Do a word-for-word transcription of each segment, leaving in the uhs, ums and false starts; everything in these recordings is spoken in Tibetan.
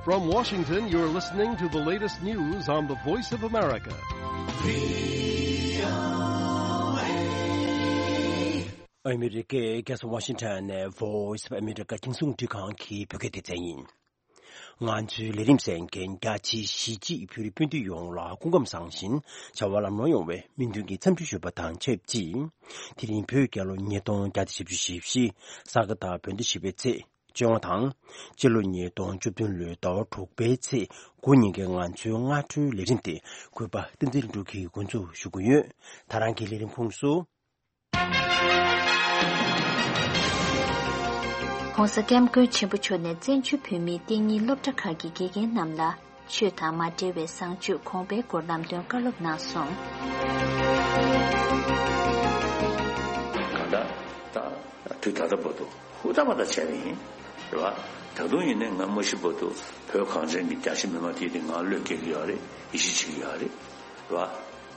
From Washington, you're listening to the latest news on the Voice of America. ཨ་མི་རི་ཀའི་རྒྱལ་ས་ཝ་ཤིང་ཊོན་ནས་Voice of America་རྒྱང་སྲིང་རླུང་འཕྲིན་ཁང་གི་བོད་སྐད་སྡེ་ཚན་ཡིན། ང་ཚོའི་ལས་རིམ་གསན་མཁན་རྒྱ་ཆེའི་གཞིས་བྱེས་བོད་རིགས་སྤུན་ཟླ་ཡོངས་ལ་སྐུ་ཁམས་བཟང་ཞིང་བྱ་བ་ལམ་ལྷོང་ཡོང་བའི་སྨོན་འདུན་གྱི་འཚམས་འདྲི་ཞུ་བ་དང་ཆབས་ཅིག་དེ་རིང་བོད་རྒྱལ་ལོ་ཉིས་སྟོང་བརྒྱ་དང་བཞི་བཅུ་ཞེ་བཞི། ས་ག་ཟླ་བོད་ཟླ་བཞི་པའི་ཚེས་བཅོ་ལྔ་དང་། སྤྱི་ལོ་ཉིས་སྟོང་བཅུ་བདུན་ལོའི་ཟླ་བ་དྲུག་པའི་ཚེས་དགུ་ཉིན་གྱི་ང་ཚོའི་སྔ་དྲོའི་ལས་རིམ་དེ་གུས་པ་བསྟན་འཛིན་ལྷུན་གྲུབ་ཀྱིས་འགོ་འཛུགས་ཞུ་གི་ཡོད། ད་རང་གི་ལས་རིམ་ཁོངས་སུ། ༸གོང་ས་༸སྐྱབས་མགོན་ཆེན་པོ་མཆོག་ནས་བཙན་བྱོལ་བོད་མིའི་གཏན་ཉིན་སློབ་གྲྭ་ཁག་གི་དགེ་རྒན་རྣམས་ལ། ཆོས་དང་མ་འབྲེལ་བའི་བཟང་སྤྱོད་གོང་འཕེལ་སྐོར་ལམ་སྟོན་བཀའ་སློབ་གནང་སོང་། གང་ལྟར་ད་དུས་ད་ལྟ་བར་དུ་ཧུར་ཐག་པ་ད་བྱས་པ་ཡིན། རེད་བ། ད་དུང་ཡིན་ནའི་ང་མ་ཤི་བར་དུ་བོད་གངས་ཅན་གྱི་རྒྱ་ཆེ་མི་མང་དེ་དེ་ང་བློས་འགེལ་གྱི་ཡོད་རེད། ཡིད་ཆེས་བྱེད་ཀྱི་ཡོད་རེད། རེད་བ།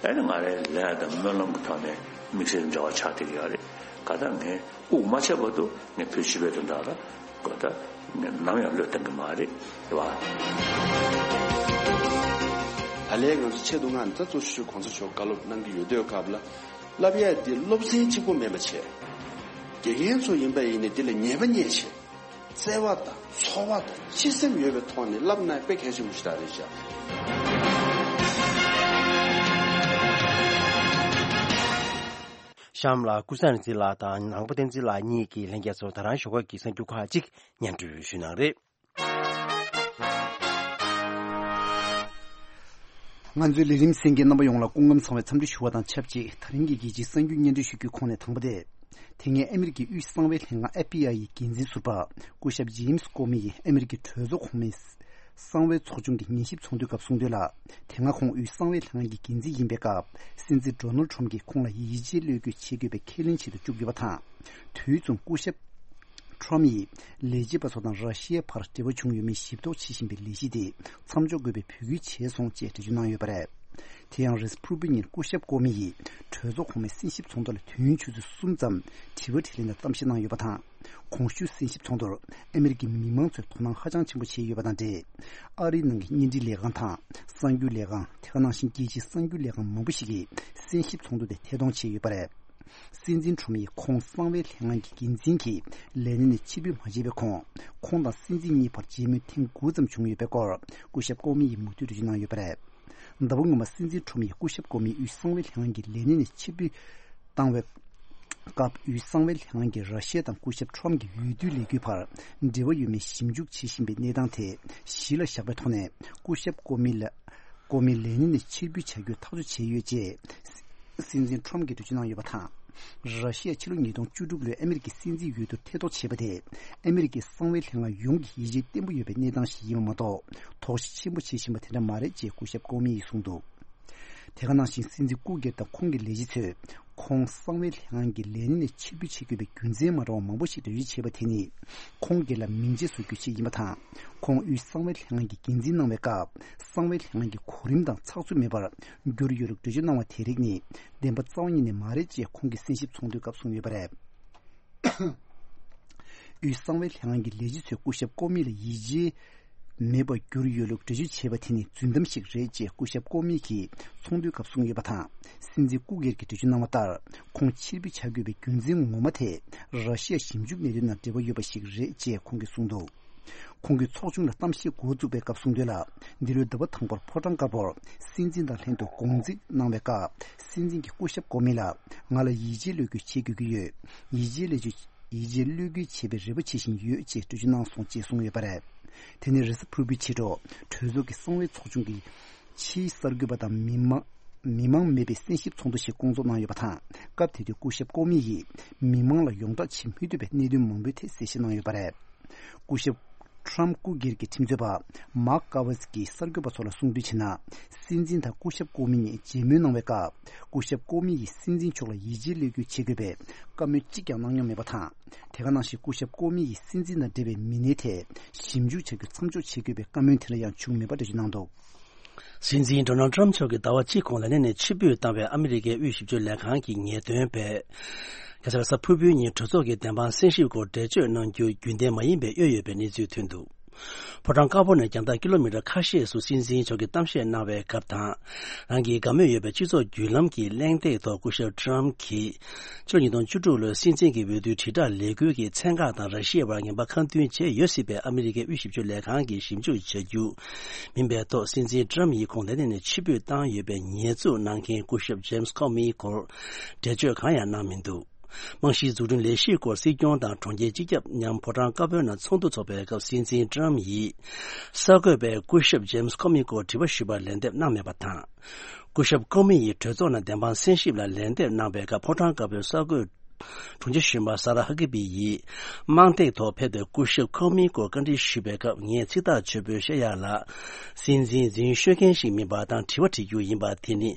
ཨ་ནི་ང་རའི་ལས་དང་སྨོན་ལམ་གྱི་ཐོག་ནས་དམིགས་བསལ་འབྲེལ་བ་ཆགས་བསྡད་ཀྱི་ཡོད་རེད། གང་ལྟར་ངས་དབུགས་མ་ཆད་བར་དུ་ངས་བོད་སྤྱི་པའི་དོན་དག་ལ་གོ་ད་ངས་ནམ་ཡང་བློས་གཏོང་གི་མ་རེད། རེད་བ། ད་ལན་ང་ཚོ་ཆེད་དུ་ང་ད་གཙོ་ཆེ་ཤོས་གོང་ས་མཆོག་བཀའ་སློབ་གནང་གི་ཡོད་དུས་སྐབས་ལ། བསླབ་ཡ་དེ་སློབ་ཚན་གཅིག་པོ་མིན་པ་བྱས། དགེ་རྒན་ཚོ་ཡིན་པ་ཡིན་ནའི་དེ་ལ་ཉེས་པ་རྙེད་བྱས། བརྩེ་བ་དང་ཚོར་བ་དང་སྤྱི་སེམས་ཡོད་པའི་ཐོག་ནས་བསླབ་ན་དཔེ་གལ་ཆེན་པོ་ཞིག་རེད་ཤག་གཤམ་ལ་ཀུན་བཟང་རིག་འཛིན་ལགས་དང་ནང་པ་བསྟན་འཛིན་ལགས་གཉིས་ཀྱིས་ལྷན་རྒྱས་ཚོར་ད་རང་ཞོགས་ཀ་གི་གསར་འགྱུར་ཁག་ཅིག་སྙན་སྒྲོན་ཞུ་གནང་རེད། ང་ཚོའི་ལས་རིམ་གསན་མཁན་རྣམ་པ་ཡོངས་ལ་སྐུ་ཁམས་བཟང་བའི་འཚམས་འདྲི་ཞུ་བ་དང་ཆབས་ཅིག་དེ་རིང་གི་རྒྱལ་སྤྱིའི་གསར་འགྱུར་སྙན་སྒྲོན་ཞུ་རྒྱུའི་ཁོངས་ནས་དང་པོ་དེ། དེ་སྔའི་ཨ་མི་རི་ཀའི་དབུས་གསང་བའི་ལྷན་ཁང་ཨེཕ་བི་ཨའི་ཡི་འགན་འཛིན་ཟུར་པ་སྐུ་ཞབས་ཇེམ་སི་ཀོ་མི་ཡིས་ཨ་མི་རི་ཀའི་གྲོས་ཚོགས་གོང་མའི་གསང་བའི་ཚོགས་ཆུང་གི་ཉན་ཞིབ་ཚོགས་འདུའི་སྐབས་གསུངས་དོན་ལ། དེ་སྔ་ཁོང་དབུས་གསང་བའི་ལྷན་ཁང་གི་འགན་འཛིན་ཡིན་པའི་སྐབས། སྲིད་འཛིན་ཌོ་ནལ་ཌི་ཊརམ་ཕི་གྱིས་ཁོང་ལ་ཡིད་ཆེས་བློས་འགེལ་བྱེད་དགོས་པའི་ཁས་ལེན་བྱེད་དུ་བཅུག་ཡོད་པ་དང་། དུས་མཚུངས་སྐུ་ཞབས་ཊརམ་ཕི་ཡིས་ལས་བྱེད་པ་ཚོ་དང་ར་ཤི་ཡའི་བར་འབྲེལ་བ་བྱུང་ཡོད་མེད་ཞིབ་རྟོག་བྱེད་བཞིན་པའི་ལས་གཞི་དེ་མཚམས་འཇོག་དགོས་པའི་འབོད་སྐུལ་བྱས་སོང་ཅེས་འགྲེལ་བརྗོད་གནང་ཡོད་པ་རེད། དེ་ཡང་རེས་གཟའ་ཕུར་བུ་ཉིན་སྐུ་ཞབས་ཀོ་མི་ཡིས་གྲོས་ཚོགས་གོང་མའི་གསན་ཞིབ་ཚོགས་འདུ་ལ་དུས་ཡུན་ཆུ་ཚོད་གསུམ་ཙམ་དྲི་བ་དྲིས་ལན་དང་གཏམ་བཤད་གནང་ཡོད་པ་དང་། གོང་ཞུས་གསན་ཞིབ་ཚོགས་འདུར་ཨ་མི་རི་ཀའི་མི་མང་ཚོས་དོ་སྣང་ཧ་ཅང་ཆེན་པོ་བྱས་ཡོད་པ་དང་འབྲེལ། ཨ་རིའི་ནང་གི་བརྙན་འཕྲིན་ལས་ཁང་དང་གསར་འགྱུར་ལས་ཁང་། དེ་ག་ནང་བཞིན་རྒྱལ་སྤྱིའི་གསར་འགྱུར་ལས་ཁང་མང་པོ་ཞིག་གིས་གསན་ཞིབ་ཚོགས་འདུ་དེ་ཐད་གཏོང་བྱས་ཡོད་པ་རེད། སྲིད་འཛིན་ཊརམ་ཕི་ཡིས་ཁོང་གསང་བའི་ལྷན་ཁང་གི་འགན་འཛིན་གྱིས་ལས་གནས་ནས་ཕྱིར་འབུད་མ་བྱས་པའི་གོང་། ཁོང་དང་སྲིད་འཛིན་གཉིས་བར་མཇལ་མོལ་ཐེངས་དགུ་ཙམ་བྱུང་ཡོད་པའི་སྐོར་སྐུ་ཞབས་ཀོ་མི་ཡིས་མུ་མཐུད་འགྲེལ་བརྗོད་གནང་ཡོད་པ་རེད། ཟླ་བ་སྔོན་མ་སྲིད་འཛིན་ཊརམ་ཕི་ཡིས་སྐུ་ཞབས་ཀོ་མི་དབུས་གསང་བའི་ལྷན་ཁང་གི་ལས་གནས་ནས་ཕྱིར་འབུད་བཏང་བའི་སྐབས། དབུས་གསང་བའི་ལྷན་ཁང་གིས་ར་ཤི་ཡ་དང་སྐུ་ཞབས་ཊརམ་ཕི་གྱི་འོས་བསྡུའི་ལས་འགུལ་བར་འབྲེལ་བ་ཡོད་མེད་ཞིབ་འཇུག་བྱེད་བཞིན་པའི་གནས་སྟངས་དེ་གཞི་ལ་བཞག་པའི་ཐོག་ནས། སྐུ་ཞབས་ཀོ་མི་ལ། ཀོ་མི་ལས་གནས་ནས་ཕྱིར་འབུད་བྱ་རྒྱུའི་ཐག་གཅོད་བྱས་ཡོད་ཅེས་སྲིད་འཛིན་ཊརམ་ཕི་གིས་འགྲེལ་བརྗོད་གནང་ཡོད་པ་དང་། ར་ཤི་ཡས་ཕྱི་ལོ་ཉིས་སྟོང་བཅུ་དྲུག་ལོའི་ཨ་མི་རི་ཀའི་སྲིད་འཛིན་འོས་བསྡུར་ཐེ་གཏོགས་བྱས་པ་དེ་ཨ་མི་རི་ཀའི་གསང་བའི་ལྷན་ཁང་ཡོངས་ཀྱི་ཡིད་ཆེས་བརྟན་པོ་ཡོད་པའི་གནས་སྟངས་ཤིག་ཡིན་པ་མ་གཏོགས། དོགས་གཞི་ཆེན་པོ་བྱེད་བཞིན་པ་དེ་འདྲ་མ་རེད་ཅེས་སྐུ་ཞབས་ཀོ་མི་ཡིས་གསུངས་འདུག་དེ་ག་ནང་བཞིན་སྲིད་འཛིན་སྐུ་སྒེར་དང་ཁོང་གི་ལས་བྱེད་ཚོས་ཁོང་གསང་བའི་ལྷན་ཁང་གི་ལས་གནས་ནས་ཕྱིར་འབུད་བྱེད་དགོས་པའི་རྒྱུ་མཚན་མ་འདྲ་བ་མང་པོ་ཞིག་འགྲེལ་བརྗོད་བྱས་པ་དེ་ནི། ཁོང་སྒེར་ལ་མིང་ཆད་བཟོ་རྒྱུའི་ཆེད་ཡིན་པ་དང་། ཁོང་དབུས་གསང་བའི་ལྷན་ཁང་གི་འགན་འཛིན་གནང་བའི་སྐབས། གསང་བའི་ལྷན་ཁང་གི་གོ་རིམ་དང་ཚགས་ཚུད་མེད་པར་གྱུར་ཡོད་ལུགས་འགྲེལ་བརྗོད་གནང་བ་དེ་རིགས་ནི་བདེན་པ་རྩ་བ་ཉིད་ནས་མ་རེད་ཅེས་ཁོང་གིས་གསན་ཞིབ་ཚོགས་འདུའི་སྐབས་གསུངས་ཡོད་པ་རེད། དབུས་གསང་བའི་ལྷན་ཁང་གི་ལས་བྱེད་ཚོས་སྐུ་ཞབས་ཀོ་མི་ལ་ཡིད་ཆེས་མེད་པར་གྱུར་ཡོད་ལུགས་འགྲེལ་བརྗོད་བྱས་པ་དེ་ནི་རྫུན་གཏམ་ཞིག་རེད་ཅེས་སྐུ་ཞབས་ཀོ་མི་གིས་ཚོགས་འདུའི་སྐབས་གསུངས་ཡོད་པ་དང་། སྲིད་འཛིན་སྐུ་སྒེར་གྱིས་འགྲེལ་བརྗོད་གནང་བ་ལྟར། ཁོང་ཕྱིར་འབུད་བྱ་དགོས་པའི་རྒྱུ་མཚན་ངོ་མ་དེ་ར་ཤི་ཡ་ཞིབ་འཇུག་གནད་དོན་དང་འབྲེལ་བ་ཡོད་པ་ཞིག་རེད་ཅེས་ཁོང་གིས་གསུངས་འདུག་ཁོང་གིས་ཚོགས་ཆུང་ལ་གཏམ་བཤད་འགོ་བཙུགས་པའི་སྐབས་གསུངས་དོན་ལ། འདི་ལོའི་ཟླ་བ་དང་པོར་ཕོ་བྲང་དཀར་པོར་སྲིད་འཛིན་དང་ལྷན་དུ་དགོང་རྩིས་གནང་བའི་སྐབས། སྲིད་འཛིན་གྱིས་སྐུ་ཞབས་ཀོ་མི་ལ་ང་ལ་ཡིད་ཆེས་བློས་འགེལ་བྱེད་དགོས་ཀྱི་ཡོད། ཡིད་ཆེས་བློས་འགེལ། ཡིད་ཆེས་བློས་འགེལ་བྱེད་པའི་རེ་བ་བྱེད་བཞིན་ཡོད་ཅེས་འགྲེལ་བརྗོད་གནང་སོང་ཅེས་གསུངས་ཡོད་པ་རེད། དེ་ནི་རེས་གཟའ་ཕུར་བུའི་ཕྱི་དྲོ་གྲོས་ཚོགས་ཀྱི་གསང་བའི་ཚོགས་ཆུང་གི་ཕྱིའི་གསར་འགོད་པ་དང་མི་མང་མི་མང་མེད་པའི་གསན་ཞིབ་ཚོགས་འདུ་ཞིག་བསྐོང་ཚོགས་གནང་ཡོད་པ་དང་། སྐབས་དེ་དུས་སྐུ་ཞབས་ཀོ་མི་ཡིས་མི་མང་ལ་ཡོངས་བསྒྲགས་བྱེད་མི་ཐུབ་པའི་གནད་དོན་མང་པོའི་ཐད་གསལ་བཤད་གནང་ཡོད་པ་རེད། སྐུ་ཞབས་ཊརམ་སྐུ་སྒེར་གྱི་ཁྲིམས་རྩོད་པ་མཱག་ཀ་ཝཱ་སི་ཀིས་གསར་འགོད་པ་ཚོ་ལ་གསུངས་དོན་བྱས་ན། སྲིད་འཛིན་དང་སྐུ་ཞབས་ཀོ་མི་གཉིས་མཇལ་མོལ་གནང་བའི་སྐབས། སྐུ་ཞབས་ཀོ་མི་ཡིས་སྲིད་འཛིན་མཆོག་ལ་ཡིད་ཆེས་བློས་འགེལ་བྱེད་དགོས་པའི་བཀའ་མོལ་གཅིག་ཀྱང་གནང་མྱོང་མེད་པ་དང་། དེ་ག་ནང་བཞིན་སྐུ་ཞབས་ཀོ་མི་ཡིས་སྲིད་འཛིན་དང་འབྲེལ་བའི་མི་སྣའི་ཐད་ཞིབ་འཇུག་བྱ་རྒྱུ་མཚམས་འཇོག་བྱེད་དགོས་པའི་བཀའ་མོལ་དེ་འདྲ་ཡང་བྱུང་མེད་པ་འགྲེལ་བརྗོད་གནང་འདུག་སྲིད་འཛིན་ཌོ་ནལ་ཌི་ཊརམ་མཆོག་གིས་ཟླ་བ་གཅིག་གོང་ལས་གནས་ནས་ཕྱིར་འབུད་བཏང་བའི་ཨ་མི་རི་ཀའི་དབུས་ཞིབ་དཔྱོད་ལས་ཁང་གི་ངེས་སྟོན་པས། ག་ས་ག་ས་ཕུར་བུའི་ཉིན་གྲོས་ཚོགས་ཀྱི་བདེན་དཔང་གསན་ཞིབ་སྐོར་འགྲེལ་བརྗོད་གནང་རྒྱུ་རྒྱུན་ལྡན་མ་ཡིན་པའི་གཡོ་ཡོད་པའི་གནས་ཚུལ་ཐོན་འདུག་ཕོ་བྲང་དཀར་པོ་ནས་རྒྱང་ཐག་ཀི་ལོ་མི་ཊར་ཁ་ཤས་སུ་སྲིད་འཛིན་མཆོག་གིས་གཏམ་བཤད་གནང་བའི་སྐབས་དང་། རང་གི་དགའ་མོས་ཡོད་པའི་སྤྱི་ཚོགས་བརྒྱུད་ལམ་གྱི་གླེང་སྟེགས་ཐོག་སྐུ་ཞབས་ཊམ་གྱིས། ཕྱི་ལོ་ཉིས་སྟོང་བཅུ་དྲུག་ལོའི་སྲིད་འཛིན་གྱི་འོས་བསྡུའི་དྲིལ་བསྒྲགས་ལས་འགུལ་གྱི་ཚན་ཁག་དང་ར་ཤི་ཡའི་བར་ངན་པ་ཁ་མཐུན་བྱས་ཡོད་སྲིད་པའི་ཨ་མི་རི་ཀའི་དབུས་ཞིབ་འཇུག་ལས་ཁང་གིས་ཞིབ་འཇུག་བྱ་རྒྱུ་མིན་པའི་ཐོག་སྲིད་འཛིན་ཊམ་ཡིས་ཁོང་ལས་གནས་ནས་ཕྱིར་འབུད་བཏང་ཡོད་པའི་ཉེས་འཛུགས་གནང་མཁན་སྐུ་ཞབས་ཇེམ་སི་ཁོ་མིའི་སྐོར་འགྲེལ་བརྗོད་གང་ཡང་གནང་མི་འདུག་རྨང་གཞིའི་འཛུགས་སྐྲུན་ལས་གཞིའི་སྐོར་སྲིད་སྐྱོང་དང་གྲོང་ཁྱེར་སྤྱི་ཁྱབ་མཉམ་ཕོ་བྲང་དཀར་པོའི་ནང་ཚོགས་འདུ་འཚོགས་པའི་སྐབས་སྲིད་འཛིན་ཊམ་ཡིས་གསར་འགོད་པས་སྐུ་ཞབས་ཇེམ་སི་ཁོ་མི་སྐོར་དྲི་བ་ཞུས་པར་ལན་འདེབས་གནང་མེད་པ་དང་། སྐུ་ཞབས་ཁོ་མི་ཡིས་གྲོས་ཚོགས་ནང་བདེན་དཔང་གསན་ཞིབ་ལ་ལན་འདེབས་གནང་བའི་སྐབས་ཕོ་བྲང་དཀར་པོའི་གསར་འགོད་དྲུང་ཆེ་གཞོན་པ་ས་ར་ཧ་ཀི་བི་ཡིས་དམངས་སྟེགས་ཐོག་ཕེབས་ཏེ་སྐུ་ཞབས་ཁོ་མིའི་སྐོར་བཀའ་འདྲི་ཞུས་པའི་སྐབས། ངས་ཚིག་ཐག་ཆོད་པོས་བཤད་ཡག་ལ། སྲིད་འཛིན་འཛིན་ཤོད་མཁན་ཞིག་མིན་པ་དང་དྲི་བ་དྲི་རྒྱུ་ཡིན་པ་དེ་ནི་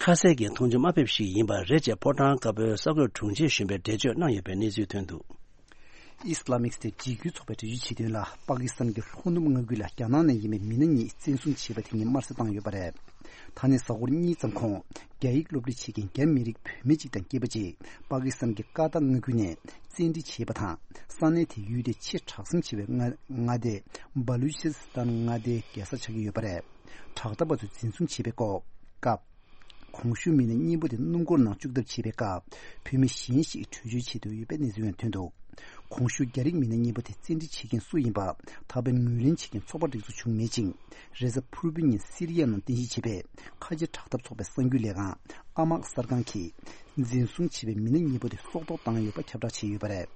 ཁ་གསལ་གྱི་མཐོང་ཆུང་དམའ་ཕེབས་ཤིག་ཡིན་པ་རེད་ཅེས་ཕོ་བྲང་དཀར་པོའི་གསར་འགོད་དྲུང་ཆེ་གཞོན་པས་འགྲེལ་བརྗོད་གནང་ཡོད་པའི་གནས་ཚུལ་ཐོན་འདུག་ཨི་སི་ལ་མིག་སྟེ་འཇིགས་སྐུལ་ཚོགས་པའི་འགྲེལ་བརྗོད་བྱེད་དོན་ལ། པ་ཀི་སི་ཐན་གྱི་ལྷོ་ནུབ་མངའ་ཁུལ་ལ་རྒྱ་ནག་ནས་ཡིན་པའི་མི་སྣ་གཉིས་བཙན་བཟུང་བྱས་པ་དེ་ཉིད་དམར་གསོད་བཏང་ཡོད་པ་རེད། ད་ནས་གཟའ་འཁོར་གཉིས་ཙམ་གོང་། རྒྱ་ཡིག་སློབ་ཁྲིད་བྱེད་མཁན་རྒྱ་མི་རིགས་བུད་མེད་ཅིག་དང་སྐྱེས་པ་ཅིག་པ་ཀི་སི་ཐན་གྱི་ཀ་ཏ་མངའ་ཁུལ་ནས་བཙན་ཁྲིད་བྱས་པ་དང་། ས་གནས་དེ་ཡུལ་དེའི་ཆེས་གྲགས་ཅན་ཆེ་བའི་མངའ་མངའ་སྡེ་བ་ལུ་ཆི་སི་ཐན་མངའ་སྡེའི་རྒྱལ་ས་ཆགས་ཀྱི་ཡོད་པ་རེད། དྲག་འཐབ་པ་ཚོས་འཛིན་བཟུང་བྱས་པའི་སྐོར་སྐབས། གོང་ཞུས་མི་སྣ་གཉིས་པོ་དེ་སྣུམ་འཁོར་ནང་བཅུག་ཐབས་བྱས་པའི་སྐབས། བུད་མེད་གཞན་ཞིག་བྲོས་བྱོལ་བྱེད་འདོད་ཡོད་པའི་གནས་ཚུལ་ཡང་ཐོན་འདུག་གོང་ཞུས་རྒྱ་རིགས་མི་སྣ་གཉིས་པོ་དེ་བཙན་ཁྲིད་བྱེད་མཁན་སུ་ཡིན་པ། ད་ཕན་ངོས་ལེན་བྱེད་མཁན་ཚོགས་པ་སྒྲིག་འཛུགས་བྱུང་མེད་ཅིང་། རེས་གཟའ་ཕུར་བུའི་ཉིན་སི་རི་ཡ་ནང་རྟེན་གཞི་བྱས་པའི་ཁ་ཆེ་དྲག་འཐབ་ཚོགས་པའི་གསར་འགྱུར་ལས་ཁང་ཨ་མག་གསར་ཁང་གིས། འཛིན་བཟུང་བྱས་པའི་མི་སྣ་གཉིས་པོ་དེ་སྲོག་ཐོག་བཏང་ཡོད་པ་ཁྱབ་བསྒྲགས་བྱས་ཡོད་པ་རེད།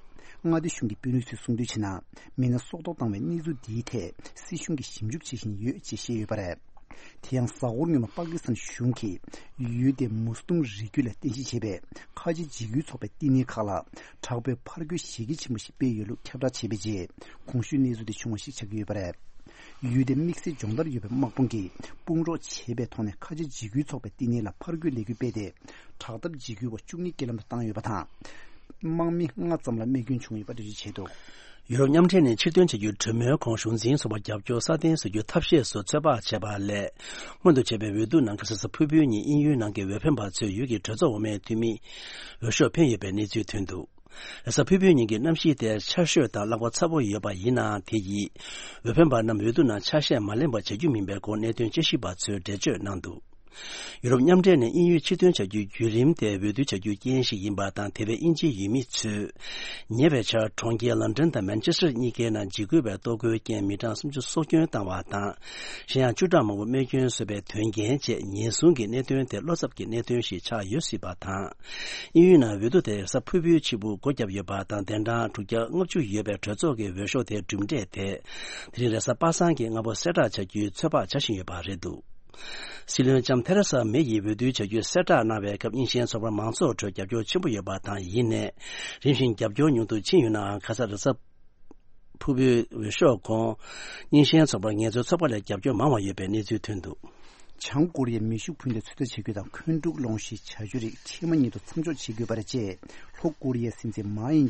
མངའ་སྡེ་གཞུང་གི་དཔོན་རིགས་ཚོས་གསུངས་དོན་བྱས་ན། མི་སྣ་སྲོག་ཐོག་བཏང་བའི་གནས་ཚུལ་འདིའི་ཐད་སྲིད་གཞུང་གིས་ཞིབ་འཇུག་བྱེད་བཞིན་ཡོད་ཅེས་བཤད་ཡོད་པ་རེད། དེ་ཡང་གཟའ་འཁོར་སྔོན་མ་པ་ཀི་སི་ཐན་གཞུང་གིས་ཡུལ་དེའི་མུ་སི་ལིམ་རིགས་རྒྱུད་ལ་རྟེན་གཞི་བྱས་པའི་ཁ་ཆེ་འཇིགས་སྐུལ་ཚོགས་པའི་བསྟི་གནས་ཁག་ལ་དྲག་པོའི་ཕར་རྒོལ་གཞི་རྒྱ་ཆེན་པོ་ཞིག་སྤེལ་ཡོད་ལུགས་ཁྱབ་བསྒྲགས་བྱས་པའི་རྗེས། གོང་ཞུས་གནས་ཚུལ་དེ་བྱུང་བ་ཞིག་ཆགས་ཀྱི་ཡོད་པ་རེད། ཡུལ་དེའི་དམིགས་བསལ་སྦྱོང་བརྡར་ཡོད་པའི་དམག་དཔུང་གིས་དཔུང་རོགས་བྱས་པའི་ཐོག་ནས་ཁ་ཆེ་འཇིགས་སྐུལ་ཚོགས་པའི་བསྟི་གནས་ལ་ཕར་རྒོལ་ལས་འགུལ་སྤེལ་ཏེ། དྲག་འཐབ་འཇིགས་སྐུལ་བ་བཅུ་གཉིས་རྐྱེན་ལམ་དུ་བཏང་ཡོད་པ་དང་། དམག་མི་ལྔ་ཙམ་ལ་རྨས་སྐྱོན་བྱུང་ཡོད་པ་འགྲེལ་བརྗོད་བྱས་འདུག་ཡུ་རོབ་མཉམ་འབྲེལ་ནས་ཕྱིར་ཐོན་བྱ་རྒྱུའི་གྲོས་མོལ་གོང་གཞུང་འཛིན་ཚོགས་པར་རྒྱབ་སྐྱོར་སྲ་བརྟན་བཟོ་རྒྱུའི་ཐབས་ཤེས་སུ་ཚོད་དཔག་བྱས་པ་ལས། སྔོན་དུ་བྱས་པའི་འོས་བསྡུ་ནང་གཟའ་ཕུར་བུའི་ཉིན་དབྱིན་ཡུལ་ནང་གི་འོས་འཕེན་པ་ཚོས་ཡུལ་གྱི་གྲོས་ཚོགས་འོག་མའི་འཐུས་མི་འོས་ཤོག་འཕེན་ཡོད་པའི་གནས་ཚུལ་ཐོན་འདུག་གཟའ་ཕུར་བུའི་ཉིན་གྱི་གནམ་གཤིས་དེ་ཆར་ཞོད་དང་རླག་པ་ཚ་པོ་ཡོད་པ་ཡིན་ནའང་། དེ་ཡིས་འོས་འཕེན་པ་རྣམས་འོས་བསྡུ་ནང་ཆ་ཤས་མ་ལེན་པར་བྱ་རྒྱུ་མིན་པའི་སྐོར་གནད་དོན་དཔྱད་ཞིབ་པ་ཚོས་འགྲེལ་བརྗོད་གནང་འདུག་ཡུ་རོབ་མཉམ་འབྲེལ་ནས་དབྱིན་ཡུལ་ཕྱིར་ཐོན་བྱ་རྒྱུའི་བརྒྱུད་རིམ་དེ་འོས་བསྡུ་བྱ་རྒྱུའི་རྐྱེན་ཞིག་ཡིན་པ་དང་། དེ་བས་དབྱིན་ཇིའི་ཡུལ་མི་ཚོས་ཉེ་བའི་ཆར་གྲོང་ཁྱེར་ལན་ཀྲན་དང་མན་ཆེ་སི་ཊར་གཉིས་ཀའི་ནང་འཇིགས་སྐུལ་བའི་གཏོར་རྒོལ་རྐྱེན་མི་གྲངས་སུམ་ཅུ་སྲོག་སྐྱོན་བཏང་བ་དང་། གཞན་ཡང་བཅུ་ཕྲག་མང་པོ་རྨས་སྐྱོན་བཟོས་པའི་དོན་རྐྱེན་བཅས་ཉེན་སྲུང་གི་གནད་དོན་དེ་བློ་འཚབ་ཀྱི་གནད་དོན་ཞིག་ཆགས་ཡོད་སྲིད་པ་དང་། དབྱིན་ཡུལ་ནང་འོས་བསྡུ་དེ་གཟའ་ཕུར་བུའི་ཕྱི་དབུགས་སྒོ་བརྒྱབ་ཡོད་པ་དང་། གདན་གྲངས་དྲུག་བརྒྱ་ལྔ་བཅུ་ཡོད་པའི་གྲོས་ཚོགས་ཀྱི་འོས་ཤོག་དེའི་གྲུབ་འབྲས་དེ་དེ་རིང་རེས་གཟའ་པ་སངས་ཀྱི་སྔ་པོ་གསལ་བསྒྲགས་བྱ་རྒྱུའི་ཚོད་དཔག་བྱ་བཞིན་ཡོད་པ་རེད་འདུག་སྲིད་བློན་ལྕམ་ཐེ་རེ་ས་མེ་ཡིས་འོས་བསྡུའི་བྱ་རྒྱུའི་གསལ་བསྒྲགས་གནང་བའི་སྐབས། རྙིང་ཞེན་ཚོགས་པར་མང་ཚོགས་ཁྲོད་རྒྱབ་སྐྱོར་ཆེན་པོ་ཡོད་པ་དང་། ཡིན་ནའི་རིམ་བཞིན་རྒྱབ་སྐྱོར་ཉུང་དུ་ཕྱིན་ཡོད་ནའང་། ཁ་ས་རེས་གཟའ་ཕུར་བུའི་འོས་ཤོག་གོང་། རྙིང་ཞེན་ཚོགས་པར་ངལ་རྩོལ་ཚོགས་པ་ལས་རྒྱབ་སྐྱོར་མང་བ་ཡོད་པའི་གནས་ཚུལ་ཐོན་འདུག་བྱང་ཀོ་རི་ཡའི་མེ་ཤུགས་འཕུར་མདའ་ཚོད་ལྟ་བྱེད་རྒྱུ་དང་། འཁོན་འཁྲུག་སློང་གཞིའི་བྱ་སྤྱོད་རིགས་ཕྱེ་མ་གཉིས་དུ་མཚམས་འཇོག་བྱེད་དགོས་པ་རེད་ཅེས་ལྷོ་ཀོ་རི་ཡའི་སྲིད་འཛིན་མཱ་ཡིན་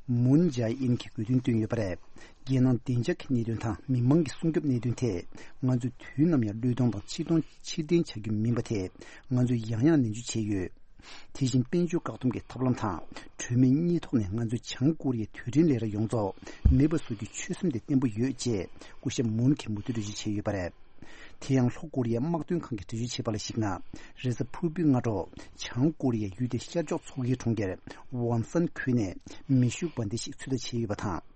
མུན་ཇཱ་ཨིན་གྱིས་དགོས་འདུན་བཏོན་ཡོད་པ་རེད། རྒྱལ་ནང་བདེ་འཇགས་ཀྱི་གནད་དོན་དང་མི་མང་གི་སྲུང་སྐྱོབ་གནད་དོན་ཐད། ང་ཚོས་དུས་ནམ་ཡང་བློས་གཏོང་དང་ཕྱིར་གཏོང་ཕྱིར་འཐེན་བྱ་རྒྱུ་མིན་པ་ཐད། ང་ཚོས་ཡང་ཡང་ནན་བརྗོད་བྱས་ཡོད། དེ་བཞིན་དཔལ་འབྱོར་བཀག་སྡོམ་གྱི་ཐབས་ལམ་དང་གྲོས་མོལ་གཉིས་ཐོག་ནས། ང་ཚོས་བྱང་ཀོ་རི་ཡའི་དུས་དྲན་ལས་ར་ཡོངས་རྫོགས་མེད་པ་བཟོ་རྒྱུའི་ཆོད་སེམས་དེ་བརྟན་པོ་ཡོད་ཅེས་སྐུ་ཞབས་མུན་གྱིས་མུ་མཐུད་འགྲེལ་བརྗོད་བྱས་ཡོད་པ་རེད། དེ་ཡང་ལྷོ་ཀོ་རི་ཡའི་དམག་དོན་ཁང་གིས་འགྲེལ་བརྗོད་བྱས་པ་ལ་གཞིགས་ན། རེས་གཟའ་ཕུར་བུའི་སྔ་དྲོ། བྱང་ཀོ་རི་ཡའི་ཡུལ་དེའི་ཤར་ཕྱོགས་མཚོ་ཁའི་གྲོང་ཁྱེར་ཝང་སན་ཁུལ་ནས་མེ་ཤུགས་འབར་མདེལ་ཞིག་ཚོད་ལྟ་བྱས་ཡོད་པ་དང་།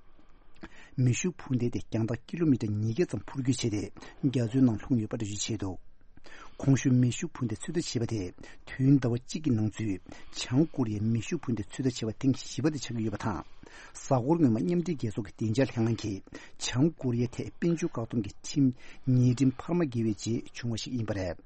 མེ་ཤུགས་འཕུར་མདེལ་དེ་རྒྱང་ཐག་ཀི་ལོ་མི་ཊར་ཉིས་བརྒྱ་ཙམ་འཕུར་སྐྱོད་བྱས་ཏེ། རྒྱ་མཚོའི་ནང་ལྷུང་ཡོད་པ་འགྲེལ་བརྗོད་བྱས་འདུག་གོང་ཞུས་མེ་ཤུགས་འཕུར་མདའི་ཚོད་ལྟ་བྱས་པ་དེ། དུས་ཡུན་ཟླ་བ་གཅིག་གི་ནང་ཚུད། བྱང་ཀོ་རི་ཡའི་མེ་ཤུགས་འཕུར་མདའི་ཚོད་ལྟ་བྱས་པ་ཐེངས་བཞི་པ་དེ་ཆགས་ཀྱི་ཡོད་པ་དང་། གཟའ་འཁོར་སྔོན་མ་མཉམ་འབྲེལ་རྒྱལ་ཚོགས་ཀྱི་བདེ་འཇགས་ལྷན་ཁང་གིས་བྱང་ཀོ་རི་ཡའི་ཐད་དཔལ་འབྱོར་བཀག་སྡོམ་གྱི་ཁྲིམས་ཉེས་ཁྲིམས་འཕར་མ་བརྒལ་བའི་རྗེས་བྱུང་བ་ཞིག་ཡིན་པ་རེད།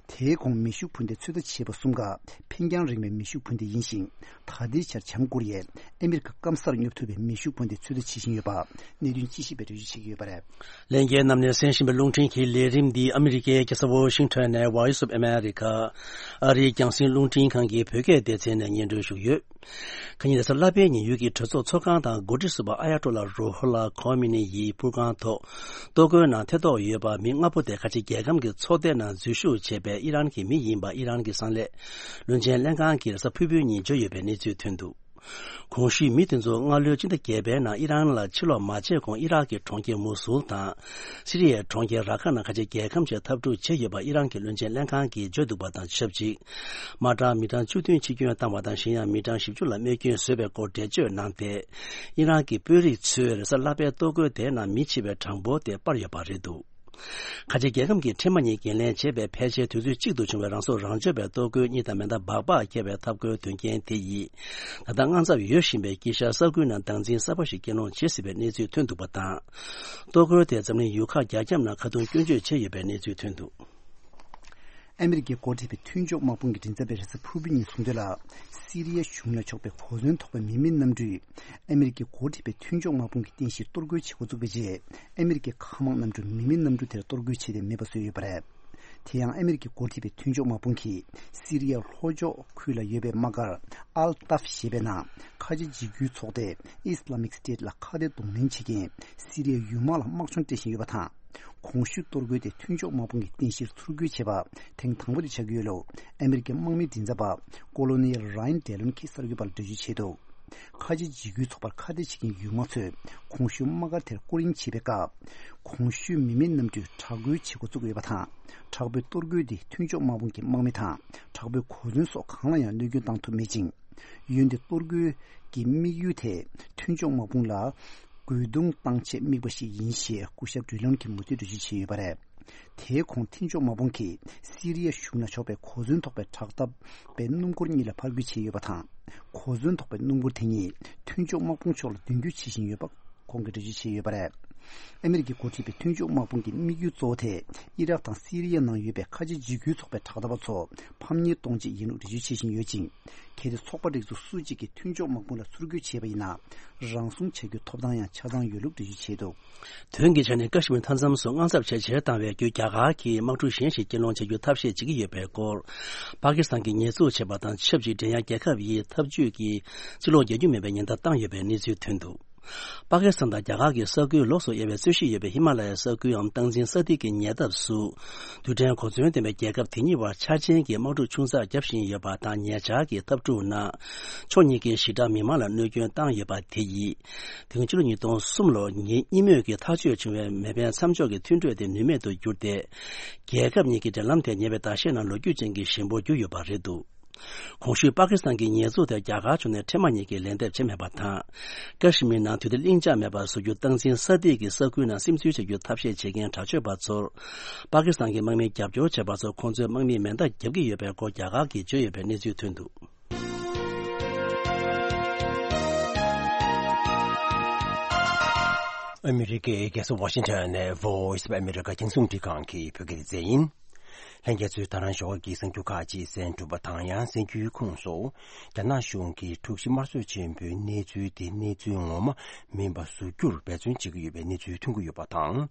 དེའི་གོང་མེ་ཤུགས་འཕུར་མདའི་ཚོད་ལྟ་བྱས་པ་གསུམ་ཀ་འཕེན་རྒྱང་རིང་བའི་མེ་ཤུགས་འཕུར་མདའ་ཡིན་ཞིང་། ད་ལྟའི་ཆར་བྱང་ཀོ་རི་ཡས་ཨ་མི་རི་ཀ་སྐམ་སར་སྙོབ་ཐུབ་པའི་མེ་ཤུགས་འཕུར་མདའི་ཚོད་ལྟ་བྱེད་བཞིན་ཡོད་པ་གནད་དོན་དཔྱད་ཞིབ་པས་འགྲེལ་བརྗོད་བྱེད་ཀྱི་ཡོད་པ་རེད། ལྷན་རྒྱས་རྣམས་ནས་གསན་བཞིན་པའི་རླུང་འཕྲིན་གྱི་ལས་རིམ་འདི་ཨ་མི་རི་ཀའི་རྒྱལ་ས་ཝོ་ཤིང་ཊོན་ནས་Voice of America ཨ་རིའི་རྒྱང་སྲིང་རླུང་འཕྲིན་ཁང་གི་བོད་སྐད་སྡེ་ཚན་ནས་སྙན་སྒྲོན་ཞུས་ཡོད། ཁ་ཉིན་རེས་གཟའ་ལྷག་པའི་ཉིན་ཡུལ་གྱི་གྲོས་ཚོགས་ཚོགས་ཁང་དང་འགོ་ཁྲིད་ཟུར་པ་ཨ་ཡ་ཏོ་ལ་རུ་ཧོ་ལ་ཁོ་མི་ནི་ཡི་པུར་ཁང་ཐོག་གཏོར་རྒོལ་ནང་ཐེ་གཏོགས་ཡོད་པ་མི་ལྔ་པོ་དེ་ཁ་ཆེ་རྒྱལ་ཁམས་ཀྱི་ཚོགས་སྡེ་ནང་འཛུལ་ཞུགས་བྱས་པའི་ཨི་རན་གྱི་མི་ཡིན་པ་ཨི་རན་གྱི་གསང་ལས་བློན་ཆེན་ལྷན་ཁང་གིས་རེས་གཟའ་ཕུར་བུའི་ཉིན་བརྗོད་ཡོད་པའི་གནས་ཚུལ་ཐོན་འདུག་གོང་ཞུས་མི་དེ་ཚོ་སྔ་ལོའི་སྤྱི་ཟླ་བརྒྱད་པའི་ནང་ཨི་རན་ལ་ཕྱིར་ལོག་མ་བྱས་གོང་ཨི་རག་གི་གྲོང་ཁྱེར་མུ་སུལ་དང་། སི་རི་ཡའི་གྲོང་ཁྱེར་ར་ཁ་ནང་ཁ་ཆེ་རྒྱལ་ཁམས་ཆེད་འཐབ་འཁྲུག་བྱས་ཡོད་པ་ཨི་རན་གྱི་བློན་ཆེན་ལྷན་ཁང་གིས་བརྗོད་འདུག་པ་དང་ཆབས་ཅིག་དམག་གྲངས་མི་གྲངས་བཅུ་བདུན་འཆི་སྐྱོན་བཏང་བ་དང་གཞན་ཡང་མི་གྲངས་བཞི་བཅུ་ལ་རྨས་སྐྱོན་བཟོས་པའི་སྐོར་འགྲེལ་བརྗོད་གནང་སྟེ། ཨི་རན་གྱི་དཔོན་རིགས་ཚོས་རེས་གཟའ་ལྷག་པའི་གཏོར་རྒོལ་དེའི་ནང་མི་འཆི་བའི་གྲངས་འབོར་དེ་སྤར་ཡོད་པ་རེད་འདུག་ཁ་ཆེ་རྒྱལ་ཁམས་ཀྱི་འཕྲེང་བ་གཉིས་འགན་ལེན་བྱས་པའི་ཕལ་ཆེར་དུས་ཚོད་གཅིག་ཏུ་བྱུང་བའི་རང་སྲོག་རང་གཅོད་པའི་གཏོར་རྒོལ་གཉིས་དང་མེ་མདའ་སྦག་སྦག་བརྒྱབ་པའི་འཐབ་རྒོལ་དོན་རྐྱེན་དེ་ཡིས། ད་ལྟ་དངངས་འཚབ་ཡོད་བཞིན་པའི་དཀྱིལ་ཤར་ས་ཁུལ་ནང་སྟངས་འཛིན་གསར་པ་ཞིག་སྐྱེལ་སློང་བྱེད་སྲིད་པའི་གནས་ཚུལ་ཐོན་འདུག་པ་དང་། གཏོར་རྒོལ་དེ་འཛམ་གླིང་ཡུལ་ཁག་རྒྱ་ཁྱབ་ནང་ཁ་རྡུང་སྐྱོན་བརྗོད་བྱས་ཡོད་པའི་གནས་ཚུལ་ཐོན་འདུག་ཨ་མི་རི་ཀས་འགོ་ཁྲིད་པའི་མཐུན་ཕྱོགས་དམག་དཔུང་གི་མགྲིན་ཚབ་པས་རེས་གཟའ་ཕུར་བུ་ཉིན་གསུངས་དོན་ལ། སི་རི་ཡ་གཞུང་ལ་ཕྱོགས་པའི་གོ་མཚོན་ཐོགས་པའི་མི་མེད་གནམ་གྲུས། ཨ་མི་རི་ཀས་འགོ་ཁྲིད་པའི་མཐུན་ཕྱོགས་དམག་དཔུང་གི་རྟེན་གཞིར་གཏོར་རྒོལ་བྱེད་འགོ་བཙུགས་པའི་རྗེས། ཨ་མི་རི་ཀའི་མཁའ་དམག་གནམ་གྲུས་མི་མེད་གནམ་གྲུ་དེར་གཏོར་རྒོལ་བྱས་ཏེ་མེད་པ་བཟོས་ཡོད་པ་རེད། དེ་ཡང་ཨ་མི་རི་ཀས་འགོ་ཁྲིད་པའི་མཐུན་ཕྱོགས་དམག་དཔུང་གིས་སི་རི་ཡའི་ལྷོ་ཕྱོགས་ཁུལ་ལ་ཡོད་པའི་དམག་སྒར་ཨལ་ཏཱབ་ཞེས་པའི་ནང་ཁ་ཆེ་འཇིགས་སྐུལ་ཚོགས་སྡེ་Islamic State ལ་ཁ་གཏད་གདོང་ལེན་བྱེད་མཁན་སི་རི་ཡའི་ཡུལ་དམག་ལ་དམག་སྦྱོང་སྤྲད་བཞིན་ཡོད་པ་དང་། གོང་ཞུས་གཏོར་རྒོལ་དེ་མཐུན་ཕྱོགས་དམག་དཔུང་གི་རྟེན་གཞིར་ཚུར་རྒོལ་བྱས་པ་ཐེངས་དང་པོ་དེ་ཆགས་ཀྱི་ཡོད་ལུགས་ཨ་མི་རི་ཀའི་དམག་མིའི་མགྲིན་ཚབ་པ་Colonel Ryan Dillon གྱིས་གསར་འགོད་པར་འགྲེལ་བརྗོད་བྱས་འདུག་ཁ་ཆེ་འཇིགས་སྐུལ་ཚོགས་པར་ཁ་གཏད་བྱེད་མཁན་ཡུལ་དམག་ཚོས་གོང་ཞུས་དམག་སྒར་དེར་སྐོར་གཡེང་བྱེད་པའི་སྐབས། གོང་ཞུས་མི་མེད་གནམ་གྲུས་དྲག་རྒོལ་བྱེད་འགོ་བཙུགས་ཡོད་པ་དང་། དྲག་པོའི་གཏོར་རྒོལ་འདིས་མཐུན་ཕྱོགས་དམག་དཔུང་གི་དམག་མི་དང་། དྲག་པོའི་གོ་མཚོན་སོགས་གང་ལ་ཡང་གནོད་སྐྱོན་བཏང་ཐུབ་མེད་ཅིང་། འོན་ཏེ་གཏོར་རྒོལ་གྱི་དམིགས་ཡུལ་དེ་མཐུན་ཕྱོགས་དམག་དཔུང་ལ་རྒོལ་རྡུང་བཏང་ཆེད་དམིགས་པ་ཞིག་ཡིན་ཞེས་སྐུ་ཞབས་ཌི་ལོན་གྱིས་མུ་མཐུད་འགྲེལ་བརྗོད་བྱས་ཡོད་པ་རེད། དེའི་གོང་མཐུན་ཕྱོགས་དམག་དཔུང་གིས་སི་རི་ཡ་གཞུང་ལ་ཕྱོགས་པའི་གོ་མཚོན་ཐོགས་པའི་དྲག་འཐབ་པའི་སྣུམ་འཁོར་གཉིས་ལ་ཕར་རྒོལ་བྱས་ཡོད་པ་དང་། གོ་མཚོན་ཐོགས་པའི་སྣུམ་འཁོར་དེ་གཉིས་མཐུན་ཕྱོགས་དམག་དཔུང་ཕྱོགས་ལ་མདུན་སྐྱོད་བྱེད་བཞིན་ཡོད་པ་ཁོང་གིས་འགྲེལ་བརྗོད་བྱས་ཡོད་པ་རེད། ཨ་མི་རི་ཀས་འགོ་ཁྲིད་པའི་མཐུན་ཕྱོགས་དམག་དཔུང་གི་དམིགས་ཡུལ་གཙོ་བོ་དེ་ཨི་རག་དང་སི་རི་ཡ་ནང་ཡོད་པའི་ཁ་ཆེ་འཇིགས་སྐུལ་ཚོགས་པའི་དྲག་འཐབ་པ་ཚོ་ཕམ་ཉེས་གཏོང་ཆེད་ཡིན་ལུགས་འགྲེལ་བརྗོད་བྱེད་བཞིན་ཡོད་ཅིང་། གལ་ཏེ་ཚོགས་པ་རིགས་ཚོགས་སུ་གཅིག་གིས་མཐུན་ཕྱོགས་དམག་དཔུང་ལ་ཚུར་རྒོལ་བྱས་པ་ཡིན་ན། རང་སྲུང་བྱ་རྒྱུའི་ཐོབ་ཐང་ཡང་ཆ་ཚང་ཡོད་ལུགས་འགྲེལ་བརྗོད་བྱས་འདུག་དོན་གྱི་ཆ་ནས་ཀ་ཤི་མིར་མཐའ་མཚམས་སུ་དངངས་འཚབ་ཇེ་ཆེར་བཏང་བའི་བརྒྱུད། རྒྱ་གར་གྱིས་དམག་འཁྲུག་གཞན་ཞིག་སྐྱེལ་སློང་བྱ་རྒྱུའི་ཐབས་ཤེས་བྱེད་ཀྱི་ཡོད་པའི་སྐོར། པ་ཀི་སི་ཐན་གྱིས་ཉེས་འཛུགས་བྱས་པ་དང་ཆབས་ཅིག་འགྲན་ཡ་རྒྱལ་ཁབ་ཡིས་འཐབ་ཇུས་ཀྱི་ཕྱིར་ལོག་རྒྱག་རྒྱུ་མིན་པའི་ཉེན་བརྡ་བཏང་ཡོད་པའི་གནས་ཚུལ་ཐོན་འདུག་པ་ཀི་སི་ཐན་དང་རྒྱ་གར་གྱི་ས་ཁུལ་ལོགས་སུ་དབྱེ་བའི་རྩོད་གཞི་ཡོད་པའི་ཧི་མ་ལ་ཡའི་ས་ཁུལ་འམ་སྟངས་འཛིན་ས་ཐིག་གི་ཉེ་འདབས་སུ། རྡུལ་ཕྲན་གོ་མཚོན་ལྡན་པའི་རྒྱལ་ཁབ་དེ་གཉིས་བར་འཆར་ཅན་གྱི་དམག་འཁྲུག་ཆུང་ཙག་བརྒྱབ་བཞིན་ཡོད་པ་དང་། ཉེ་ཆར་གྱི་འཐབ་འཁྲུག་ནང་ཕྱོགས་གཉིས་ཀའི་ཞི་དྲག་མི་མང་ལ་གནོད་སྐྱོན་བཏང་ཡོད་པ་དེ་ཡིས། དེ་སྔོན་ཕྱི་ལོ་ཉིས་སྟོང་གསུམ་ལོར་ཉེ་གཉིས་མོས་ཀྱིས་ཐག་གཅོད་བྱུང་བའི་མེ་འཕེན་མཚམས་འཇོག་གི་མཐུན་གྲོས་དེ་ནུས་མེད་དུ་གྱུར་ཏེ། རྒྱལ་ཁབ་གཉིས་ཀྱི་འབྲེལ་ལམ་དེ་ཉེ་བའི་ཟླ་ཤས་ནང་ལོ་རྒྱུས་ཅན་གྱི་ཞན་པོར་གྱུར་ཡོད་པ་རེད་འདུག་གོང་ཞུས་པ་ཀི་སི་ཐན་གྱི་ཉེས་འཛུགས་དེར་རྒྱ་གར་ཕྱོགས་ནས་འཕྲེད་དམག་གཉིས་ཀྱིས་ལན་འདེབས་བྱས་མེད་པ་དང་། ཀ་ཤི་མིར་ནང་དུས་བདེ་ལྷིང་འཇགས་མེད་པར་བཟོ་རྒྱུ་སྟངས་འཛིན་ས་ཐིག་གིས་ས་ཁུལ་ནང་སིམ་འཛུལ་བྱ་རྒྱུའི་ཐབས་ཤེས་བྱེད་མཁན་དྲག་སྤྱོད་པ་ཚོར། པ་ཀི་སི་ཐན་གྱི་དམག་མིས་རྒྱབ་སྐྱོར་བྱས་པ་ཚོར་ཁོང་ཚོས་དམག་མིའི་མེ་མདའ་བརྒྱབ་ཀྱི་ཡོད་པའི་སྐོར་རྒྱ་གར་གྱིས་བརྗོད་ཡོད་པའི་གནས་ཚུལ་ཐོན་འདུག་ཨ་མི་རི་ཀའི་རྒྱལ་ས་ཝ་ཤིང་ཊོན་ནས་Voice of America རྒྱང་སྲིང་རླུང་འཕྲིན་ཁང་གི་བོད་སྐད་སྡེ་ཚན་ཡིན། ལྷན་རྒྱས་ཚོས་ད་རང་ཞོགས་ཀྱི་གསར་འགྱུར་ཁག་ཅིག་གསན་གྲུབ་པ་དང་། ཡང་གསར་འགྱུར་ཁོངས་སུ། རྒྱ་ནག་གཞུང་གིས་འཁྲུག་གཞི་དམར་གསོད་ཆེན་པོའི་གནས་ཚུལ་དེ་གནས་ཚུལ་ངོ་མ་མིན་པ་བཟོ་རྒྱུར་འབད་བརྩོན་བྱེད་ཀྱི་ཡོད་པའི་གནས་ཚུལ་ཐོན་གྱི་ཡོད་པ་དང་།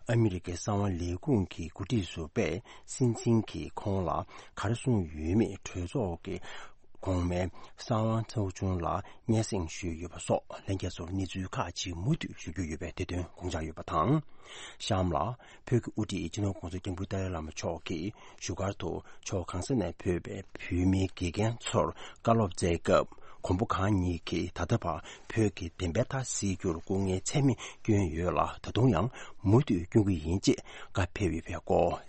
ཨ་མི་རི་ཀའི་གསང་བ་ལས་ཁུངས་ཀྱི་འགོ་ཁྲིད་ཟུར་པས་སྲིད་འཛིན་གྱིས་ཁོང་ལ་ག་རེ་གསུངས་ཡོད་མེད་གྲོས་ཚོགས་ཀྱི་གོང་མའི་གསང་བ་ཚོགས་ཆུང་ལ་སྙན་སེང་ཞུས་ཡོད་པ་སོགས་ལྷན་རྒྱས་ཚོར་གནས་ཚུལ་ཁག་ཅིག་མུ་མཐུད་ཞུ་རྒྱུ་ཡོད་པས་དེ་དོན་དགོངས་འཇགས་ཡོད་པ་དང་། གཤམ་ལ། བོད་ཀྱི་དབུ་ཁྲིད་སྤྱི་ནོར་༸གོང་ས་༸སྐྱབས་མགོན་ཏཱ་ལའི་བླ་མ་མཆོག་གིས་བཞུགས་སྒར་དུ་ཕྱོགས་གང་ས་ནས་ཕེབས་པའི་བོད་མིའི་དགེ་རྒན་ཚོར་བཀའ་སློབ་སྩལ་སྐབས། གོང་བུ་གང་ཉིད་ཀྱིས་ད་ལྟ་བར་བོད་ཀྱི་བདེན་པའི་མཐའ་གསལ་རྒྱུར་སྐུ་ངལ་ཚད་མེད་བསྐྱོན་ཡོད་ལ། ད་དུང་ཡང་མུ་མཐུད་སྐྱོན་གྱི་ཡིན་ཅེས་བཀའ་ཕེབས་ཡོད་པའི་སྐོར།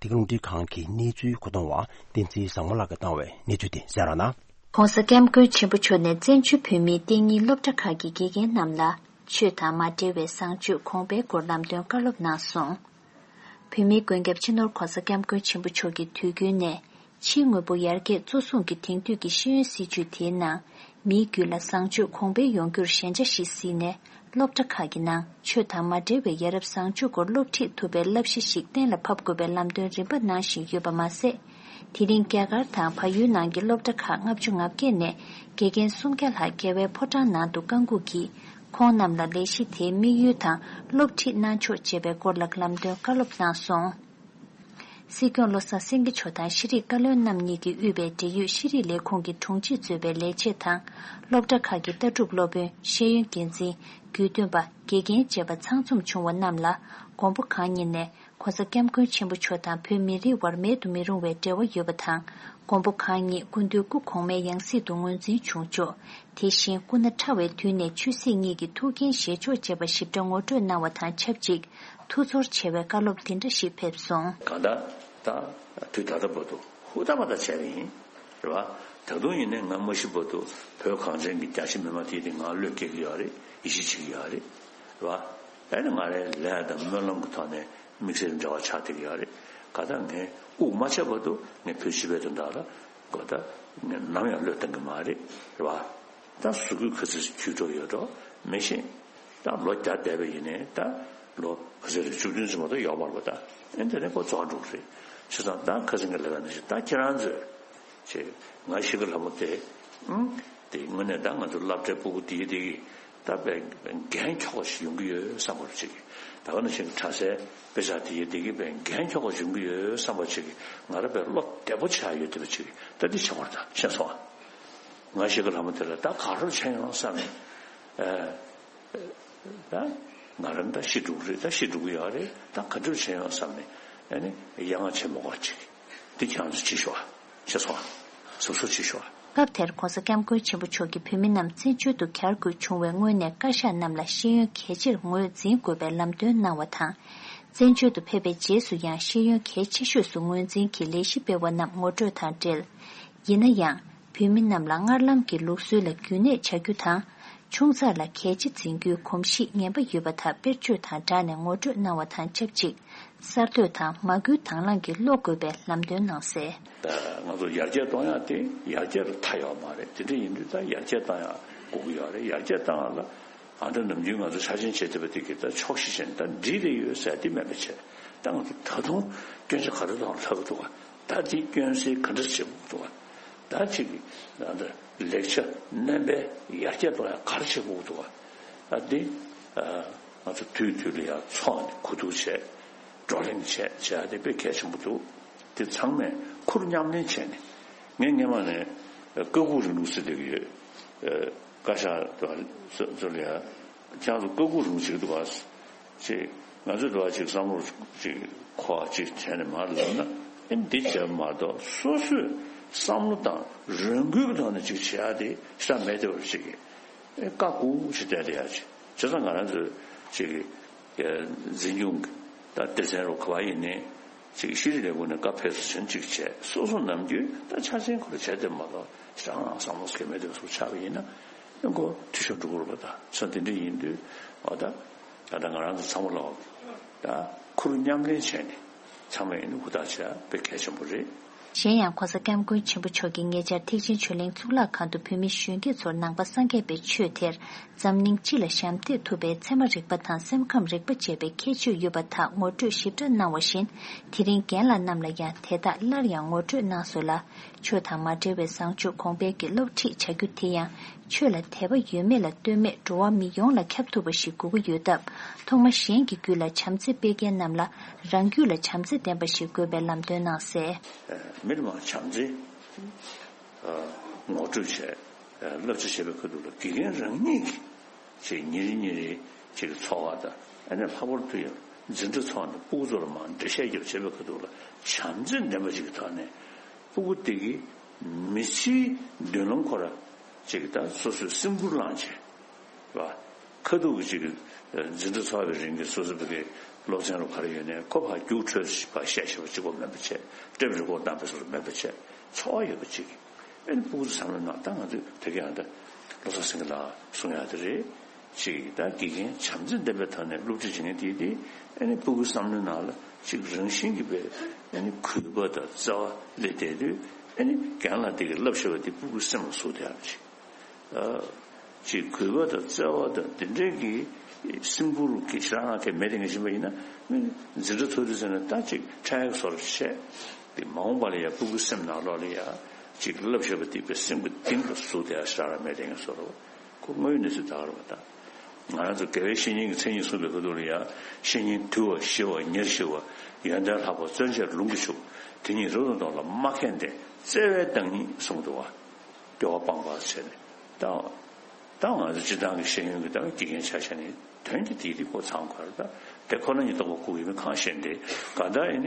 འདི་ག་རླུང་འཕྲིན་ཁང་གི་གནས་ཚུལ་མཁོ་གཏོང་བ་བསྟན་འཛིན་བཟང་མོ་ལགས་ཀྱིས་བཏང་བའི་གནས་ཚུལ་དེ་གསན་རོགས་གནང་། ༸གོང་ས་༸སྐྱབས་མགོན་ཆེན་པོ་མཆོག་ནས་བཙན་བྱོལ་བོད་མིའི་གཏན་ཉིན་སློབ་གྲྭ་ཁག་གི་དགེ་རྒན་རྣམས་ལ་ཆོས་དང་མ་འབྲེལ་བའི་བཟང་སྤྱོད་གོང་འཕེལ་སྐོར་ལམ་སྟོན་བཀའ་སློབ་གནང་སོང་། བོད་མིའི་མགོན་སྐྱབས་སྤྱི་ནོར་༸གོང་ས་༸སྐྱབས་མགོན་ཆེན་པོ་མཆོག་གིས་དུས་རྒྱུན་ནས་ཕྱིའི་དངོས་པོ་ཡར་རྒྱས་གཙོ་བཟུང་གི་དེང་དུས་ཀྱི་ཤེས་ཡོན་སྲིད་བྱུས་དེའི་ནང་མིའི་རྒྱུད་ལ་བཟང་སྤྱོད་གོང་འཕེལ་ཡོང་རྒྱུར་ཞན་ཆ་ཞིག་གཟིགས་ནས། སློབ་གྲྭ་ཁག་གི་ནང་ཆོས་དང་མ་འབྲེལ་བའི་ཡ་རབས་བཟང་སྤྱོད་སྐོར་སློབ་ཁྲིད་ཐུབ་པའི་བསླབ་གཞི་ཞིག་གཏན་ལ་ཕབ་དགོས་པའི་ལམ་སྟོན་རིམ་པ་གནང་བཞིན་ཡོད་པ་མ་ཟད། དེ་རིང་རྒྱ་གར་དང་བལ་ཡུལ་ནང་གི་སློབ་གྲྭ་ཁག་ལྔ་བཅུ་ང་བརྒྱད་ནས་དགེ་རྒན་སུམ་བརྒྱ་ལྷག་རྒྱལ་བའི་ཕོ་བྲང་ནང་དུ་བཀའ་འགུགས་ཀྱིས། ཁོང་རྣམས་ལ་ལས་གཞི་དེའི་དམིགས་ཡུལ་དང་སློབ་ཁྲིད་གནང་ཕྱོགས་བཅས་པའི་སྐོར་ལ་ལམ་སྟོན་བཀའ་སློབ་གནང་སོང་། སྲིད་སྐྱོང་བློ་བཟང་སེང་གེ་མཆོག་དང་ཤེས་རིག་བཀའ་བློན་རྣམ་གཉིས་ཀྱིས་དབུས་པའི་འབྲེལ་ཡོད་ཤེས་རིག་ལས་ཁུངས་ཀྱི་དྲུང་ཆེས་གཙོས་པའི་ལས་བྱེད་དང་། སློབ་གྲྭ་ཁག་གི་ལྟ་གྲུབ་སློབ་དཔོན། ཤེས་ཡོན་འགན་འཛིན། དགེ་འདུན་པ། དགེ་རྒན་བཅས་པ་ཚང་འཛོམས་བྱུང་བ་རྣམས་ལ། མགོན་པོ་གང་ཉིད་ནས་ ༸གོང་ས་༸སྐྱབས་མགོན་ཆེན་པོ་མཆོག་དང་བོད་མི་རིགས་དབར་མེད་དུ་མི་རུང་བའི་འབྲེལ་བ་ཡོད་པ་དང་། མགོན་པོ་གང་ཉིད་སྐུ་མདུན་སྐུ་གོང་མའི་ཡང་སྲིད་དུ་ངོས་འཛིན་བྱུང་ཆོག་དེ་བཞིན་སྐུ་ན་ཕྲ་བའི་དུས་ནས་ཆོས་སྲིད་གཉིས་ཀྱི་ཐུགས་འགན་བཞེས་ཆོག་ཅེས་པ་ཞིབ་ཕྲ་ངོ་སྤྲོད་གནང་བ་དང་ཆབས་ཅིག་ཐུགས་ཚོར་ཆེ་བའི་བཀའ་སློབ་འདི་འདྲ་ཞིག་ཕེབས་སོང་། གང་ལྟར་ད་དུས་ད་ལྟ་བར་དུ་ཧུར་ཐག་མ་ཐག་བྱས་པ་ཡིན། རེད་བ། ད་དུང་ཡིན་ནའི་ང་མ་ཤི་བར་དུ་བོད་གངས་ཅན་གྱི་རྒྱ་ཆེ་མི་མང་དེ་དེ་ང་བློས་འགེལ་གྱི་ཡོད་རེད། ཡིད་ཆེས་བྱེད་ཀྱི་ཡོད་རེད། རེད་བ། ཨ་ནི་ང་རའི་ལས་དང་སྨོན་ལམ་གྱི་ཐོག་ནས་དམིགས་བསལ་འབྲེལ་བ་ཆགས་བསྡད་ཀྱི་ཡོད་རེད། གང་ལྟར་ངས་དབུགས་མ་ཆད་བར་དུ་ངས་བོད་སྤྱི་པའི་དོན་དག་ལ་གང་ལྟར་ངས་ནམ་ཡང་བློས་གཏོང་གི་མ་རེད། རེད་བ། ད་གཟུགས་པོ་ག་ཚོད་ཅིག་འཁྱུད་འགྲོ་ཡོད་འགྲོ་མི་ཤེས། ད་ལོ་བརྒྱ་འདས་པ་ཡིན་ནའི་ད་ལོ་ག་ཚོད་རེད། བཅུ་བདུན་ཙམ་མ་གཏོགས་ཡོད་མ་རེད་པ། ད་ཨེ་འདི་ནས་ཁོ་རྫོགས་འགྲོ་གི་རེད། བྱས་ཙང་ད་ཁ་སང་གི་ལས་ཀ་ནང་བཞིན་ད་ཁྱེད་རང་ཚོས་ཅེས་ང་ཤི་ཁ་ལྷ་མོ་དེ་ཨང་དེ་དངོས་གནས་ད་ང་ཚོ་སློབ་གྲྭའི་སྤུ་གུ་དེ་དེ་གི་ད་དཔེ་འགན་འཁྱོག་པ་ཞིག་ཡོང་གི་ཡོད་བསམ་པ་ཅིག་ད་ག་ནང་བཞིན་གྲྭ་སའི་དཔེ་ཆ་དེ་དེ་གི་དཔེ་འགན་འཁྱོག་པ་ཞིག་ཡོང་གི་ཡོད་བསམ་པ་ཅིག་ང་རང་དཔེ་བློ་བདེ་པོ་ཆགས་ཡོད་བསྡད་པ་ཅིག་ད་འདི་བྱེད་དགོས་རེད། ད་ཤེས་སོང་ཨ། ང་ཤི་ཁ་ལྷ་མོ་དེ་ལ་ད་ག་རེ་བྱས་ཡོང་བསམ་ནས། ཨ། ད་ང་རང་ད་ཤི་འགྲོ་གི་རེད། ད་ཤི་འགྲོ་གི་ཡོད་རེད། ད་ག་འདྲ་བྱས་ཡོང་བསམ་ནས། ཨ་ནི་ཡ་ང་ཆེན་མོ་ག་ཅིག་འདི་ཁྱེད་རང་ཚོ་བྱེད་ཤོག་ཨ། བྱས་སོང་ཨ། གཟབ་གཟབ་བྱེད་ཤོག་ཨ། སྐབས་དེར་༸གོང་ས་༸སྐྱབས་མགོན་ཆེན་པོ་མཆོག་གིས་བོད་མི་རྣམས་བཙན་བྱོལ་དུ་གྱར་དགོས་བྱུང་བའི་སྔོན་ནས་བཀའ་ཤག་རྣམས་ལ་ཤེས་ཡོན་གལ་ཆེར་ངོས་འཛིན་དགོས་པའི་ལམ་སྟོན་གནང་བ་དང་། བཙན་བྱོལ་དུ་ཕེབས་པའི་རྗེས་སུ་ཡང་ཤེས་ཡོན་གལ་ཆེ་ཤོས་སུ་ངོས་འཛིན་གྱིས་ལས་གཞི་སྤེལ་བ་རྣམས་ངོ་སྤྲོད་དང་འབྲེལ། ཡིན་ན་ཡང་། བོད་མི་རྣམས་ལ་སྔར་ལམ་གྱི་ལུགས་སྲོལ་ལ་རྒྱུན་གནས་བྱ་རྒྱུ་དང་། ཆུང་ཙག་ལ་གལ་ཆེ་འཛིན་རྒྱུའི་གོམས་གཤིས་ངན་པ་ཡོད་པ་དག་དཔེར་བརྗོད་དང་སྦྲགས་ནས་ངོ་སྤྲོད་གནང་བ་དང་ཆབས་ཅིག་གསར་གཏོད་དང་མ་བསྐུལ་དང་བླངས་ཀྱིས་སློབ་དགོས་པའི་ལམ་སྟོན་གནང་གསལ། ང་ཚོ་ཡར་རྒྱས་གཏོང་ཡག་དེ་ཡར་རྒྱས་ལ་མཐའ་ཡོད་མ་རེད། དེ་འདྲ་ཡིན་དུས་ད་ཡར་རྒྱས་གཏོང་ཡག་དགོས་ཀྱི་ཡོད་རེད། ཡར་རྒྱས་གཏོང་ཡག་ལ་ཨ་འདྲ་ནམ་རྒྱུན་ང་ཚོ་ཆ་ཆེན་བྱེད་ཐུབ་པ་དེ་གི་ད་ཆོག་ཤེས་བྱས་ནས་ད་འགྲིག་རེ་ཡོད་ཟེར་དེ་མེད་པ་བྱས། ད་ང་ཚོ་ད་དུང་སྐྱོན་ཆ་ག་རེ་དང་ལྷག་གི་འདུག་ག་ད་དེ་སྐྱོན་སེལ་ག་འདྲ་བྱེད་དགོས་འདུག་ག་ད་ཅིག་ད་ལེགས་ཆ་རྣམ་པའི་ཡར་རྒྱས་གཏོང་ཡག་ག་རེ་བྱེད་དགོས་འདུག་ག་ད་དེ་ང་ཚོ་དུས་དུས་ལ་ཡང་ཚོགས་ནས་གོ་བསྡུར་བྱས། བགྲོ་གླེང་བྱས་བྱས་དེ་དཔེ་གལ་ཆེན་པོ་འདུག་དེ་ཚང་མས་ཁུར་མཉམ་ལེན་བྱས་ནས། ངས་སྔོན་མ་ནས་ཀ་ཁུག་རིང་ལུགས་ཟེར་བསྡད་ཀྱི་ཡོད། ཨ། བཀའ་ཤག་དང་ཚོ་ལ་ཡ་ཁྱེད་རང་ཚོ་ཀ་ཁུག་རིང་བྱེད་ཀྱི་འདུག་ག་ཅེས་ང་ཚོས་འགྲོ་བ་ཅིག་བསམ་བློ་ཅིག་འཁོར་བ་ཅིག་བྱས་ནས་མར་ལབ་ན། ཨེ་འདི་བྱས་མ་གཏོགས་སོ་སོས་བསམ་བློ་དང་རང་འགུལ་གྱི་ཐོག་ནས་ཅིག་བྱེད་ཡ་དེ་ཤ་མེད་དེ་བར་ཅིག་གི་ཨེ་བཀའ་བཀོད་ཅིག་བསྡད་བསྡད་ཡ་ཅིག་བྱས་ཙང་ང་རང་ཚོས་ཅིག་གི་འཛིན་སྐྱོང་གི་ད་སྡེ་ཚན་རུ་ག་བ་ཡིན་ནའི་ཅིག་ཤེས་རིག་ལས་ཁུངས་ནས་བཀའ་ཕེབས་བསུ་ཆེན་ཅིག་བྱས། སོ་སོ་ནམ་རྒྱུན་ད་ཆ་ཆེན་ཁོ་ར་བྱས་ཏེ་མ་གཏོགས་ཤ་ང་བསམ་བློ་སྐྱེ་མེད་དེ་བར་ཅིག་ཆགས་པ་ཡིན་ན། ཨེ་ཁོ་འཐུས་ཤོར་འགྲོ་གི་རེད་པ། ད་ཚོ་དེ་འདྲ་ཡིན་དུས་འོ་ད། ད་ལྟ་ང་རང་ཚོ་ཚང་མ་ལ་ད་ཁུར་མཉམ་ལེན་བྱས་ནས་ཚང་མས་ཡིན་ན་ཧུར་ཐག་བྱས་དཔེ་གལ་ཆེན་པོ་རེད། གཞན་ཡང་༸གོང་ས་༸སྐྱབས་མགོན་ཆེན་པོ་མཆོག་གིས་ཉེ་ཆར་ཐེག་ཆེན་ཆོས་གླིང་གཙུག་ལག་ཁང་དུ་བོད་མི་གཞོན་སྐྱེས་ཚོར་ནང་པ་སངས་རྒྱས་པའི་ཆོས་དེར་འཛམ་གླིང་སྤྱི་ལ་ཞབས་འདེགས་ཐུབ་པའི་ཚད་མ་རིག་པ་དང་སེམས་ཁམས་རིག་པ་ཅེས་པའི་ཁྱད་ཆོས་ཡོད་པ་དག་ངོ་སྤྲོད་ཞིབ་ཕྲ་གནང་བ་བཞིན། དེ་རིང་རྒན་ལགས་རྣམས་ལ་ཡང་དེ་དག་སླར་ཡང་ངོ་སྤྲོད་གནང་སོང་ལ། ཆོས་དང་མ་འབྲེལ་བའི་བཟང་སྤྱོད་གོང་འཕེལ་གྱི་སློབ་ཁྲིད་བྱ་རྒྱུ་དེ་ཡང་། ཆོས་ལ་དད་པ་ཡོད་མེད་ལ་ལྟོས་མེད་འགྲོ་བ་མི་ཡོངས་ལ་ཁྱབ་ཐུབ་པ་ཞིག་དགོས་ཀྱི་ཡོད་སྟབས། ཐོག་མ་གཞན་གྱི་རྒྱུད་ལ་བྱམས་བརྩེ་སྤེལ་མཁན་རྣམས་ལ་རང་རྒྱུད་ལ་བྱམས་བརྩེ་ལྡན་པ་ཞིག་དགོས་པའི་ལམ་སྟོན་གནང་གསལ། མི་ལ་མ་བྱམས་བརྩེ་ངོ་སྤྲོད་བྱས། བསླབ་བྱ་བྱེད་པའི་ཁ་ཐུག་ལ་དགེ་རྒན་རང་ཉིད་ཀྱིས་ཅིག་ཉིན་རེ་ཉིན་རེ་ཅིག་འཚོ་བ་དང་ཨ་ནི་ལྷག་པར་དུ་ཡང་འཛིན་གྲྭ་ཚོགས་ནས་སྤུ་གུ་ཚོ་ལ་མར་འགྲེལ་བཤད་རྒྱབ་བྱེད་པའི་ཁ་ཐུག་ལ་བྱམས་བརྩེ་ལྡན་པ་ཞིག་གི་ཐོག་ནས་སྤུ་གུ་དེ་གིས་མི་ཚེའི་མདུན་ལམ་ཁོ་ར་ཅིག་ད་སོ་སོའི་སེམས་ཁུར་བླངས་བྱས། རེད་བ། ཁ་ཐུག་གི་ཅིག་འཛིན་གྲྭ་ཚོགས་པའི་རིང་གི་སོ་སོ་བོད་སྐད་སློབ་ཚན་རུ་ག་རེ་ཡོད་ནའི་ཁོ་ཕར་རྒྱུགས་འཕྲོད་ཕར་བཤད་ཤེས་པ་གཅིག་པོ་མེད་པ་བྱས། ཊེབ་རི་ཀོཌ་བཏང་བའི་བཟོ་འདྲ་མེད་པ་བྱས། འཚོ་བ་ཡོད་པ་ཅིག་ཨེ་ནི་སྤུ་གུ་ཚོ་བསམ་བློ་གནང་། ད་ང་ཚོས་བོད་སྐད་ཨ་ད་བློ་བཟང་སེང་གེ་ལགས་གསུང་ཡག་དེ་རེད། ཅིག་ད་དགེ་རྒན་བྱམས་བརྩེ་ལྡན་པའི་ཐོག་ནས་སློབ་ཁྲིད་བྱེད་མཁན་དེ་དེ་ཨེ་ནི་སྤུ་གུའི་བསམ་བློའི་ནང་ལ་ཅིག་རང་བཞིན་གྱིས་པའི་ཨེ་ནི་གུས་པ་དང་བརྩེ་བ་སླེབས་བསྡད་དུས་ཨེ་ནི་རྒན་ལགས་དེ་གིས་བསླབ་བཞག་པ་དེ་སྤུ་གུའི་སེམས་ལ་ཟུག་བསྡད་ཡག་ཅིག་ཨ། ཅིག་གུས་པ་དང་བརྩེ་བ་དང་དེ་འདྲའི་གི་སེམས་ཁུར་གྱི་ཞེ་དྲག་གང་ག་མེད་དེ་ངས་ཤེས་པ་ཡིན་ན། འཛིན་གྲྭ་ཚོགས་དུས་ཚོད་ནས་ད་ཅིག་ཕྲ་ཡག་བཟོ་འདྲ་བྱས། དེ་མ་འོངས་པ་ལ་ཡང་སྤུ་གུའི་སེམས་ནང་ལོགས་ལ་ཡང་ཅིག་བསླབ་བཞག་པ་དེ་པའི་སེམས་ཀྱི་གཏིང་དུ་ཟུག་བསྡད་ཡག་ཞེ་དྲག་མེད་དེ་ངས་བཟོ་འདྲ་ཁོ་དངོས་ཡོད་གནས་ཚུལ་ད་ག་རེད་པ། ད་ང་རང་ཚོ་དགེ་བའི་བཤེས་གཉེན་གྱི་མཚན་ཉིད་གསུངས་པའི་ཁ་ཐུག་ལ་ཡང་། བཤེས་གཉེན་དུལ་བ་ཞི་བ་ཉེར་ཞི་བ། ཡོན་ཏན་ལྷག་པ་བརྩོན་བཅས་ལུང་གིས་ཕྱུག་དེ་ཉིད་རབ་ཏུ་འདོམས་ལ་མ་མཁས་འདི། བརྩེ་བའི་བདག་ཉིད་གསུངས་འདུག་བ། སྐྱོ་བ་སྤངས་པ་བྱས་ནས་ད། ད་ང་ཚོ་སྤྱིར་བཏང་གི་ཤེས་ཡོན་གྱི་ད་དགེ་རྒན་ཆ་བཞག་ནས་དོན་གྱི་དེའི་རིགས་ཁོ་ཚང་གར་ད་ དེ་ཁོ་ན་ཉིད་སྟོང་པ་ཁུག་ཡིན་མིན་གང་ཤེས་འདི་ག་འདྲ་ཡིན་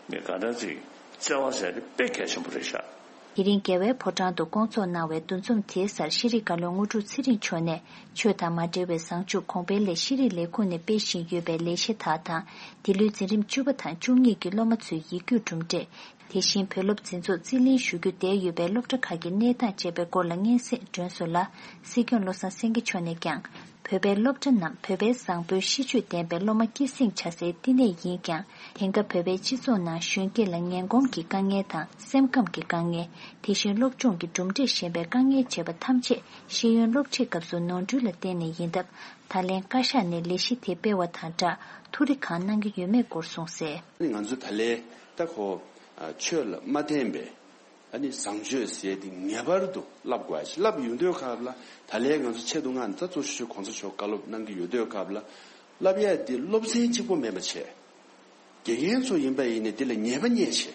ནི་ག་འདྲ་ཅིག་བརྩེ་བ་ཟེར་དེ་དཔེ་གལ་ཆེན་པོ་རེད་ཤག་དེ་རིང་རྒྱལ་བའི་ཕོ་བྲང་དུ་སྐོང་ཚོགས་གནང་བའི་འདུ་འཛོམས་དེའི་སར་ཤེས་རིག་བཀའ་བློན་དངོས་གྲུབ་ཚེ་རིང་མཆོག་ནས་ཆོས་དང་མ་འབྲེལ་བའི་བཟང་སྤྱོད་གོང་འཕེལ་སླད་ཤེས་རིག་ལས་ཁུངས་ནས་སྤེལ་བཞིན་ཡོད་པའི་ལས་གཞི་དག་དང་འདི་ལོའི་འཛིན་རིམ་བཅུ་པ་དང་བཅུ་གཉིས་ཀྱི་སློབ་མ་ཚོའི་ཡིག་རྒྱུགས་གྲུབ་འབྲས། དེ་བཞིན་བོད་སློབ་འཛིན་ཚོགས་རྩིས་ལེན་ཞུ་རྒྱུ་བསྡད་ཡོད་པའི་སློབ་གྲྭ་ཁག་གི་གནས་སྟངས་བཅས་པའི་སྐོར་ལ་སྙན་སེང་སྒྲོན་གསུམ་ལ་སྲིད་སྐྱོང་བློ་བཟང་སེང་གེ་མཆོག་ནས་ཀྱང་བོད་པའི་སློབ་གྲྭ་རྣམས་བོད་པའི་བཟང་པོའི་གཤིས་སྤྱོད་ལྡན་པའི་སློབ་མ་སྐྱེད་སྲིང་བྱ་སའི་བསྟི་གནས་ཡིན་ཀྱང་དེང་སྐབས་བོད་པའི་སྤྱི་ཚོགས་ནང་གཞོན་སྐྱེས་ལ་ངན་གོམས་ཀྱི་དཀའ་ངལ་དང་སེམས་ཁམས་ཀྱི་དཀའ་ངལ། དེ་བཞིན་སློབ་སྦྱོང་གི་གྲུབ་འབྲས་ཞན་པའི་དཀའ་ངལ་བཅས་པ་ཐམས་ཅད་ཤེས་ཡོན་སློབ་ཁྲིད་སྐབས་སུ་ནོར་འཁྲུལ་ལ་བརྟེན་ནས་ཡིན་སྟབས་ད་ལན་བཀའ་ཤག་ནས་ལས་གཞི་དེ་སྤེལ་བ་དང་སྦྲགས་ཐུགས་རེ་གང་གནང་གི་ཡོད་མེད་སྐོར་གསུངས་གསལ། ང་ཚོ་ད་ལན་ད་ཁོ་ཆོས་ལ་མ་བརྟེན་པའི་ཨ་ནི་བཟང་སྤྱོད་ཟེར་དེ་ངེས་པར་དུ་བསླབ་དགོས་ཡ་ཞིག་བསླབ་ཡོང་དུས་སྐབས་ལ་ད་ལན་ང་ཚོ་ཆེད་དུ་ང་ད་གཙོ་ཆེ་ཤོས་གོང་ས་མཆོག་བཀའ་སློབ་གནང་གི་ཡོད་དུས་སྐབས་ལ་བསླབ་ཡ་དེ་སློབ་ཚན་གཅིག་པོ་མེད་པ་བྱས། དགེ་རྒན་ཚོ་ཡིན་པ་ཡིན་ནའི་འདི་ལ་ཉེས་པ་རྙེད་བྱས།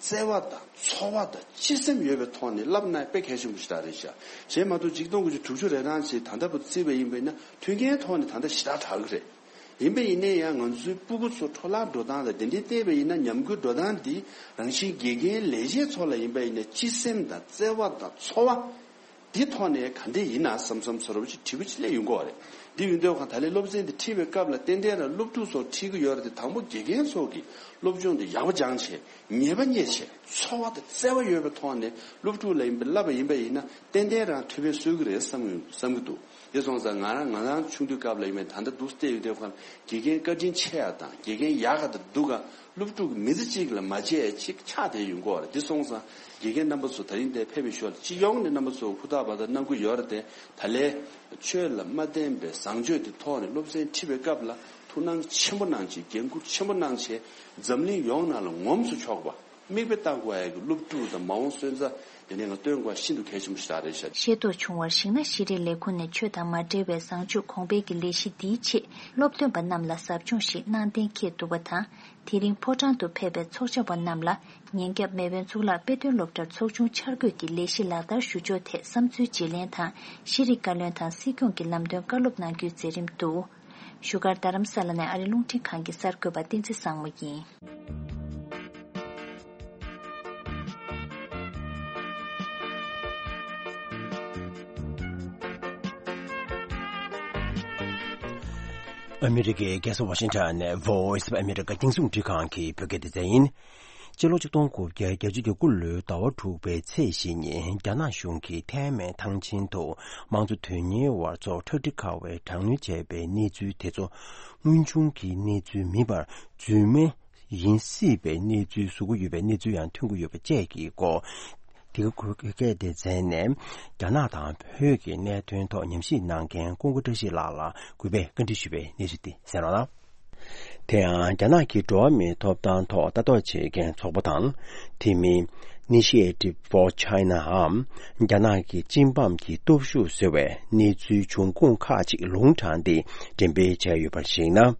བརྩེ་བ་དང་ཚོར་བ་དང་སྤྱི་སེམས་ཡོད་པའི་ཐོག་ནས་བསླབ་ན་དཔེ་གལ་ཆེན་པོ་ཞིག་རང་རེད་ཤག་གཞན་མ་གཏོགས་ཆིག་སྟོང་དགུ་བརྒྱ་དྲུག་ཅུ་རེ་གྲངས་ཅིག་ད་ལྟ་བར་བརྩིས་པ་ཡིན་པ་ཡིན་ན་མཐུན་རྐྱེན་ཐོག་ནས་ད་ལྟ་ཞེ་དྲག་དྲག་གི་རེད། ཡིན་པ་ཡིན་ནའི་ཡང་ང་ཚོའི་སྤུ་གུ་ཚོ་འཕྲོ་བརླག་འགྲོ་སྟངས་དང་དེ་འདྲའི་བལྟས་པ་ཡིན་ན་ཉམས་རྒུད་འགྲོ་སྟངས་འདི་རང་བཞིན་དགེ་རྒན་ལས་བྱེད་ཚོ་ལ་ཡིན་པ་ཡིན་ན་སྤྱི་སེམས་དང་བརྩེ་བ་དང་ཚོར་བ། འདི་ཐོག་ནས་ག་འདྲས་ཡིན་ན་བསམ་བསམ་ཚོར་བ་ཅིག་དྲི་བ་ཅིག་སླེབས་ཡོང་གི་ཡོད་རེད། འདི་ཡིན་དུས་ཁོང་ད་ལན་སློབ་ཚན་འདི་ཁྲིད་པའི་སྐབས་ལ་ཏན་ཏན་རང་སློབ་ཕྲུག་ཚོར་ཁྲིད་ཀྱི་ཡོད་རེད་དེ་དང་པོ་དགེ་རྒན་ཚོ་གིས་སློབ་སྦྱོང་འདི་ཡག་པོ་སྦྱངས་བྱས་ཉེས་པ་རྙེད་བྱས་ཚོར་བ་དང་བརྩེ་བ་ཡོད་པའི་ཐོག་ནས་སློབ་ཕྲུག་ལ་ཡིན་པ་བསླབ་པ་ཡིན་པ་ཡིན་ན་ཏན་ཏན་རང་ཐུགས་ཕན་གསོས་ཀྱི་རེད་བསམ་བསམ་གྱི་འདུག་དེ་སོང་ཙང་ང་རང་ང་རང་ཆུང་དུས་སྐབས་ལ་ཡིན་པའི་ད་ལྟ་འདུག་བལྟས་ཡོད་དུས་ཁོང་དགེ་རྒན་བཀའ་དྲིན་ཆེ་ཡ་དང་དགེ་རྒན་ཡག་ག་དང་སྡུག་ག་སློབ་ཕྲུག་མི་ཚེ་གཅིག་ལ་མ་བརྗེད་ཅིག་ཆགས་བསྡད་ཡོང་གི་ཡོད་རེད། འདི་སོང་ཙང་དགེ་རྒན་རྣམ་པ་ཚོ་ད་རིང་འདིར་ཕེབས་པའི་ཞོར་ལ་སྤྱི་ཡོངས་ནས་རྣམ་པ་ཚོ་ཧུར་ཐག་བར་ཐག་གནང་གི་ཡོད་རེད་དེ། ད་ལན་ཆོས་ལ་མ་བརྟེན་པའི་བཟང་སྤྱོད་དེ་ཐོག་ནས་སློབ་ཚན་ཁྲིད་པའི་སྐབས་ལ་ཐུགས་སྣང་ཆེན་པོ་གནང་བྱས་འགན་འཁུར་ཆེན་པོ་གནང་བྱས་འཛམ་གླིང་ཡོངས་ནང་ལ་ངོམས་སུ་ཆོག་པ་མིག་དཔེ་ལྟ་དགོས་ཡ་གི་སློབ་ཕྲུག་དང་མ་འོངས་སོན་རྩ་དེ་ནས་ང་སྟོན་དགོས་ཤིན་ཏུ་གལ་ཆེན་པོ་ཞིག་རེད་ཤག་ཤེས་རྟོགས་བྱུང་བར་གཞིགས་ན་ཤེས་རིག་ལས་ཁུངས་ནས་ཆོས་དང་མ་འབྲེལ་བའི་བཟང་སྤྱོད་གོང་འཕེལ་གྱི་ལས་གཞི་འདིའི་ཆེད་སློབ་སྟོན་པ་རྣམས་ལ་ཟབ་སྦྱོང་ཞིག་གནང་གཏན་འཁེལ་འདུག་པ་དང་། དེ་རིང་ཕོ་བྲང་དུ་ཕེབས་པའི་ཚོགས་བཅར་བ་རྣམས་ལ་ཉིན་རྒྱབ་མེས་དབོན་གཙུག་ལག་དཔེ་སྟོན་སློབ་གྲྭར་ཚོགས་ཆུང་འཆར་འགོད་ཀྱི་ལས་གཞི་ལག་བསྟར་ཞུ་ཕྱོགས་ཐད་བསམ་ཚུལ་བརྗེ་ལེན་དང་ཤེས་རིག་བཀའ་བློན་དང་སྲིད་སྐྱོང་གི་ལམ་སྟོན་བཀའ་སློབ་གནང་རྒྱུའི་མཛད་རིམ་འདུག་བཞུགས་སྒར་རྡ་རམ་ས་ལ་ནས་ཨ་རི་རླུང་འཕྲིན་ཁང་གི་གསར་འགོད་པ་བསྟན་འཛིན་བཟང་མོ་ཡིན། ཨ་མི་རི་ཀའི་རྒྱལ་ས་ཝ་ཤིང་ཊོན་ནས་Voice of America་རྒྱང་སྲིང་རླུང་འཕྲིན་ཁང་གི་བོད་སྐད་སྡེ་ཚན་ཡིན། སྤྱི་ལོ་ཆིག་སྟོང་དགུ་བརྒྱ་བརྒྱད་ཅུ་གྱ་དགུ་ལོའི་ཟླ་བ་དྲུག་པའི་ཚེས་བཞི་ཉིན་རྒྱ་ནག་གཞུང་གིས་ཐའེ་མེན་ཐང་ཆེན་དུ་དམངས་གཙོ་དོན་གཉེར་བ་ཚོར་ཁྲག་དྲི་ཁ་བའི་དྲག་གནོན་བྱས་པའི་གནས་ཚུལ་དེ་ཚོ་དངོས་བྱུང་གི་གནས་ཚུལ་མིན་པར་རྫུན་མ་ཡིན་སྲིད་པའི་གནས་ཚུལ་བཟོ་གི་ཡོད་པའི་གནས་ཚུལ་ཡང་ཐོན་གྱི་ཡོད་པ་བཅས་ཀྱི་སྐོར། དེ་ག་བོད་སྐད་སྡེ་ཚན་ནས་རྒྱ་ནག་དང་བོད་ཀྱི་གནད་དོན་ཐོག་ཉམས་ཞིབ་གནང་མཁན་ཀུན་དགའ་བཀྲ་ཤིས་ལགས་ལ་གུས་པས་བཀའ་འདྲི་ཞུ་བའི་གནས་ཚུལ་དེ་གསན་རོགས་གནང་། དེ་ཡང་རྒྱ་ནག་གི་འགྲོ་བ་མིའི་ཐོབ་ཐང་ཐོག་ལྟ་རྟོག་བྱེད་མཁན་ཚོགས་པ་དང་། དེ་མིན་Initiative for China འམ་རྒྱ་ནག་གི་སྤྱི་འབངས་ཀྱི་སྟོབས་ཤུགས་ཟེར་བའི་གནས་ཚུལ་འབྱུང་ཁུངས་ཁག་ཅིག་ལུང་དྲངས་ཏེ་འགྲེམས་སྤེལ་བྱས་ཡོད་པར་གཞིགས་ན།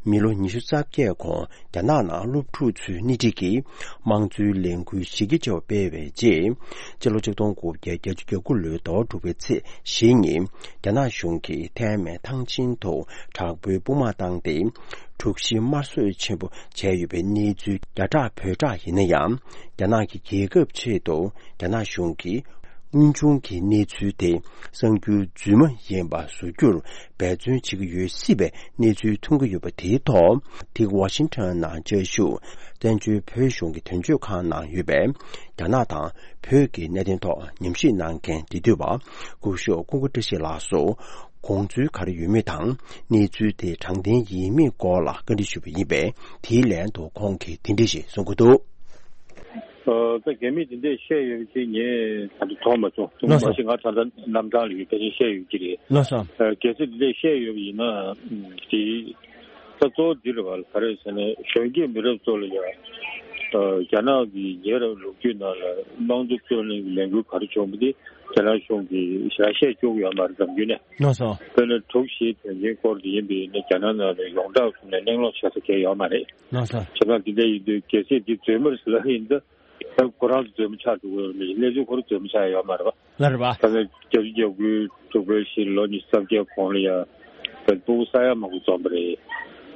མི་ལོ་ཉི་ཤུ་རྩ་བརྒྱད་གོང་རྒྱ་ནག་ནང་སློབ་ཕྲུག་ཚོའི་སྣེ་ཁྲིད་ཀྱིས་དམངས་གཙོའི་ལས་འགུལ་གཞི་རྒྱ་ཆེ་བ་སྤེལ་བའི་རྗེས། སྤྱི་ལོ་ཆིག་སྟོང་དགུ་བརྒྱ་བརྒྱད་ཅུ་གྱ་དགུ་ལོའི་ཟླ་བ་དྲུག་པའི་ཚེས་བཞི་ཉིན་རྒྱ་ནག་གཞུང་གིས་ཐའེ་མེན་ཐང་ཆེན་དུ་དྲག་པོའི་དཔུང་དམག་བཏང་སྟེ། དྲུག་བཞི་དམར་གསོད་ཆེན་པོ་བྱས་ཡོད་པའི་གནས་ཚུལ་རྒྱ་གྲགས་བོད་གྲགས་ཡིན་ན་ཡང་། རྒྱ་ནག་གི་རྒྱལ་ཁབ་ཆེད་དུ་རྒྱ་ནག་གཞུང་གིས་དངོས་བྱུང་གི་གནས་ཚུལ་དེ་གསར་འགྱུར་རྫུན་མ་ཡིན་པ་བཟོ་རྒྱུར་འབད་བརྩོན་བྱེད་ཀྱི་ཡོད་སྲིད་པའི་གནས་ཚུལ་ཐོན་གྱི་ཡོད་པ་དེའི་ཐོག་དེ་ཝ་ཤིང་ཊོན་ནང་བཅའ་བཞུགས་བཙན་བྱོལ་བོད་གཞུང་གི་དོན་གཅོད་ཁང་ནང་ཡོད་པའི་རྒྱ་ནག་དང་བོད་ཀྱི་གནད་དོན་ཐོག་ཉམས་ཞིབ་གནང་མཁན་འབྲེལ་མཐུད་པ་སྐུ་ཞབས་ཀུན་དགའ་བཀྲ་ཤིས་ལགས་སུ་དགོངས་ཚུལ་ག་རེ་ཡོད་མེད་དང་གནས་ཚུལ་དེ་དྲང་བདེན་ཡིན་མིན་སྐོར་ལ་བཀའ་འདྲི་ཞུས་པ་ཡིན་པས། དེའི་ལན་དུ་ཁོང་གིས་དེ་འདྲ་ཞིག་གསུང་གི་འདུག་ཨ། ད་རྒྱ་མིས་དེ་འདྲས་བཤད་ཡོད་པ་ཅིག་ངས་ད་དུང་མཐོང་མ་བྱུང་། ལགས་སོ། མ་གཞི་ང་ད་ལྟ་རྣམ་གྲངས་ལ་ཡོད་པ་ཅིག་བཤད་ཡོད་ཀྱི་རེད། ལགས་སོ། ཨ། གལ་སྲིད་དེ་འདྲས་བཤད་ཡོད་པ་ཡིན་ན་དེ་ད་གཙོ་བོ་འདི་རེད་བ། ག་རེ་ཟེར་ན་གཞོན་སྐྱེས་མི་རབས་ཚོ་ལ་ཡང་ཨ། རྒྱ་ནག་གི་ཉེ་རབས་ལོ་རྒྱུས་ནང་ལ་དམངས་གཙོ་རྩོད་ལེན་གྱི་ལས་འགུལ་ག་རེ་བྱུང་བ་དེ་རྒྱ་ནག་གཞུང་གིས་ཞེ་དྲག་བཤད་བཅུག་ཡོད་མ་རེད། འཛམ་བརྒྱུད་ནས། ལགས་སོ། དཔེར་ན་དྲུག་བཞིའི་དོན་རྐྱེན་སྐོར་དེ་ཡིན་པ་ཡིན་ན་རྒྱ་ནག་ནང་ལ་ཡོངས་གྲགས་བཟོས་ནས་གླེང་སློང་བྱེད་ས་གང་ཡང་ཡོད་མ་རེད། ལགས་སོ། བྱས་ཙང་དེ་འདྲ་ཡིན་དུས་གལ་སྲིད་འདི་རྫུན་མ་རེད་ཟེར་ལབ་ཡིན་ད། ད་ཁོ་རང་ཚོ་རྫུན་མ་ཆགས་འགྲོ་གི་ཡོད་རེད། གནས་ཚུལ་ཁོ་རང་རྫུན་མ་ཆགས་ཡོད་མ་རེད་བ། ལགས་རེད་བ། ད་ལྟ་བརྒྱད་ཅུ་གྱ་དགུའི་དྲུག་པའི་གཞིས་ལོ་ཉི་ཤུ་རྩ་བརྒྱད་གོང་ལ་ཡ་ད་སྤུ་གུ་ས་ཡ་མང་པོ་འཛོམས་པ་རེད།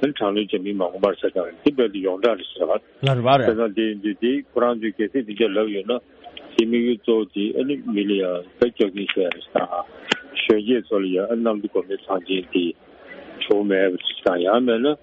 ཨ་ནི་དྲག་གནོན་བྱེད་མི་མང་པོ་མར་ཟ་བཏང་རེད། དེ་རྦད་དེ་ཡོངས་གྲགས་རེད་ཟེར་བ། ལ་རེད་བ་རེད། བྱས་ཙང་དེ་ཡིན་དུས་དེ་ཁོ་རང་ཚོས་གལ་སྲིད་དེ་འདྲ་ལབ་ཡོད་ན། དེ་དམིགས་ཡུལ་གཙོ་བོ་དེ་ཨ་ནི་མི་ལ་ཡང་ད་སྐྱག་རྫུན་བཤད་རེད་ད། གཞོན་སྐྱེས་ཚོ་ལ་ཡང་ཨ་ནི་གནམ་གྲུ་གོ་མེད་ཚང་ཅན་དེ་བྱུང་མེད་པ་ཞིག་དང་། ཡང་མེད་ན་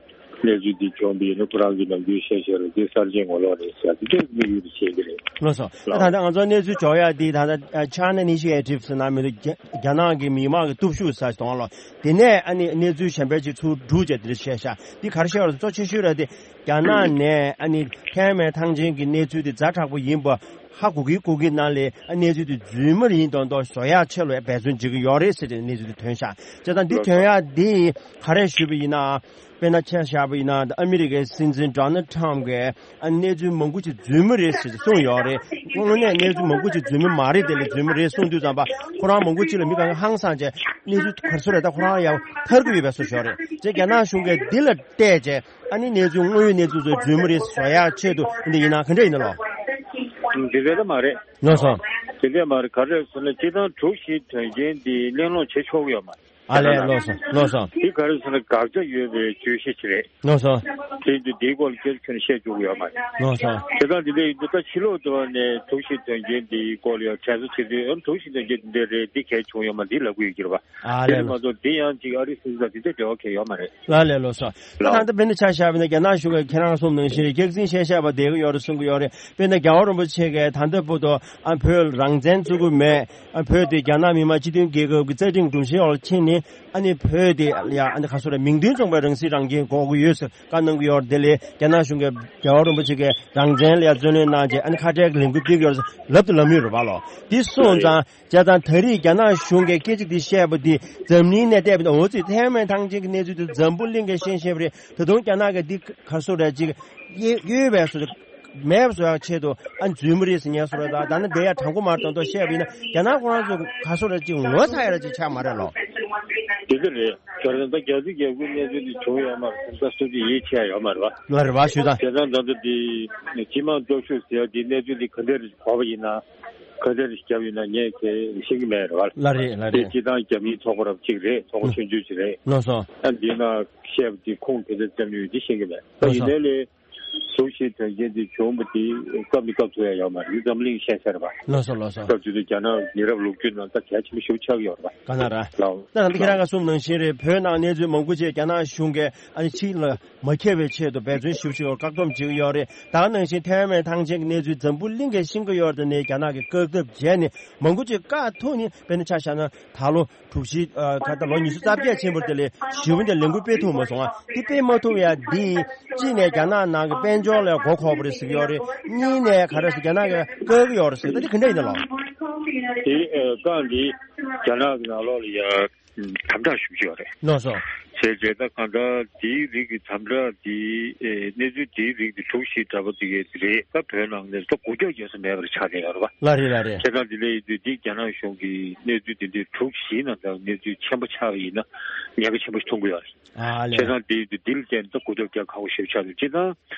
གནས་ཚུལ་དེ་བྱུང་བ་ཡིན་ན་ཁོ་རང་གིས་ནམ་རྒྱུན་བཤད་བཤད་རེད། དེ་གསར་བརྗེའི་ངོ་ལོག་རེད་ཟེར་དེ་འདྲའི་དམིགས་ཡུལ་དེ་བྱེད་ཀྱི་རེད། ལགས་སོ། ད་ལགས། ད་ལྟ་ང་ཚོ་གནས་ཚུལ་འབྱོར་ཡག་འདི་ད་ལྟ་China Initiative ཟེར་ན་མི་འདུག་རྒྱ་རྒྱ་ནག་གི་མི་མང་གི་སྟོབས་ཤུགས་ཟེར་གཏོང་ལོ། དེ་ནས་ཨ་ནི་གནས་ཚུལ་གཞན་པ་ཅིག་ཚུར་སྒྲུག་བྱས་དེ་འདྲ་བཤད་ཤག་འདི་ག་རེ་བཤད་པ་རེད། གཙོ་ཆེ་ཤོས་ར་དེ་རྒྱ་ནག་ནས་ཨ་ནི་ཐའེ་ཝན་ཐང་ཆེན་གྱི་གནས་ཚུལ་དེ་ཛ་དྲག་པོ་ཡིན་པ་ཧ་གོ་གི་གོ་གི་ནང་ལས་ཨ་གནས་ཚུལ་དེ་རྫུན་མ་ཡིན་མདོག་མདོག་བཟོ་ཡག་ཆེད་ལ་འབད་བརྩོན་བྱེད་ཀྱི་ཡོད་རེད་ཟེར་ཏེ་གནས་ཚུལ་དེ་ཐོན་ཤག་བྱས་ཙང་འདི་ཐོན་ཡག་འདི་ག་རེ་ཞུས་པ་ཡིན་ན། དཔེར་ན་ཆ་བཞག་པ་ཡིན་ན་ཨ་མི་རི་ཀའི་སྲིད་འཛིན་Donald Trump གིས་ཨ་གནས་ཚུལ་མང་པོ་ཅིག་རྫུན་མ་རེད་ཟེར་གསུངས་ཡོད་རེད། དངོས་གནས་གནས་ཚུལ་མང་པོ་ཅིག་རྫུན་མ་མ་རེད། དེ་ལས་རྫུན་མ་རེད་གསུངས་དུས་ཙམ་པ་ཁོ་རང་མང་པོ་ཅིག་ལ་མི་གང་ག་ཧང་སངས་བྱས་གནས་ཚུལ་ག་རེ་ཟེར་རེད། ད་ཁོ་རང་ཡང་ཐར་གི་ཡོད་པའི་བཟོ་ཞིག་ཡོད་རེད། བྱས་རྒྱ་ནག་གཞུང་གིས་འདི་ལ་བལྟས་བྱས་ཨ་ནི་གནས་ཚུལ་དངོས་ཡོད་གནས་ཚུལ་ཚོ་རྫུན་མ་རེད་བཟོ་ཡག་ཆེད་དུ་འདི་ཡིན་ན་ག་འདྲ་ཡིན་ན་ལོ། འདི་འདྲ་མ་རེད། ལགས་སོ། དེ་འདྲ་མ་རེད། ག་རེ་ཟེར་ན་སྤྱིར་བཏང་དྲུག་བཞི་དོན་རྐྱེན་འདི་གླེང་སློང་བྱེད་ཆོག་གི་ཡོད་མ་རེད། ཨ་ལས། ལགས་སོ། ལགས་སོ། དེ་ག་རེ་ཟེར་ན་དགག་བྱ་ཡོད་པའི་བརྗོད་གཞི་ཅིག་རེད། ལགས་སོ། དེ་ཡིན་དུས་དེའི་སྐོར་ལ་སྐད་ཆ་ཁྱོན་ནས་བཤད་ཆོག་གི་ཡོད་མ་རེད། ལགས་སོ། བྱས་ཙང་འདི་འདྲ་ཡིན་དུས་ད་ཕྱི་ལོགས་དུ་བ་ནས་དྲུག་བཞི་དོན་རྐྱེན་འདིའི་སྐོར་ལ་ཡང་དྲན་གསོ་བྱེད་དུས་ཨ་དྲུག་བཞི་དོན་རྐྱེན་འདི་འདྲ་རེད། འདི་གལ་བྱུང་ཡོད་མ་འདི་ལབ་གི་ཡོད་ཀྱི་རེད་པ། ཨ་དེ་ལས། ལས་མ་གཏོགས་འདི་ཡང་ཅིག་ཨ་རི་སྲིད་འཛིན་དང་འདི་འདྲ་འབྲེལ་བ་གང་ཡོད་མ་རེད། ལ་ལས། ལགས་སོ། ད་ལགས། ད་ལྟ་བོད་ནས་ཆ་བཞག་པ་ཡིན་ན་རྒྱ་ནག་གཞུང་གིས་ཁྱེད་རང་གསུངས་ནང་བཞིན་རེད། སྐྱག་རྫུན་བཤད་བཤད་པ་བསྡད་ཀྱི་ཡོད་རེད་གསུང་གི་ཡོད་རེད། དཔེར་ན་རྒྱལ་བ་རིན་པོ་ཆེ་གིས་ད་ལྟ་བར་དུ་ཨ་བོད་རང་བཙན་རྩོད་ཀྱི་མེད། ཨ་བོད་དེ་རྒྱ་ནག་མི་དམངས་སྤྱི་མཐུན་རྒྱལ་ཁབ་ཀྱི་རྩ་ཁྲིམས་སྒྲོམ་གཞིའི་འོག་ལ་ཕྱིན་ནས་ཨ་ནི་བོད་དེ་ཡ་ཨ་ནི་ག་ཚོད་རེད། མིང་དོན་མཚུངས་པའི་རང་སྲིད་རང་སྐྱོང་དགོས་ཀྱི་ཡོད་ཟེར་བཀའ་གནང་གི་ཡོད་རེད། དེ་ལས་རྒྱ་ནག་གཞུང་གིས་རྒྱལ་བ་རིན་པོ་ཆེ་གིས་རང་བཙན་ལ་ཡ་བརྩོན་ལེན་གནང་བྱས་ཨ་ནི་ཁ་བྲལ་གྱི་ལས་འགུལ་སྤེལ་གྱི་ཡོད་རེད་ལབ་དང་ལབ་ཡོད་རེད་པ་ལོ། འདི་སོང་ཙང་། བྱས་ཙང་ད་རེས་རྒྱ་ནག་གཞུང་གིས་སྐད་ཆ་འདི་བཤད་པ་འདི་འཛམ་གླིང་ནས་བལྟས་པ་ཡིན་ན་འོ་ཙི་ཐའེ་ཝན་ཐང་ཆེན་གྱི་གནས་ཚུལ་དེ་འཛམ་བུ་གླིང་གིས་ཤེས་ཤེས་པ་རེད། ད་དུང་རྒྱ་ནག་གིས་འདི་ག་རེ་ཟེར་རེད་ཅིག་གཡོ་གཡོ་བའི་བཟོ་མེད་པ་བཟོ་ཡག་ཆེད་དུ་ཨ་རྫུན་མ་རེད་ཟེར་ཉན་བཟོ་རེད། ད་ད་ནི་འདི་ཡ་དྲང་པོ་མ་རེད་མདོག་མདོག་བཤད་པ་ཡིན་ན་རྒྱ་ནག་ཁོ་རང་ཚོ་ག་རེ་ཟེར་རེད་ཅིག་ངོ་ཚ་ཡག་ཅིག་ཆགས་མ་རེད་ལོ། དེ་འདྲ་རེད། ད་རེས་ད་རྒྱ་རྩིས་རྒྱལ་ཁབ་གནས་ཚུལ་འདི་བྱུང་ཡོད་མ་རེད། ད་སུ་གཅིག་ཡིད་ཆེས་ཡོད་མ་རེད་པ། ལ་རེད་པ་ཞུ་ད། བྱས་ཙང་ད་ལྟ་འདི་སྤྱི་དམངས་སྟོབས་ཤུགས་ཟེར་ཡག་འདི་གནས་ཚུལ་འདི་ག་འདྲ་རེད་གོ་བ་ཡིན་ན། ག་འདྲ་རེ་བརྒྱབ་ཡོད་ན་ངས་ཁྱེད་ཤེས་ཀྱི་མེད་རེད་བ། ལ་རེད་ལ་དེ་རེད། སྤྱིར་བཏང་རྒྱ་མིའི་ཚོགས་པ་རབ་གཅིག་རེད། ཚོགས་པ་ཆུང་ཆུང་ཅིག་རེད། ལགས་སོ། ཨ་འདི་ན་བཤད་པ་དེ་ཁུངས་དེ་འདྲ་བརྩམས་ཡོད་དེ་ཤེས་ཀྱི་མེད། ད་ལགས་སོ། ཡིན་ནའི་ལས་དྲུག་བཞི་དོན་རྐྱེན་དེ་བྱུང་བ་དེ་སྐབས་ནས་སྐབས་ཐུབ་ཡ་ཡོད་མ་རེད། འཛམ་གླིང་ཤེས་ས་རེད་བ། ལགས་སོ་ལགས་སོ། སྐབས་དེ་དུས་རྒྱ་ནག་ཉེ་རབས་ལོ་རྒྱུས་ནང་ད་གལ་ཆེན་པོ་ཞེ་པོ་ཆགས་ཀྱི་ཡོད་རེད་བ། ག་ན་ར། ལགས། ད་ད་ཁྱེད་རང་ག་གསུངས་ནང་བཞིན་རེད། བོད་ནང་གནས་ཚུལ་མང་པོ་ཅིག་རྒྱ་ནག་གཞུང་གིས་ཨ་ནི་ཕྱི་ལ་མ་ཁྱབ་པའི་ཆེད་དུ་འབད་བརྩོན་ཞེ་པོ་ཅིག་བཀག་སྡོམ་བྱེད་ཀྱི་ཡོད་རེད། ད་ག་ནང་བཞིན་ཐའེ་ཝན་ཐང་ཆེན་གྱི་གནས་ཚུལ་འཛམ་བུ་གླིང་གིས་ཤེས་ཀྱི་ཡོད་རེད། དེ་ནས་རྒྱ་ནག་གིས་བཀག་སྡོམ་བྱས་ནས་མང་པོ་ཅིག་བཀག་ཐུབ་ནས། དཔེར་ན་ཆ་བཞག་ན་ད་ལོ་དྲུག་བཞི་ཨ་ད་ལྟ་ལོ་ཉི་ཤུ་རྩ་བརྒྱད་ཕྱིན་པ་དེ་ལས་ཞེ་པོ་འདི་ལས་འགུལ་སྤེལ་ཐུབ་མ་སོང་ཨ། འདི་སྤེལ་མ་ཐུབ་ཡ་འདི་གཅིག་ནས་རྒྱ་ནག་ནང་གི་དཔལ་འབྱོར་ལ་མགོ་འཁོར་བ་རེད་ཟེར་གྱི་ཡོད་རེད། གཉིས་ནས་ག་རེ་ཟེར་རྒྱ་ནག་གིས་བཀག་གི་ཡོད་རེད་ཟེར། ད་འདི་ག་འདྲ་ཡིན་ན་ལོ། དེ་ཨ་བཀག་འདི་རྒྱ་ནག་གི་ནང་ལོགས་ལ་ཡ། དམ་དྲག་ཞུ་གི་ཡོད་རེད། ལགས་སོ། བྱས་རྗེས་ད་གང་ལྟར་དེའི་རིགས་ཀྱི་དམ་དྲག་དེ་ཨེ་གནས་ཚུལ་དེའི་རིགས་ཀྱི་དྲུག་བཞི་འདྲ་པོ་དེ་གས་རེད། ད་བོད་ནང་ནས་ད་འགུལ་སྐྱོད་བྱེད་ས་མེད་པར་ཆགས་བསྡད་ཡོད་རེད་པ། ལགས་རེད་ལགས་རེད། བྱས་ཙང་དེ་འདྲ་ཡིན་དུས་འདི་རྒྱ་ནག་གཞུང་གིས་གནས་ཚུལ་དེ་འདྲའི་དྲུག་བཞིའི་ནང་ད་གནས་ཚུལ་ཆེན་པོ་ཆགས་པ་ཡིན་ན་ཉེན་ཁ་ཆེན་པོ་ཞིག་མཐོང་གི་ཡོད་རེད། ཨ་ལས། བྱས་ཙང་དེ་ཡིན་དུས་འདི་ལ་བརྟེན་ནས་ད་འགུལ་སྐྱོད་རྒྱག་ཁག་པོ་ཞེ་པོ་ཆགས་འདུག་སྤྱིར་བཏང་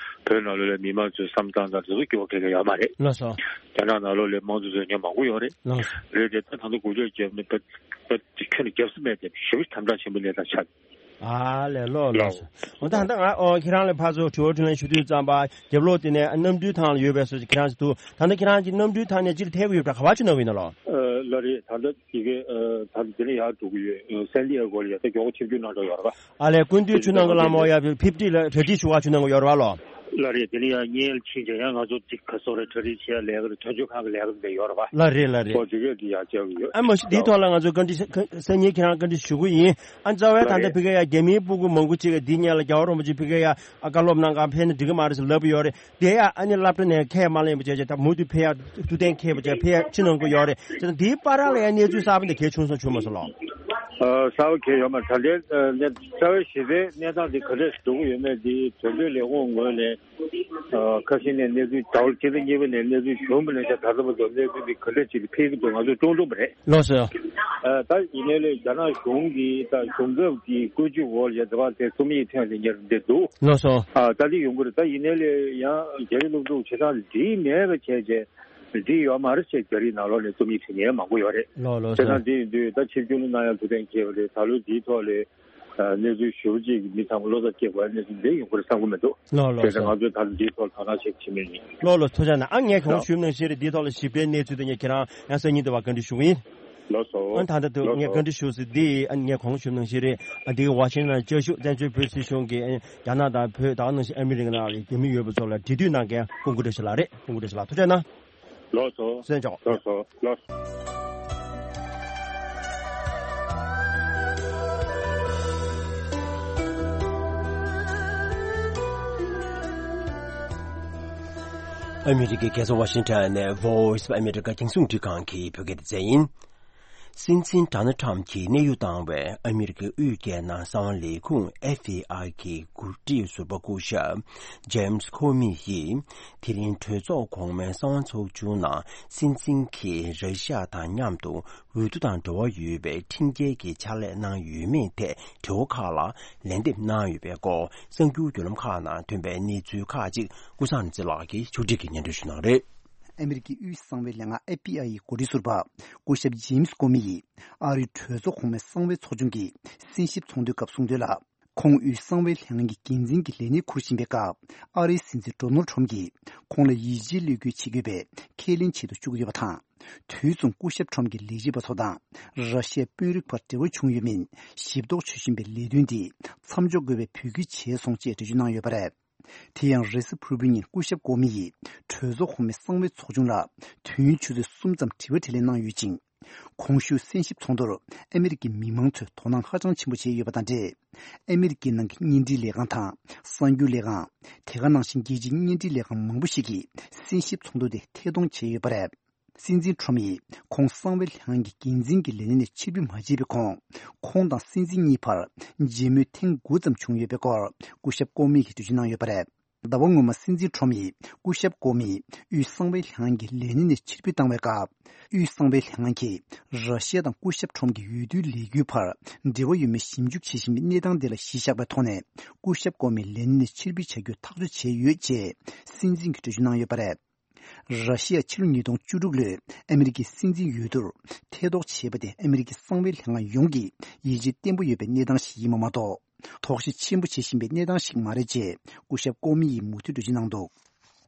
བོད་ནང་ལོགས་ལ་མི་མང་ཚོའི་བསམ་སྟངས་དང་དེ་ཚོ་འགྱུར་བ་ག་གེ་ཡོད་མ་རེད། ལགས་སོ། རྒྱ་ནག་ནང་ལོགས་ལ་དམངས་གཙོ་རྩོད་མཁན་མང་པོ་ཡོད་རེད། ལགས་སོ། རེད་དེ་ད་ད་ལྟ་འགུལ་སྐྱོད་བརྒྱབ་ནས་ད་ད་ཁྱོན་ནས་བརྒྱབ་ས་མེད་དེ་ཞེ་པོ་དམ་དྲག་ཆེན་པོ་གནས་སྟངས་ཆགས། ཨ་ལས། ལགས་ལགས་སོ། འོ་ད་ད་ང་ཨོ་ཁྱེད་རང་ལ་ཕར་ཚུར་དྲི་བ་དྲིས་ལན་ཞུ་དུས་ཙམ་པ་རྒྱབ་ལོགས་དེ་ནས་གནམ་གྲུའི་ཐང་ལ་ཡོད་པའི་བཟོ་ཅིག་ཁྱེད་རང་ཅིག་འདུག་ད་ལྟ་ཁྱེད་རང་ཅིག་གནམ་གྲུའི་ཐང་ནས་ཅིག་ཐད་ཀྱི་ཡོད་པ་འདྲ། ག་པར་ཆུ་ནང་གི་ཡིན་ན་ལོ། ཨ་ལགས་རེད། ད་ལྟ་དེ་གའི་ཨ་ད་ལྟ་དེ་ནས་ཡར་འགྲོ་གི་ཡོད། ཨ་སན་ཏི་ཨེ་གོ་ལ་ཡ་ད་མགྱོགས་པོ་ཆིབས་བསྒྱུར་གནང་འགྲོ་ཡོད་རེད་པ། ཨ་ལས། སྐུ་མདུན་ཆུ་ནང་གི་ལམ་འོག་ཡ་ཕིབ་ཏི་ལ་གྲ་སྒྲིག་ཞུ་བ་ཆུ་ནང་གི་ཡོད་རེད་པ་ལོ། ལགས་རེད། དེ་ནས་ཡང་བརྙན་ལ་ཕྱིན་བྱས་ཡང་ང་ཚོ་ཅིག་ག་སོ་རེ་གྲ་སྒྲིག་བྱེད་ཡ་ལས་ཀ་རེད། དོན་གཅོད་ཁང་གི་ལས་ཀ་འདི་ཡོད་རེད་པ། ལགས་རེད་ལགས་རེད། ཨོ་དེ་གས་འདི་ཡར་བཅར་གི་ཡོད། ཨ་མ་གཞི་འདིའི་ཐོག་ལ་ང་ཚོ་བཀའ་འདྲི་ས་སང་ཉིན་ཁྱེད་རང་བཀའ་འདྲི་ཞུ་གི་ཡིན། ཨ་རྩ་བའི་ད་ལྟ་ལགས་རེད། ཕ་གི་ཡ་རྒྱ་མིའི་སྤུ་གུ་མང་པོ་ཅིག་གིས་འདི་སྔོན་ལ་རྒྱལ་བ་རིན་པོ་ཆེ་ཕ་གི་ཡ་ཨ་བཀའ་སློབ་གནང་ག་ཕེབས་ན་འགྲིག་གི་མ་རེད་ཟེར་ལབ་ཡོད་རེད། དེ་ཡ་ཨ་ནི་སློབ་གྲྭ་ནས་ཁས་མ་ལེན་པ་བྱས་བྱས་ད་མུ་མཐུད་ཕེབས་ཡ་ཐུགས་གཏན་འཁེལ་བ་བྱས་ཕེབས་ཡ་ཕྱི་ནང་ཁུལ་ཡོད་རེད། བྱས་ཙང་འདིའི་བར་ལ་ཡ་གནས་ཚུལ་གསར་པ་འདི་གལ་ཆུང་སོང་བྱུང་མ་སོང་ལགས། ཨ་གསར་པ་གལ་ཡོད་མ་རེད། ད་ལྟའི་ཨ་གནས་རྩ་བའི་གཞི་རྩའི་གནས་སྟངས་འདི་ག་འདྲས་འགྲོ་གི་ཡོད་མེད་འདི་དོན་གཅོད་ལས་ཁུངས་ངོས་ནས་ཨ་ཁ་ཤས་ནས་གནས་ཚུལ་ཟླ་བ་གཅིག་དང་གཉིས་པ་ནས་གནས་ཚུལ་བྱུང་བ་ནས་ད་ད་ལྟ་བར་དུ་གནས་ཚུལ་འདི་ག་འདྲས་ཅིག་ལ་ཕེབས་ཀྱི་འདུག་ང་ཚོས་བཀྲོང་བཀྲོང་བ་རེད། ལགས་སོ། ཨ་ད་ཡིན་ནའི་ལས་རྒྱ་ནག་གཞུང་གིས་ད་གཞུང་ཚབ་ཀྱི་བཀོད་ཇུས་འོག་ལ་ཡ་ད་བར་དེ་རྩོམ་ཡིག་ཐོན་ཏེ་ཉར་བསྡད་འདུག་ལགས་སོ། ཨ་ད་འདི་ཡོང་གི་རེད། ད་ཡིན་ནའི་ལས་ཡང་རྒྱ་རིགས་སློབ་ཕྲུག་བྱེད་སྟངས་འདི་འགྲིག་མེད་པ་བྱས་བྱས་འགྲིག་ཡོད་མ་རེད་ཅེས་རྒྱ་རིགས་ནང་ལོགས་ནས་རྩོམ་ཡིག་བྲིས་མཁན་མང་པོ་ཡོད་རེད། ལགས་ལགས་བྱས་ཙང་སོ། འདི་ཡིན་དུས་ད་ཆིབས་བསྒྱུར་གནང་ཡ་ཐུགས་གཏན་འཁེལ་བ་རེད། ད་ལོ་འདིའི་ཐོག་ལས་ གནས་ཚུལ་ཞེ་པོ་ཅིག་མི་ཚང་མ་བློ་འཚབ་སྐྱེ་དགོས་གནས་ཚུལ་འདི་ཡོང་གི་རེད་བསམ་གི་མི་འདུག་ལགས་ལགས་བྱས་ཙང་ང་ཚོས་ད་འདིའི་ཐོག་དོ་སྣང་བྱེད་ཀྱི་མེད་ཡིན། ལགས་ལགས་ཐུགས་རྗེ་གནང་། ཨ་ངས་གོང་ཞུས་ནང་བཞིན་རེད། འདིའི་ཐོག་ལ་ཞིབ་ཕྲའི་གནས་ཚུལ་དེ་ངས་ཁྱེད་རང་ཡང་སང་ཉིན་དུ་བ་བཀའ་འདྲི་ཞུ་གི་ཡིན། ལགས་སོ། ཨ་ད་ལྟ་དུ་ལགས་ངས་སོ། བཀའ་འདྲི་ཞུ་ཟིན་འདི་ཨ་ངས་གོང་ཞུས་ནང་བཞིན་རེད། ཨ་འདི་ཝ་ཤིང་ཊོན་བཅའ་བཞུགས་བཙན་བྱོལ་བོད་སྲིད་གཞུང་གིས་རྒྱ་ནག་དང་བོད་ད་ག་ནང་བཞིན་ཨ་མི་རི་ཀ་ནང་ལ་རྒྱ་མི་ཡོད་པ་ཚོ་ལ་འབྲེལ་མཐུད་གནང་མཁན་སྐུ་ངོ་བཀྲ་ཤིས་ལགས་རེད། སྐུ་ངོ་བཀྲ་ཤིས་ལགས་ཐུགས་རྗེ་གནང་། ལགས་སོ། གསན་ཆོག་ལགས་སོ། ལགས། ཨ་མི་རི་ཀའི་རྒྱལ་ས་ཝ་ཤིང་ཊོན་ནས་Voice of America རྒྱང་སྲིང་རླུང་འཕྲིན་ཁང་གི་བོད་སྐད་སྡེ་ཚན་ཡིན། སྲིད་འཛིན་ཌོ་ནལ་ཊམ་གྱིས་གནས་དབྱུང་བཏང་བའི་ཨ་མི་རི་ཀའི་དབུས་རྒྱལ་ནང་གསང་བ་ལས་ཁུངས་ཨེཕ་བྷི་ཨའི་གི་འགོ་ཁྲིད་ཟུར་པ་སྐུ་ཞབས་ཇེམ་སི་ཁོ་མི་ཡིས་དེ་རིང་གྲོས་ཚོགས་གོང་མའི་གསང་བ་ཚོགས་ཆུང་ནང་སྲིད་འཛིན་གྱིས་ར་ཤི་ཡ་དང་མཉམ་དུ་འོས་བསྡུ་དང་འབྲེལ་བ་ཡོད་པའི་ཁྲིམས་འགལ་གྱི་ཕྱག་ལས་གནང་ཡོད་མེད་ཐད་དྲི་བ་ཁག་ལ་ལན་འདེབས་གནང་ཡོད་པའི་སྐོར་གསར་འགྱུར་བརྒྱུད་ལམ་ཁག་ནང་ཐོན་པའི་གནས་ཚུལ་ཁག་ཅིག་ཀུན་བཟང་ནེ་ཙི་ལགས་ཀྱིས་ཕྱོགས་སྒྲིག་གིས་སྙན་སྒྲོན་ཞུ་གནང་རེད། ཨ་མི་རི་ཀའི་དབུས་གསང་བའི་ལས་ཁང་ཨེཕ་བྷི་ཨའི་ཡི་འགོ་ཁྲིད་ཟུར་པ་སྐུ་ཞབས་ཇེམ་སི་ཀོ་མི་ཡིས་ཨ་རིའི་གྲོས་ཚོགས་གོང་མའི་གསང་བའི་ཚོགས་ཆུང་གི་གསན་ཞིབ་ཚོགས་འདུའི་སྐབས་གསུངས་དོན་ལ། ཁོང་དབུས་གསང་བའི་ལྷན་ཁང་གི་འགན་འཛིན་གྱི་ལས་གནས་འཁུར་བཞིན་པའི་སྐབས་ཨ་རིའི་སྲིད་འཛིན་ཌོ་ནལ་ཊམ་གྱིས་ཁོང་ལ་ཡིད་ཆེས་བློས་འཁེལ་བྱེད་དགོས་པའི་ཁས་ལེན་བྱེད་དུ་བཅུག་ཡོད་པ་དང་། དུས་མཚུངས་སྐུ་ཞབས་ཊམ་གྱི་ལས་བྱེད་པ་ཚོ་དང་ར་ཤི་ཡའི་དཔོན་རིགས་བར་འབྲེལ་བ་བྱུང་ཡོད་མིན་ཞིབ་རྟོག་བྱེད་བཞིན་པའི་ལས་དོན་འདི་མཚམས་འཇོག་དགོས་པའི་འབོད་སྐུལ་བྱས་སོང་ཅེས་འགྲེལ་བརྗོད་གནང་ཡོད་པ་རེད། དེ་ཡང་རེས་གཟའ་ཕུར་བུའི་ཉིན་སྐུ་ཞབས་ཀོ་མི་ཡིས་གྲོས་ཚོགས་གོང་མའི་གསང་བའི་ཚོགས་ཆུང་ལ་དུས་ཡུན་ཆུ་ཚོད་གསུམ་ཙམ་དྲི་བ་དྲིས་ལན་གནང་ཡོད་ཅིང་། གོང་ཞུས་གསན་ཞིབ་ཚོགས་འདུར་ཨ་མི་རི་ཀའི་མི་མང་ཚོས་དོ་སྣང་ཧ་ཅང་ཆེན་པོ་བྱས་ཡོད་པ་དང་འབྲེལ། ཨ་མི་རི་ཀའི་ནང་གི་བརྙན་འཕྲིན་ལས་ཁང་དང་གསར་འགྱུར་ལས་ཁང་། དེ་ག་ནང་བཞིན་རྒྱལ་སྤྱིའི་བརྙན་འཕྲིན་ལས་ཁང་མང་པོ་ཞིག་གིས་གསན་ཞིབ་ཚོགས་འདུ་དེ་ཐད་གཏོང་བྱས་ཡོད་པ་རེད། སྲིད་འཛིན་ཊམ་ཡིས་ཁོང་གསང་བའི་ལྷན་ཁང་གི་འགན་འཛིན་གྱི་ལས་གནས་ནས་ཕྱིར་འབུད་མ་བྱས་པའི་གོང་། ཁོང་དང་སྲིད་འཛིན་གཉིས་བར་མཇལ་མོལ་ཐེངས་དགུ་ཙམ་བྱུང་ཡོད་པའི་སྐོར་སྐུ་ཞབས་ཀོ་མི་ཡིས་འགྲེལ་བརྗོད་གནང་ཡོད་པ་རེད། ཟླ་བ་སྔོན་མ་སྲིད་འཛིན་ཊམ་ཡིས་སྐུ་ཞབས་ཀོ་མི་དབུས་གསང་བའི་ལྷན་ཁང་གི་ལས་གནས་ནས་ཕྱིར་འབུད་བཏང་བའི་སྐབས། དབུས་གསང་བའི་ལྷན་ཁང་གིས་ར་ཤི་ཡ་དང་སྐུ་ཞབས་ཊམ་གྱི་འོས་བསྡུའི་ལས་འགུལ་བར་འབྲེལ་བ་ཡོད་མེད་ཞིབ་འཇུག་བྱེད་བཞིན་པའི་གནས་སྟངས་དེ་ལ་གཞི་བཞག་པའི་ཐོག་ནས་སྐུ་ཞབས་ཀོ་མི་ལས་གནས་ནས་ཕྱིར་འབུད་བྱ་རྒྱུ་ཐག་གཅོད་བྱས་ཡོད་ཅེས་སྲིད་འཛིན་གྱིས་འགྲེལ་བརྗོད་གནང་ཡོད་པ་རེད། ར་ཤི་ཡ་ཕྱི་ལོ་ཉིས་སྟོང་བཅུ་དྲུག་ལོའི་ཨ་མི་རི་ཀའི་སྲིད་འཛིན་འོས་བསྡུར་ཐེ་གཏོགས་བྱས་པ་དེ་ཨ་མི་རི་ཀའི་གསང་བའི་ལྷན་ཁང་ཡོངས་ཀྱིས་ཡིད་ཆེས་བརྟན་པོ་ཡོད་པའི་གནས་སྟངས་ཤིག་ཡིན་པ་མ་གཏོགས། དོགས་གཞི་ཆེན་པོ་བྱེད་བཞིན་པའི་གནས་སྟངས་ཤིག་མ་རེད་ཅེས་སྐུ་ཞབས་ཀོ་མི་ཡིས་མུ་མཐུད་འགྲེལ་བརྗོད་གནང་འདུག་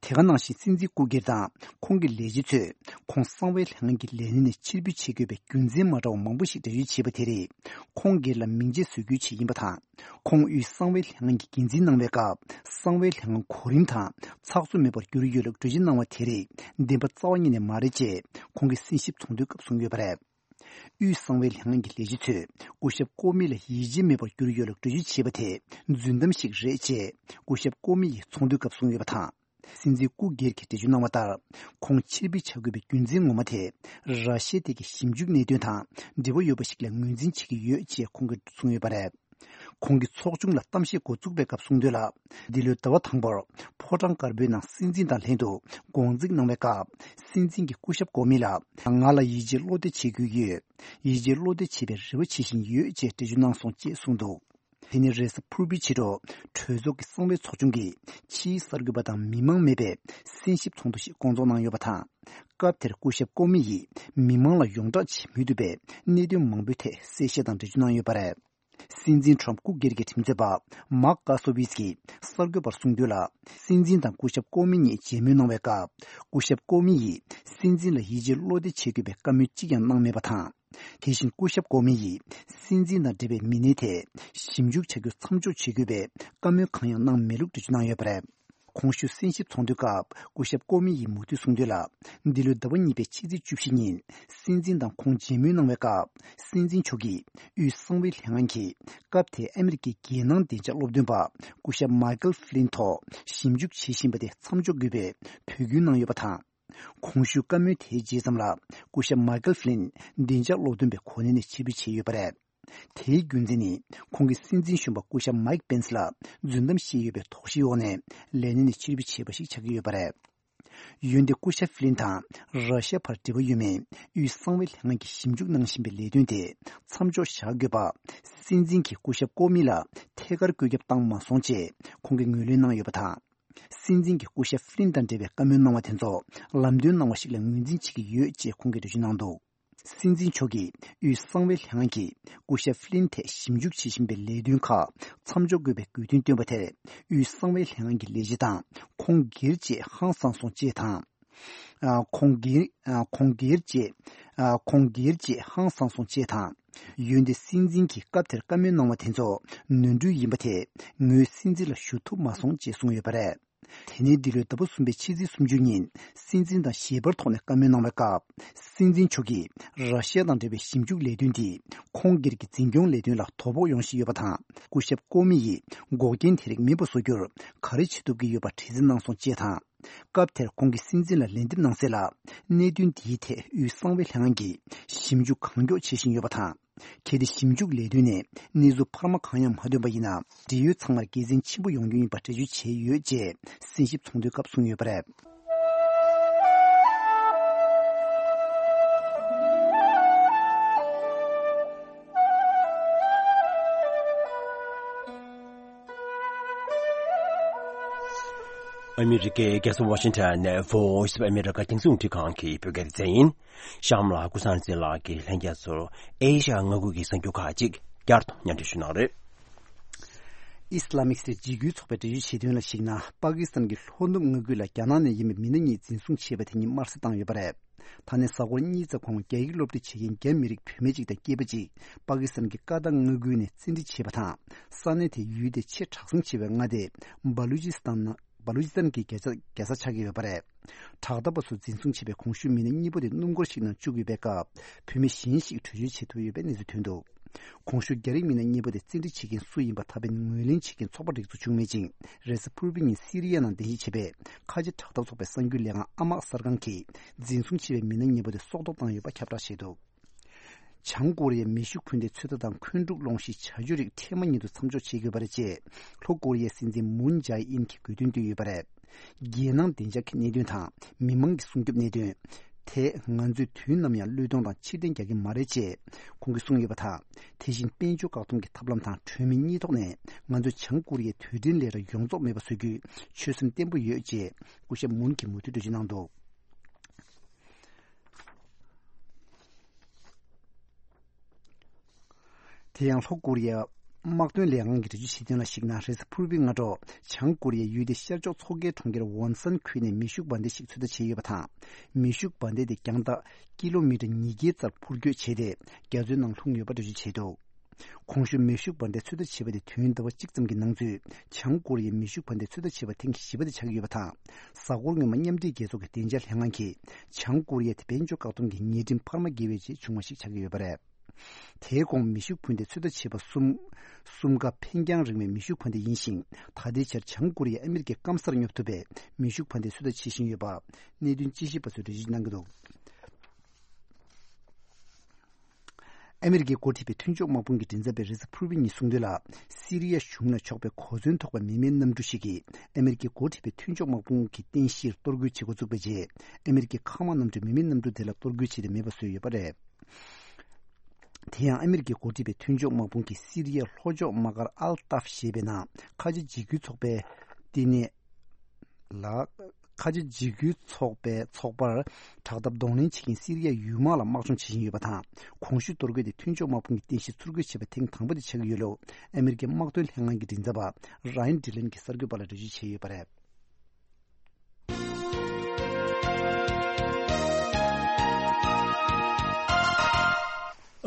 དེ་ག་ནང་བཞིན་སྲིད་འཛིན་སྐུ་སྒེར་དང་ཁོང་གི་ལས་བྱེད་ཚོས་ཁོང་གསང་བའི་ལྷན་ཁང་གི་ལས་གནས་ནས་ཕྱིར་འབུད་བྱེད་དགོས་པའི་རྒྱུ་མཚན་མ་འདྲ་བ་མང་པོ་ཞིག་འགྲེལ་བརྗོད་བྱས་པ་དེ་རིགས་ཁོང་སྒེར་ལ་མིང་ཆད་བཟོ་རྒྱུའི་ཆེད་ཡིན་པ་དང་། ཁོང་དབུས་གསང་བའི་ལྷན་ཁང་གི་འགན་འཛིན་གནང་བའི་སྐབས་གསང་བའི་ལྷན་ཁང་གོ་རིམ་དང་ཚགས་ཚུད་མེད་པར་གྱུར་ཡོད་ལུགས་འགྲེལ་བརྗོད་གནང་བ་དེ་རིགས་བདེན་པ་རྩ་བ་ཉིད་ནས་མ་རེད་ཅེས་ཁོང་གིས་གསན་ཞིབ་ཚོགས་འདུའི་སྐབས་གསུངས་ཡོད་པ་རེད། དབུས་གསང་བའི་ལྷན་ཁང་གི་ལས་བྱེད་ཚོས་སྐུ་ཞབས་ཀོ་མི་ལ་ཡིད་ཆེས་མེད་པར་གྱུར་ཡོད་ལུགས་འགྲེལ་བརྗོད་བྱས་པ་དེ་རྫུན་གཏམ་ཞིག་རེད་ཅེས་སྐུ་ཞབས་ཀོ་མི་ཡིས་ཚོགས་འདུའི་སྐབས་གསུངས་ཡོད་པ་དང་། སྲིད་འཛིན་སྐུ་སྒེར་གྱིས་འགྲེལ་བརྗོད་གནང་བ་ལྟར། ཁོང་ཕྱིར་འབུད་བྱ་དགོས་པའི་རྒྱུ་མཚན་ངོ་མ་དེ། ར་ཤི་ཡ་ཐད་ཀྱི་ཞིབ་འཇུག་གནད་དོན་དང་འབྲེལ་བ་ཡོད་པ་ཞིག་ལ་ངོས་འཛིན་བྱེད་ཀྱི་ཡོད་ཅེས་ཁོང་གིས་གསུངས་ཡོད་པ་རེད། ཁོང་གིས་ཚོགས་ཆུང་ལ་གཏམ་བཤད་འགོ་བཙུགས་པའི་སྐབས་གསུངས་དོན་ལ། འདི་ལོའི་ཟླ་བ་དང་པོར་ཕོ་བྲང་དཀར་པོའི་ནང་སྲིད་འཛིན་དང་ལྷན་དུ་དགོང་འཛིན་གནང་བའི་སྐབས། སྲིད་འཛིན་གྱིས་སྐུ་ཞབས་ཀོ་མི་ལ། ང་ལ་ཡིད་ཆེས་བློ་གཏད་བྱེད་དགོས་ཀྱི་ཡོད། ཡིད་ཆེས་བློ་གཏད་བྱེད་པའི་རེ་བ་བྱེད་བཞིན་ཡོད་ཅེས་འགྲེལ་བརྗོད་གནང་སོང་ཅེས་གསུངས་འདུག་དེ་ནི་རེས་གཟའ་ཕུར་བུའི་ཕྱི་དྲོ་གྲོས་ཚོགས་ཀྱི་གསང་བའི་ཚོགས་ཆུང་གིས་ཕྱིའི་གསར་འགོད་པ་དང་མི་མང་མེད་པའི་གསན་ཞིབ་ཚོགས་འདུ་ཞིག་བསྐོང་ཚོགས་གནང་ཡོད་པ་དང་། སྐབས་དེར་སྐུ་ཞབས་ཀོ་མི་ཡིས་མི་མང་ལ་ཡོངས་བསྒྲགས་བྱེད་མི་ཐུབ་པའི་གནད་དོན་མང་པོའི་ཐད་གསལ་བཤད་དང་འགྲེལ་བརྗོད་གནང་ཡོད་པ་རེད། སྲིད་འཛིན་ཁྲོམ་སྐུ་སྒེར་གྱི་ཁྲིམས་རྩོད་པ་མཱག་ཀ་སོ་ཝིས་ཀྱིས་གསར་འགོད་པར་གསུངས་དོན་ལ། སྲིད་འཛིན་དང་སྐུ་ཞབས་ཀོ་མི་གཉིས་མཇལ་མོལ་གནང་བའི་སྐབས། སྐུ་ཞབས་ཀོ་མི་ཡིས་སྲིད་འཛིན་ལ་ཡིད་ཆེས་བློ་གཏད་བྱེད་དགོས་པའི་བཀའ་མོལ་གཅིག་ཀྱང་གནང་མེད་པ་དང་། དེ་བཞིན་སྐུ་ཞབས་ཀོ་མི་ཡིས་སྲིད་འཛིན་དང་འབྲེལ་བའི་མི་སྣའི་ཐད་ཞིབ་འཇུག་བྱ་རྒྱུ་མཚམས་འཇོག་བྱེད་དགོས་པའི་བཀའ་མོལ་གང་ཡང་གནང་མེད་ལུགས་འགྲེལ་བརྗོད་གནང་ཡོད་པ་རེད། གོང་ཞུས་གསན་ཞིབ་ཚོགས་འདུའི་སྐབས་སྐུ་ཞབས་ཀོ་མི་ཡིས་མུ་མཐུད་གསུངས་དོན་ལ། འདི་ལོའི་ཟླ་བ་གཉིས་པའི་ཕྱི་ཚེས་བཅུ་བཞི་ཉིན་སྲིད་འཛིན་དང་ཁོང་མཇལ་མོལ་གནང་བའི་སྐབས། སྲིད་འཛིན་མཆོག་གིས་དབུས་གསང་བའི་ལྷན་ཁང་གིས་སྐབས་དེའི་ཨ་མི་རི་ཀའི་རྒྱལ་ནང་བདེ་འཇགས་སློབ་སྟོན་པ་སྐུ་ཞབས་མཱི་ཀལ་ཧྥི་ལིན་ཐོག་ཞིབ་འཇུག་བྱེད་བཞིན་པ་དེ་མཚམས་འཇོག་དགོས་པའི་འབོད་སྐུལ་གནང་ཡོད་པ་དང་། གོང་ཞུས་བཀའ་མོལ་དེའི་རྗེས་ཙམ་ལ་སྐུ་ཞབས་མཱི་ཀལ་ཧྥི་ལིན་བདེ་འཇགས་སློབ་སྟོན་པའི་གོ་གནས་ནས་ཕྱིར་འབུད་བྱས་ཡོད་པ་རེད། དེའི་རྒྱུ་མཚན་ནི་ཁོང་གིས་སྲིད་འཛིན་གཞོན་པ་སྐུ་ཞབས་མཱིག་པེན་སི་ལ་རྫུན་གཏམ་བཤད་ཡོད་པའི་དོགས་གཞིའི་འོག་ནས་ལས་གནས་ནས་ཕྱིར་འབུད་བྱས་པ་ཞིག་ཆགས་ཀྱི་ཡོད་པ་རེད། འོན་ཏེ་སྐུ་ཞབས་ཧྥི་ལིན་དང་ར་ཤ་ཡ་བར་འབྲེལ་བ་ཡོད་མེད་དབུས་གསང་བའི་ལྷན་ཁང་གིས་ཞིབ་འཇུག་གནང་བཞིན་པའི་ལས་དོན་དེ་མཚམས་འཇོག་བཞག་དགོས་པ། སྲིད་འཛིན་གྱིས་སྐུ་ཞབས་ཀོ་མི་ལ་ཐད་ཀར་བཀོད་ཁྱབ་བཏང་མ་སོང་ཅེས་ཁོང་གིས་ངོས་ལེན་གནང་ཡོད་པ་དང་། སྲིད་འཛིན་གྱིས་སྐུ་ཞབས་ཧྥི་ལིན་དང་འབྲེལ་བའི་བཀའ་མོལ་གནང་བ་དེ་ཚོ་ལམ་སྟོན་གནང་བ་ཞིག་ལ་ངོས་འཛིན་བྱེད་ཀྱི་ཡོད་ཅེས་ཁོང་གིས་འགྲེལ་བརྗོད་གནང་འདུག་སྲིད་འཛིན་མཆོག་གིས་དབུས་གསང་བའི་ལྷན་ཁང་གིས་སྐུ་ཞབས་ཧྥི་ལིན་ཐད་ཞིབ་འཇུག་བྱེད་བཞིན་པའི་ལས་དོན་ཁག་མཚམས་འཇོག་དགོས་པའི་དགོས་འདུན་བཏོན་པ་དེར། དབུས་གསང་བའི་ལྷན་ཁང་གི་ལས་བྱེད་དང་ཁོང་སྒེར་བཅས་ཧང་སངས་སོང་ཅེས་དང་། ཨ། ཁོང་སྒེར། ཨ། ཁོང་སྒེར་བཅས། ཨ། ཁོང་སྒེར་བཅས་ཧང་སངས་སོང་ཅེས་དང་། འོན་ཏེ་སྲིད་འཛིན་གྱིས་སྐབས་དེར་བཀའ་མོལ་གནང་བ་དེ་ཚོ་ནོར་འཁྲུལ་ཡིན་པ་དེ་ངོས་སྲིད་འཛིན་ལ་ཞུ་ཐུབ་མ་སོང་ཅེས་གསུངས་ཡོད་པ་རེད། དེ་ནས་འདི་ལོའི་ཟླ་བ་གསུམ་པའི་ཕྱི་ཚེས་སུམ་ཅུ་ཉིན་སྲིད་འཛིན་དང་ཞལ་པར་ཐོག་ནས་བཀའ་མོལ་གནང་བའི་སྐབས། སྲིད་འཛིན་མཆོག་གིས་ར་ཤི་ཡ་དང་འབྲེལ་བའི་ཞིབ་འཇུག་ལས་དོན་འདིས་ཁོང་སྒེར་གྱི་འཛིན་སྐྱོང་ལས་དོན་ལ་དོ་ཕོག་ཡོང་བཞིན་ཡོད་པ་དང་། སྐུ་ཞབས་ཀོ་མི་ཡིས་འགོག་རྐྱེན་དེ་རིགས་མེད་པ་བཟོ་རྒྱུར་ག་རེ་བྱེད་ཐུབ་ཀྱི་ཡོད་པ་དྲི་འཛིན་གནང་སོང་ཅེས་དང་། སྐབས་དེར་ཁོང་གིས་སྲིད་འཛིན་ལ་ལན་འདེབས་གནང་གསལ་ལ། གནད་དོན་འདིའི་ཐད་དབུས་གསང་བའི་ལྷན་ཁང་གིས་ཞིབ་འཇུག་གང་མགྱོགས་བྱེད་བཞིན་ཡོད་པ་དང་། གལ་ཏེ་ཞིབ་འཇུག་ལས་དོན་ནས་གནས་ཚུལ་འཕར་མ་གང་ཡང་མ་ཐོན་པ་ཡིན་ན། འབྲེལ་ཡོད་ཚང་མར་དགེ་མཚན་ཆེན་པོ་ཡོང་རྒྱུ་ཡིན་པ་འགྲེལ་བརྗོད་བྱས་ཡོད་ཅེས་སྲིད་ཞིབ་ཚོགས་འདུའི་སྐབས་གསུངས་ཡོད་པ་རེད། ཨ་མི་རི་ཀའི་རྒྱལ་ས་ཝ་ཤིང་ཊོན་ནས་Voice of America རྒྱང་སྲིང་རླུང་འཕྲིན་ཁང་གི་བོད་སྐད་སྡེ་ཚན་ཡིན། གཤམ་ལ་ཀུན་བཟང་བདེ་ལགས་ཀྱིས་ལྷན་རྒྱས་ཚོར་ཨེ་ཤ་ཡ་མངའ་ཁུལ་གྱི་གསར་འགྱུར་ཁག་ཅིག་བསྐྱར་དུ་སྙན་སྒྲོན་ཞུ་གནང་རེད། ཨི་སི་ལ་མིག་སི་ཊན་འཇིགས་སྐུལ་ཚོགས་པས་འགྲེལ་བརྗོད་བྱས་དོན་ལ་གཞིགས་ན། པ་ཀི་སི་ཐན་གྱི་ལྷོ་ནུབ་མངའ་ཁུལ་ལ་རྒྱ་ནག་ནས་ཡིན་པའི་མི་སྣ་གཉིས་འཛིན་བཟུང་བྱས་པ་དེ་ཉིད་དམར་གསོད་བཏང་ཡོད་པ་རེད། ད་ནས་གཟའ་འཁོར་གཉིས་ཙམ་གོང་རྒྱ་ཡིག་སློབ་ཁྲིད་བྱེད་མཁན་རྒྱ་མི་རིགས་བུད་མེད་ཅིག་དང་སྐྱེས་པ་ཅིག་པ་ཀི་སི་ཐན་གྱི་ཀ་ཏང་མངའ་ཁུལ་ནས་བཙན་ཁྲིད་བྱས་པ་དང་། ས་གནས་དེའི་ཡུལ་དེ་ཆེས་དྲག་ཟིང་ཆེ་བའི་མངའ་སྡེ་སྦ་ལུ་ཅི་སི་ཐན་ནང་། སྦ་ལུ་ཅི་སི་ཐན་གྱི་རྒྱལ་ས་རྒྱལ་ས་ཆགས་ཀྱི་ཡོད་པ་རེད། དྲག་འཐབ་པ་ཚོས་འཛིན་བཟུང་བྱས་པའི་གོང་ཞུས་མི་སྣ་གཉིས་པོ་དེ་སྣུམ་འཁོར་ཞིག་ནང་བཅུག་ཡོད་པའི་སྐབས། བུད་མེད་གཞན་ཞིག་བྲོས་བྱོལ་བྱེད་ཐུབ་ཡོད་པའི་གནས་ཚུལ་ཐོན་འདུག་གོང་ཞུས་རྒྱ་རིགས་མི་སྣ་གཉིས་པོ་དེ་བཙན་ཁྲིད་བྱེད་མཁན་སུ་ཡིན་པ་ད་ཕན་ངོས་ལེན་བྱེད་མཁན་ཚོགས་པ་རིགས་ཚོ་བྱུང་མེད་ཅིང་། རེས་གཟའ་ཕུར་བུའི་ཉིན་སི་རི་ཡ་ནང་རྟེན་གཞི་བྱས་པའི་ཁ་ཆེ་དྲག་འཐབ་ཚོགས་པའི་གསར་འགྱུར་ལས་ཁང་ཨ་མག་གསར་ཁང་གིས་འཛིན་བཟུང་བྱས་པའི་མི་སྣ་གཉིས་པོ་དེ་སྲོག་ཐོག་བཏང་ཡོད་པ་ཁྱབ་བསྒྲགས་བྱས་འདུག་བྱང་ཀོ་རི་ཡས་མེ་ཤུགས་འཕུར་མདའི་ཚོད་ལྟ་དང་འཁོན་འཁྲུག་སློང་གཞིའི་བྱ་སྤྱོད་རིགས་འཕྲལ་མ་ཉིད་དུ་མཚམས་འཇོག་བྱེད་དགོས་པ་རེད་ཅེས་ལྷོ་ཀོ་རི་ཡའི་སྲིད་འཛིན་མུན་ཇའེ་ཨིན་གྱིས་དགོས་འདུན་བཏོན་ཡོད་པ་རེད། རྒྱལ་ནང་བདེ་འཇགས་ཀྱི་གནད་དོན་དང་མི་མང་གི་སྲུང་སྐྱོབ་གནད་དོན། དེས་ང་ཚོས་དུས་ནམ་ཡང་བློས་གཏོང་དང་ཕྱིར་འཐེན་རྒྱག་གི་མ་རེད་ཅེས་ཁོང་གིས་གསུངས་ཡོད་པ་དང་། དེ་བཞིན་དཔལ་འབྱོར་བཀག་སྡོམ་གྱི་ཐབས་ལམ་དང་གྲོས་མོལ་གཉིས་ཐོག་ནས་ང་ཚོས་བྱང་ཀོ་རི་ཡའི་དུས་དྲན་ལས་གྲྭ་ཡོངས་རྫོགས་མེད་པ་བཟོ་རྒྱུའི་ཆོད་སེམས་བརྟན་པོ་ཡོད་ཅེས་སྐུ་ཞབས་མུན་གྱིས་མུ་མཐུད་འགྲེལ་བརྗོད་གནང་འདུག་དེ་ཡང་ལྷོ་ཀོ་རི་ཡའི་དམག་དོན་ལས་ཁང་གིས་འགྲེལ་བརྗོད་བྱས་དོན་ལ་གཞིགས་ན། རེས་གཟའ་ཕུར་བུའི་སྔ་དྲོ་བྱང་ཀོ་རི་ཡའི་ཡུལ་དེའི་ཤར་ཕྱོགས་མཚོ་ཁའི་གྲོང་ཁྱེར་ཝོན་སན་ཁུལ་ནས་མེ་ཤུགས་འབར་མདེལ་ཞིག་ཚོད་ལྟ་བྱས་ཡོད་པ་དང་། མེ་ཤུགས་འབར་མདེལ་དེ་རྒྱང་ཐག་ཀི་ལོ་མི་ཊར་ཉིས་བརྒྱའི་རྩར་འཕུར་སྐྱོད་བྱས་ཏེ། རྒྱ་མཚོའི་ནང་ལྷུང་ཡོད་པ་འགྲེལ་བརྗོད་བྱས་འདུག་གོང་ཞུས་མེ་ཤུགས་འབར་མདེལ་ཚོད་ལྟ་བྱས་པ་དེ་དུས་ཡུན་ཟླ་བ་གཅིག་ཙམ་གྱི་ནང་ཚུད་བྱང་ཀོ་རི་ཡའི་མེ་ཤུགས་འབར་མདེལ་ཚོད་ལྟ་བྱས་པ་ཐེངས་བཞི་པ་དེ་ཆགས་ཀྱི་ཡོད་པ་དང་། གཟའ་འཁོར་སྔོན་མ་མཉམ་འབྲེལ་རྒྱལ་ཚོགས་ཀྱི་བདེ་འཇགས་ལྷན་ཁང་གིས་བྱང་ཀོ་རི་ཡ་དེ་དཔལ་འབྱོར་བཀག་སྡོམ་གྱི་ཉེས་ཁྲིམས་འཕར་མ་འགལ་བའི་རྗེས་བྱུང་བ་ཞིག་ཆགས་ཀྱི་ཡོད་པ་རེད། དེའི་གོང་མེ་ཤུགས་འཕུར་མདེལ་ཚོད་ལྟ་བྱས་པ་གསུམ། གསུམ་ཀ་འཕེན་རྒྱང་རིང་བའི་མེ་ཤུགས་འཕུར་མདེལ་ཡིན་ཞིང་། ད་ལྟའི་ཆར་བྱང་ཀོ་རི་ཡས་ཨ་མི་རི་ཀའི་སྐམ་སར་སྙོབ་ཐུབ་པའི་མེ་ཤུགས་འཕུར་མདེལ་ཚོད་ལྟ་བྱེད་བཞིན་ཡོད་པ་གནད་དོན་དཔྱད་ཞིབ་པ་ཚོས་འགྲེལ་བརྗོད་གནང་གི་འདུག་ཨ་མི་རི་ཀས་འགོ་ཁྲིད་པའི་མཐུན་ཕྱོགས་དམག་དཔུང་གི་མགྲིན་ཚབ་པས་རེས་གཟའ་ཕུར་བུའི་ཉིན་གསུངས་དོན་ལ། སི་རི་ཡ་གཞུང་ལ་ཕྱོགས་པའི་གོ་མཚོན་ཐོགས་པའི་མི་མེད་གནམ་གྲུ་ཞིག་གིས་ཨ་མི་རི་ཀས་འགོ་ཁྲིད་པའི་མཐུན་ཕྱོགས་དམག་དཔུང་གི་རྟེན་གཞིར་གཏོར་རྒོལ་བྱེད་འགོ་བཙུགས་པའི་རྗེས། ཨ་མི་རི་ཀའི་མཁའ་དམག་གནམ་གྲུས་མི་མེད་གནམ་གྲུ་དེ་ལ་གཏོར་རྒོལ་བྱས་ཏེ་མེད་པ་བཟོས་ཡོད་པ་རེད། དེ་ཡང་ཨ་མི་རི་ཀས་འགོ་ཁྲིད་པའི་མཐུན་ཕྱོགས་དམག་དཔུང་གིས་སི་རི་ཡའི་ལྷོ་ཕྱོགས་དམག་སྒར་ཨལ་ཏཱབ་ཞེས་པའི་ནང་ཁ་ཆེ་འཇིགས་སྐུལ་ཚོགས་པའི་བསྟི་གནས་ལ། ཁ་ཆེ་འཇིགས་སྐུལ་ཚོགས་པའི་ཚོགས་པར་དྲག་འཐབ་གདོང་ལེན་བྱེད་མཁན་སི་རི་ཡའི་ཡུལ་དམག་ལ་དམག་སྦྱོང་བྱེད་བཞིན་ཡོད་པ་དང་། གོང་ཞུས་གཏོར་རྒོལ་དེ་མཐུན་ཕྱོགས་དམག་དཔུང་གི་རྟེན་གཞི་ཚུར་རྒོལ་བྱས་པ་ཐེངས་དང་པོ་དེ་ཆགས་ཀྱི་ཡོད་ལུགས་ཨ་མི་རི་ཀའི་དམག་དོན་ལྷན་ཁང་གི་མགྲིན་ཚབ་པ་ར་ཡན་ཌི་ལན་གྱིས་གསར་འགོད་པ་ལ་འགྲེལ་བརྗོད་བྱས་ཡོད་པ་རེད།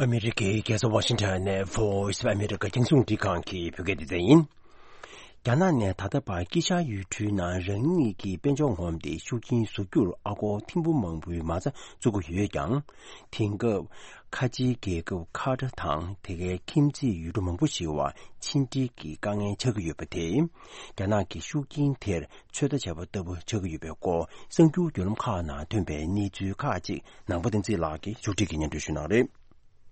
ཨ་མི་རི་ཀའི་རྒྱལ་ས་ཝ་ཤིང་ཊོན་ནས་Voice of America རྒྱང་སྲིང་རླུང་འཕྲིན་ཁང་གི་བོད་སྐད་སྡེ་ཚན་ཡིན། རྒྱ་ནག་ནས་ད་ལྟ་བར་དཀྱིལ་ཤར་ཡུལ་གྲུའི་ནང་རང་ཉིད་ཀྱི་དཔལ་འབྱོར་ངོམ་སྟེ་ཤུགས་རྐྱེན་བཟོ་རྒྱུར་ཨ་སྒོར་ཐེར་འབུམ་མང་པོའི་མ་རྩ་བཙུགས་ཀྱི་ཡོད་ཀྱང་། དེང་སྐབས་ཁ་ཆེའི་རྒྱལ་ཁབ་ཁ་ཏར་དང་དེ་གའི་ཁྱིམ་མཚེས་ཡུལ་གྲུ་མང་པོ་ཞིག་བར་ཕྱི་འབྲེལ་གྱི་དཀའ་ངལ་ཆགས་ཀྱི་ཡོད་པ་དེས། རྒྱ་ནག་གི་ཤུགས་རྐྱེན་དེར་ཚོད་ལྟ་བྱས་པ་ལྟ་བུ་ཆགས་ཀྱི་ཡོད་པའི་སྐོར་གསར་འགྱུར་བརྒྱུད་ལམ་ཁག་ནང་ཐོན་པའི་གནས་ཚུལ་ཁག་ཅིག་ནང་པ་བསྟན་འཛིན་ལགས་ཀྱིས་མཇུག་སྒྲིལ་གྱིས་སྙན་སྒྲོན་ཞུ་གནང་རེད།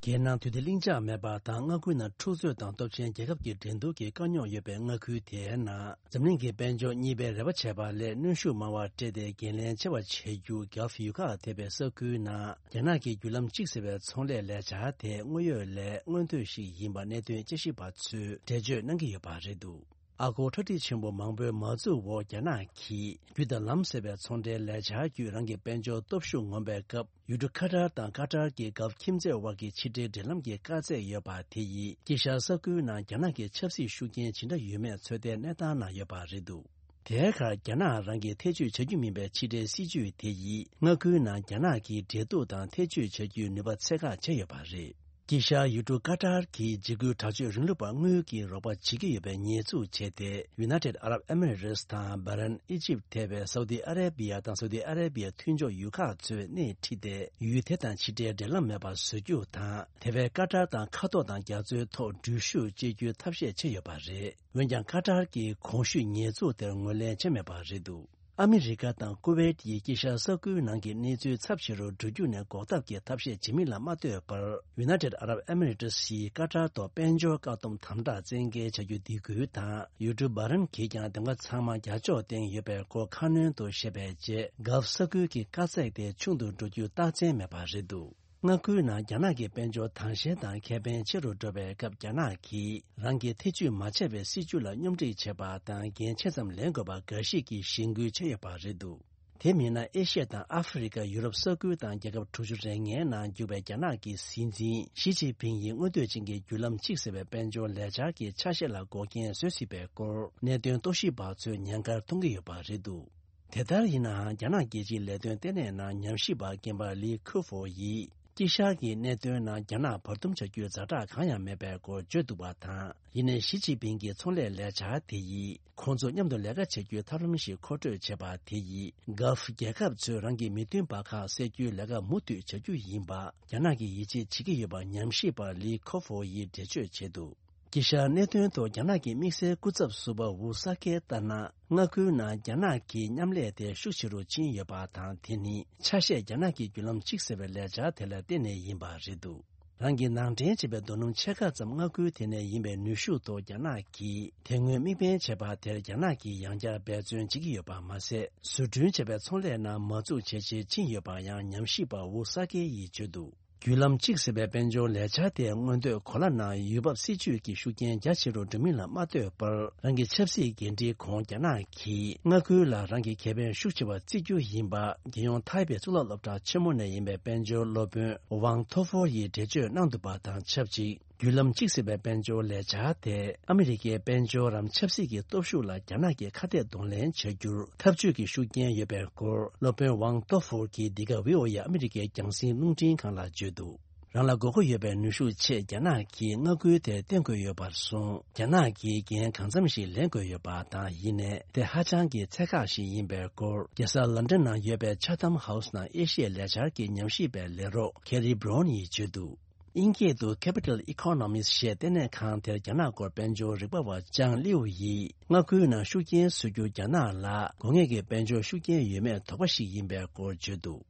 རྒྱལ་ནང་དུས་བདེ་ལྷིང་འཇགས་མེད་པ་དང་མངའ་ཁུལ་ནང་འཁྲུག་རྩོད་དང་སྟོབས་ཆེན་རྒྱལ་ཁབ་ཀྱི་འགྲན་བསྡུར་གྱི་དཀའ་རྙོག་ཡོད་པའི་མངའ་ཁུལ་དེའི་ནང་འཛམ་གླིང་གི་དཔལ་འབྱོར་གཉིས་པའི་རེ་བ་བྱས་པ་ལས་གནོན་ཤུགས་མང་བ་སྤྲད་དེ་འགན་ལེན་ཆེ་བ་བྱེད་རྒྱུ་Gulf ཡུལ་ཁག་ཐེ་བའི་ས་ཁུལ་ནང་རྒྱ་ནག་གི་བརྒྱུད་ལམ་གཅིག་ཟེར་བའི་ཚོང་ལས་ལས་འཆར་དེ་དངོས་ཡོད་ལས་མངོན་ཐོས་ཤིག་ཡིན་པ་གནད་དོན་དཔྱད་ཞིབ་པ་ཚོས་འགྲེལ་བརྗོད་གནང་གི་ཡོད་པ་རེད་འདུག་ཨ་སྒོར་ཁྲག་ཁྲིག་ཆེན་པོ་མང་པོའི་མ་འཛུགས་འོག་རྒྱ་ནག་གིས་རྒྱུ་དང་ལམ་ཟེར་བའི་ཚོང་འབྲེལ་ལས་འཆར་བརྒྱུད་རང་གི་དཔལ་འབྱོར་སྟོབས་ཤུགས་ངོམ་པའི་སྐབས། ཡུལ་གྲུ་ཀ་ཏར་དང་ཀ་ཏར་གྱི་གྷལ་ཁྱིམ་མཚེས་དབར་གྱི་ཕྱི་འབྲེལ་འབྲེལ་ལམ་གྱི་དཀའ་ཚེགས་ཡོད་པ་དེ་ཡིས་དཀྱིལ་ཤར་ས་ཁུལ་ནང་རྒྱ་ནག་གི་ཆབ་སྲིད་ཤུགས་རྐྱེན་ཇི་འདྲ་ཡོད་མེད་ཚོད་ལྟའི་གནས་སྟངས་ནང་ཡོད་པ་རེད་འདུག་དེའི་ཁར་རྒྱ་ནག་རང་གིས་ཐེ་བྱུས་བྱ་རྒྱུ་མིན་པའི་ཕྱི་འབྲེལ་སྲིད་ཇུས་དེ་ཡིས་མངའ་ཁུལ་ནང་རྒྱ་ནག་གི་འབྲེལ་གཏུག་དང་ཐེ་བྱུས་བྱ་རྒྱུའི་ནུས་པ་ཚད་བཀག་བྱས་ཡོད་པ་རེད། དཀྱིལ་ཤར་ཡུལ་གྲུ་ཀ་ཏར་གྱིས་འཇིགས་སྐུལ་དྲག་སྤྱོད་རིང་ལུགས་པར་དངུལ་གྱི་རོགས་པ་བྱེད་ཀྱི་ཡོད་པའི་ཉེས་འཛུགས་བྱས་ཏེ། United Arab Emirates དང་བྷ་རེན། ཨི་ཇིབ་ཐེ་བའི་སའུ་ཏི་ཨ་རེ་བི་ཡ་དང་སའུ་ཏི་ཨ་རེ་བི་ཡའི་མཐུན་ཕྱོགས་ཡུལ་ཁག་ཚོས་སྣེ་ཁྲིད་དེ། ཡུལ་དེ་དང་ཕྱི་འབྲེལ་འབྲེལ་ལམ་མེད་པར་བཟོ་རྒྱུ་དང་། དེ་བས་ཀ་ཏར་དང་མཁའ་ཐོག་དང་རྒྱ་མཚོའི་ཐོག་འགྲུལ་བཞུད་བྱེད་རྒྱུའི་ཐབས་ཤེས་བྱས་ཡོད་པ་རེད། འོན་ཀྱང་ཀ་ཏར་གྱིས་གོང་ཞུས་ཉེས་འཛུགས་དེར་ངོས་ལེན་བྱས་མེད་པ་རེད་འདུག་ཨ་མི་རི་ཀ་དང་ཀུ་ཝེད་ཡིས་དཀྱིལ་ཤར་ས་ཁུལ་ནང་གི་གནས་ཚུལ་ཚབས་ཆེ་རུ་འགྲོ་རྒྱུ་ནས་འགོག་ཐབས་ཀྱི་ཐབས་ཤེས་བྱེད་མིན་ལ་མ་ལྟོས་པར། United Arab Emirates ཡིས་ཀ་ཏར་ཐོག་དཔལ་འབྱོར་བཀག་སྡོམ་དམ་དྲག་བཙན་འགེལ་བྱ་རྒྱུ་འདེད་སྐུལ་དང་། ཡུལ་གྲུ་བྷ་རེན་གྱིས་ཀྱང་འདེམས་ཀ་ཚང་མ་རྒྱ་ཕྱོགས་བསྟན་ཡོད་པའི་སྐོར་ཁ་སྣོན་དུ་བཤད་པའི་རྗེས། གྷལ་ས་ཁུལ་གྱི་དཀའ་ཚེགས་དེ་ཆུང་དུ་འགྲོ་རྒྱུ་རྟགས་མཚན་མེད་པ་རེད་འདུག་མངའ་ཁུལ་ནང་རྒྱ་ནག་གི་དཔལ་འབྱོར་དྭངས་ཤེལ་དང་ཁེ་ཕན་ཆེ་རུ་འགྲོ་བའི་སྐབས། རྒྱ་ནག་གིས་རང་གིས་ཐེ་བྱུས་མ་བྱས་པའི་སྲིད་ཇུས་ལ་སྙོམ་སྒྲིག་བྱེད་པ་དང་འགན་ཆེ་ཙམ་ལེན་དགོས་པ་འགའ་ཞིག་གིས་གཞེན་སྐུལ་བྱས་ཡོད་པ་རེད་འདུག་དེ་མིན་ན། ཨེ་ཤི་ཡ་དང་ཨ་ཧྥེ་རི་ཁ། ཡུ་རོབ་ས་ཁུལ་དང་རྒྱལ་ཁབ་དྲུག་ཅུ་རེ་ལྔའི་ནང་རྒྱུག་པའི་རྒྱ་ནག་གི་སྲིད་འཛིན་ཞི་ཅིན་ཕིང་ཡིས་མངོན་འདོད་ཅན་གྱི་བརྒྱུད་ལམ་གཅིག་ཟེར་བའི་དཔལ་འབྱོར་ལས་འཆར་གྱི་ཆ་ཤས་ལ་འགོག་རྐྱེན་བཟོ་སྲིད་པའི་སྐོར། གནད་དོན་རྟོག་ཞིབ་པ་ཚོས་ཉེན་ཁར་མཐོང་གི་ཡོད་པ་རེད་འདུག་དེ་ལྟར་ཡིན་ནའང་། རྒྱ་ནག་རྒྱལ་སྤྱིའི་ལས་དོན་ལྟེ་གནས་ནང་ཉམས་ཞིབ་པ་རྒན་པ་ལི་ཁུ་ཧྥོ་ཡིས། དཀྱིལ་ཤར་གྱི་གནད་དོན་ནང་རྒྱ་ནག་བར་འདུམ་བྱ་རྒྱུའི་ཛ་དྲག་གང་ཡང་མེད་པའི་སྐོར་བརྗོད་འདུག་པ་དང་། ཡིན་ནའི་ཞི་ཅིན་ཕིང་གི་ཚོང་ལས་ལས་འཆར་དེ་ཡིས། ཁོང་ཚོ་མཉམ་དུ་ལས་ཀ་བྱེད་རྒྱུའི་ཐབས་ལམ་ཞིག་མཁོ་སྤྲོད་བྱས་པ་དེ་ཡིས། གྷལ་ཕུ་རྒྱལ་ཁབ་ཚོས་རང་གི་མི་མཐུན་པ་ཁག་སེལ་རྒྱུའི་ལས་ཀ་མུ་མཐུད་བྱ་རྒྱུ་ཡིན་པ། རྒྱ་ནག་གིས་ཡིད་ཆེས་བྱེད་ཀྱི་ཡོད་པ་ཉམས་ཞིབ་པ་ལི་ཁོ་ཧྥོ་ཡིས་འགྲེལ་བརྗོད་བྱས་འདུག་དཀྱིལ་ཤར་གནད་དོན་ཐོག་རྒྱ་ནག་གི་དམིགས་བསལ་སྐུ་ཚབ་ཟུར་པ་ཝུ་ས་ཁེས་ལྟར་ན། མངའ་ཁུལ་ནང་རྒྱ་ནག་གི་མཉམ་ལས་དེ་ཤུགས་ཆེ་རུ་ཕྱིན་ཡོད་པ་དང་། དེ་ནི་ཆ་ཤས་རྒྱ་ནག་གི་བརྒྱུད་ལམ་གཅིག་ཟེར་བའི་ལས་འཆར་དེ་ལ་བརྟེན་ནས་ཡིན་པ་རེད་འདུག་རང་གིས་ནང་འདྲེན་བྱས་པའི་རྡོ་སྣུམ་ཕྱེད་ཀ་ཙམ་མངའ་ཁུལ་དེ་ནས་ཡིན་པའི་ནུས་ཤུགས་ཐོག་རྒྱ་ནག་གིས་དེ་སྔོན་དམིགས་འབེན་བྱས་པ་དེར་རྒྱ་ནག་གིས་ཡང་བསྐྱར་འབད་བརྩོན་བྱེད་ཀྱི་ཡོད་པ་མ་ཟད། བཟོ་སྐྲུན་བྱས་པའི་ཚོང་ལས་ནང་མ་འཛུགས་བྱེད་ཆེད་ཕྱིན་ཡོད་པ་ཡང་ཉམས་ཞིབ་པ་ཝུ་ས་ཁེ་ཡིས་བརྗོད་འདུག་བརྒྱུད་ལམ་གཅིག་ཟེར་བའི་དཔལ་འབྱོར་ལས་འཆར་དེ་མངོན་འདོད་གོ་ལ་ནང་ཡུལ་བབ་སྲིད་ཇུས་ཀྱི་ཤུགས་རྐྱེན་རྒྱ་ཆེ་རུ་འགྲོ་མིན་ལ་མ་ལྟོས་པར། རང་གི་ཆབ་སྲིད་འགན་འཁྲིའི་གོང་རྒྱ་ནག་གིས་མངའ་ཁུལ་ལ་རང་གི་ཁེ་ཕན་ཤུགས་ཆེ་བ་བརྩི་རྒྱུ་ཡིན་པ། རྒྱལ་ཡོངས་ཐའེ་པེ་གཙུག་ལག་སློབ་གྲྭ་ཆེན་མོ་ནས་ཡིན་པའི་དཔལ་འབྱོར་སློབ་དཔོན་ཝང་ཐོ་ཧྥོར་ཡིས་འགྲེལ་བརྗོད་གནང་འདུག་པ་དང་ཆབས་ཅིག་བརྒྱུད་ལམ་གཅིག་ཟེར་བའི་དཔལ་འབྱོར་ལས་འཆར་དེ་ཨ་མི་རི་ཀའི་དཔལ་འབྱོར་རམ་ཆབ་སྲིད་ཀྱི་སྟོབས་ཤུགས་ལ་རྒྱ་ནག་གིས་ཁ་གཏད་གདོང་ལེན་བྱ་རྒྱུར་འཐབ་ཇུས་ཀྱི་ཤུགས་རྐྱེན་ཡོད་པའི་སྐོར། སློབ་དཔོན་ཝང་ཏོ་ཧྥོར་གྱིས་འདི་ག་ཝི་ཨོ་ཨེ་ཨ་མི་རི་ཀའི་རྒྱང་སྲིང་རླུང་འཕྲིན་ཁང་ལ་བརྗོད་འདུག་རང་ལ་དགོས་མཁོ་ཡོད་པའི་ནུས་ཤུགས་ཆེད་རྒྱ་ནག་གིས་མངའ་ཁུལ་དེ་བརྟེན་དགོས་ཡོད་པར་སོང་། རྒྱ་ནག་གིས་འགན་གང་འཚམ་ཞིག་ལེན་དགོས་ཡོད་པ་དང་། ཡིན་ནའི་དེ་ཧ་ཅང་གི་ཚད་བཀག་ཞིག་ཡིན་པའི་སྐོར། རྒྱལ་ས་ལན་ཌན་ནང་ཡོད་པའི་ཆ་ཐམ་ཧའུ་སི་ནང་ཨེ་ཤི་ཡའི་ལས་འཆར་གྱི་ཉམས་ཞིབ་པའི་ལས་རོགས་ཁེ་རི་བྷི་རོན་ཡིས་བརྗོད་འདུག་དབྱིན་སྐད་དུ་Capital Economics ཞེས་ལྟེ་གནས་ཁང་དེར་རྒྱ་ནག་སྐོར་དཔལ་འབྱོར་རིག་པ་བ་ཅང་ལིའུ་ཡིས། མངའ་ཁུལ་ནང་ཤུགས་རྐྱེན་བཟོ་རྒྱུ་རྒྱ་ནག་ལ་དགོས་ངེས་ཀྱི་དཔལ་འབྱོར་ཤུགས་རྐྱེན་ཡོད་མེད་དོགས་པ་ཞིག་ཡིན་པའི་སྐོར་བརྗོད་འདུག་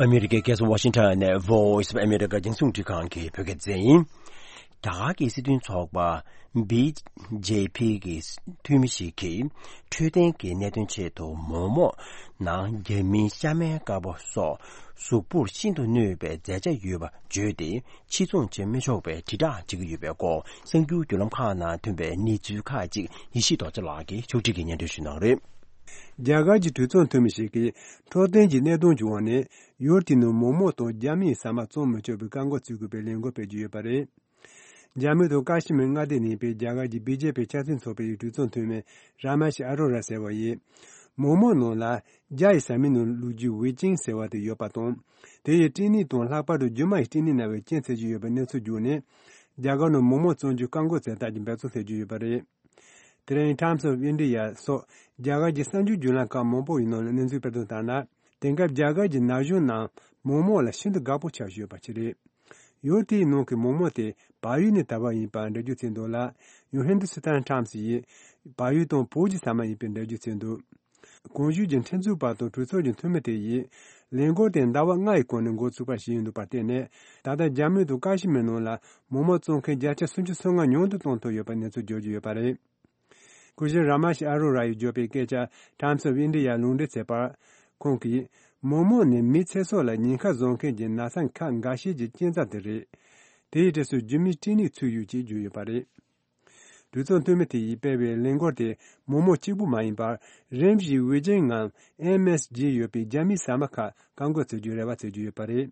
ཨ་མི་རི་ཀའི་རྒྱལ་ས་ཝ་ཤིང་ཊོན་ནས་Voice of America རྒྱང་སྲིང་རླུང་འཕྲིན་ཁང་གི་བོད་སྐད་སྡེ་ཚན་ཡིན། རྒྱ་གར་གྱི་སྲིད་དོན་ཚོགས་པ་བི་ཇེ་པི་གི་འཐུས་མི་ཞིག་གིས་འཕྲོད་བསྟེན་གྱི་གནད་དོན་ཆེད་དུ་མོག་མོག་ནང་རྒྱ་མིའི་ཤ་མའི་དཀར་པོ་སོགས་གཟུགས་པོར་ཤིན་ཏུ་གནོད་པའི་རྫས་ཆ་ཡོད་པ་བརྗོད་དེ། ཕྱིར་ཚོང་བྱེད་མི་ཆོག་པའི་དྲིལ་བསྒྲགས་བྱེད་ཀྱི་ཡོད་པའི་སྐོར། གསར་འགྱུར་བརྒྱུད་ལམ་ཁག་ནང་ཐོན་པའི་གནས་ཚུལ་ཁག་ཅིག་ཡེ་ཤེས་རྡོ་རྗེ་ལགས་ཀྱིས་ཕྱོགས་སྒྲིག་གིས་སྙན་སྒྲོན་ཞུ་གནང་རེད། རྒྱ་གར་གྱི་གྲོས་ཚོགས་འཐུས་མི་ཞིག་གིས་འཕྲོད་བསྟེན་གྱི་གནད་དོན་གྱི་འོག་ནས་ཡུལ་དེའི་ནང་མོག་མོག་དང་རྒྱ་མིའི་ཟ་མ་བཙོང་མི་ཆོག་པའི་བཀག་འགོག་བྱེད་དགོས་པའི་ལས་འགུལ་སྤེལ་གྱི་ཡོད་པ་རེད། རྒྱ་མི་དང་ཀ་ཤི་མིར་མངའ་སྡེ་ནས་ཡིན་པའི་རྒྱ་གར་གྱི་བི་ཇེ་པི་ཆབ་སྲིད་ཚོགས་པའི་གྲོས་ཚོགས་འཐུས་མི་ར་མ་ཤི་ཨ་རོ་ར་ཟེར་བ་ཡིས། མོག་མོག་ནང་ལ་རྒྱ་ཡི་ཟ་མའི་ནང་བླུགས་རྒྱུ་ཝེ་ཅིང་ཟེར་བ་དེ་ཡོད་པ་དང་། དེ་ཡི་སྐྲན་ནད་དང་ལྷག་པར་དུ་རྒྱུ་མ་ཡི་སྐྲན་ནད་ན་བའི་རྐྱེན་བྱེད་ཀྱི་ཡོད་པའི་གནས་ཚུལ་བརྒྱུད་ནས། རྒྱ་གར་ནང་མོག་མོག་བཙོང་རྒྱུ་བཀག་འགོག་བྱས་ཐབས་ཀྱི་འབད་བརྩོན་བྱེད་ཀྱི་ཡོད་པ་རེད། དེ་རིང་Times of India སོགས་རྒྱ་གར་གྱི་གསར་འགྱུར་བརྒྱུད་ལམ་ཁག་མང་པོ་ཡི་ནང་ལ་གནས་ཚུལ་སྤེལ་དོན་ལྟར་ན། དེང་སྐབས་རྒྱ་གར་གྱི་ན་གཞོན་རྣམས་མོག་མོག་ལ་ཤིན་ཏུ་དགའ་པོ་ཆགས་བཞིན་ཡོད་པ་ཞིག་རེད། ཡུལ་དེའི་ནང་གི་མོག་མོག་དེ་བལ་ཡུལ་ནས་དར་བ་ཡིན་པར་འགྲེལ་བརྗོད་བྱས་འདུག་ལ། ཡང་Hindustan Times ཡིས་བལ་ཡུལ་དང་བོད་ཀྱི་ཟ་མ་ཡིན་པའི་འགྲེལ་བརྗོད་བྱས་འདུག་གོང་ཞུས་ཀྱི་ཁྲིམས་རྩོད་པ་དང་གྲོས་ཚོགས་ཀྱི་འཐུས་མི་དེ་ཡིས་ ལས་འགུལ་དེ་ཟླ་བ་ལྔ་ཡི་གོང་ནས་འགོ་ཚུགས་པ་ཞིག་ཡིན་འདུག་པར་བརྟེན་ནས། ད་ལྟ་རྒྱ་མི་དང་ཀ་ཤི་མིར་ནང་ལ་མོག་མོག་བཙོང་མཁན་བརྒྱ་ཆ་སུམ་ཅུ་སོ་ལྔ་ཉུང་དུ་གཏོང་ཐུབ་ཡོད་པའི་གནས་ཚུལ་བརྗོད་ཀྱི་ཡོད་པ་རེད། སྐུ་ཞབས་ར་མ་ཤི་ཨ་རོ་ར་ཡིས་བརྗོད་པའི་སྐད་ཆ་Times of India ལུང་འདྲེན་བྱས་པར། ཁོང་གིས། མོག་མོག་ནི་མིའི་ཚེ་སྲོག་ལ་ཉེན་ཁ་བཟོ་མཁན་གྱི་ན་ཚ་ཁག་འགའ་ཤས་ཀྱི་རྐྱེན་རྩ་དེ་རེད། དེའི་གྲས་སུ་རྒྱུ་མའི་སྐྲན་ནད་ཚུད་ཡོད་ཅེས་བརྗོད་ཡོད་པ་རེད། གྲོས་ཚོགས་འཐུས་མི་དེ་ཡིས་སྤེལ་བའི་ལས་འགུལ་དེ་མོག་མོག་གཅིག་པུ་མ་ཡིན་པར། རིམ་བཞིན་ཝེ་ཅིང་ངམ་ཨེམ་ཨེས་ཇི་ཡོད་པའི་རྒྱ་མིའི་ཟ་མ་ཁག་བཀག་འགོག་བྱེད་རྒྱུའི་རེ་བ་བྱེད་ཀྱི་ཡོད་པ་རེད།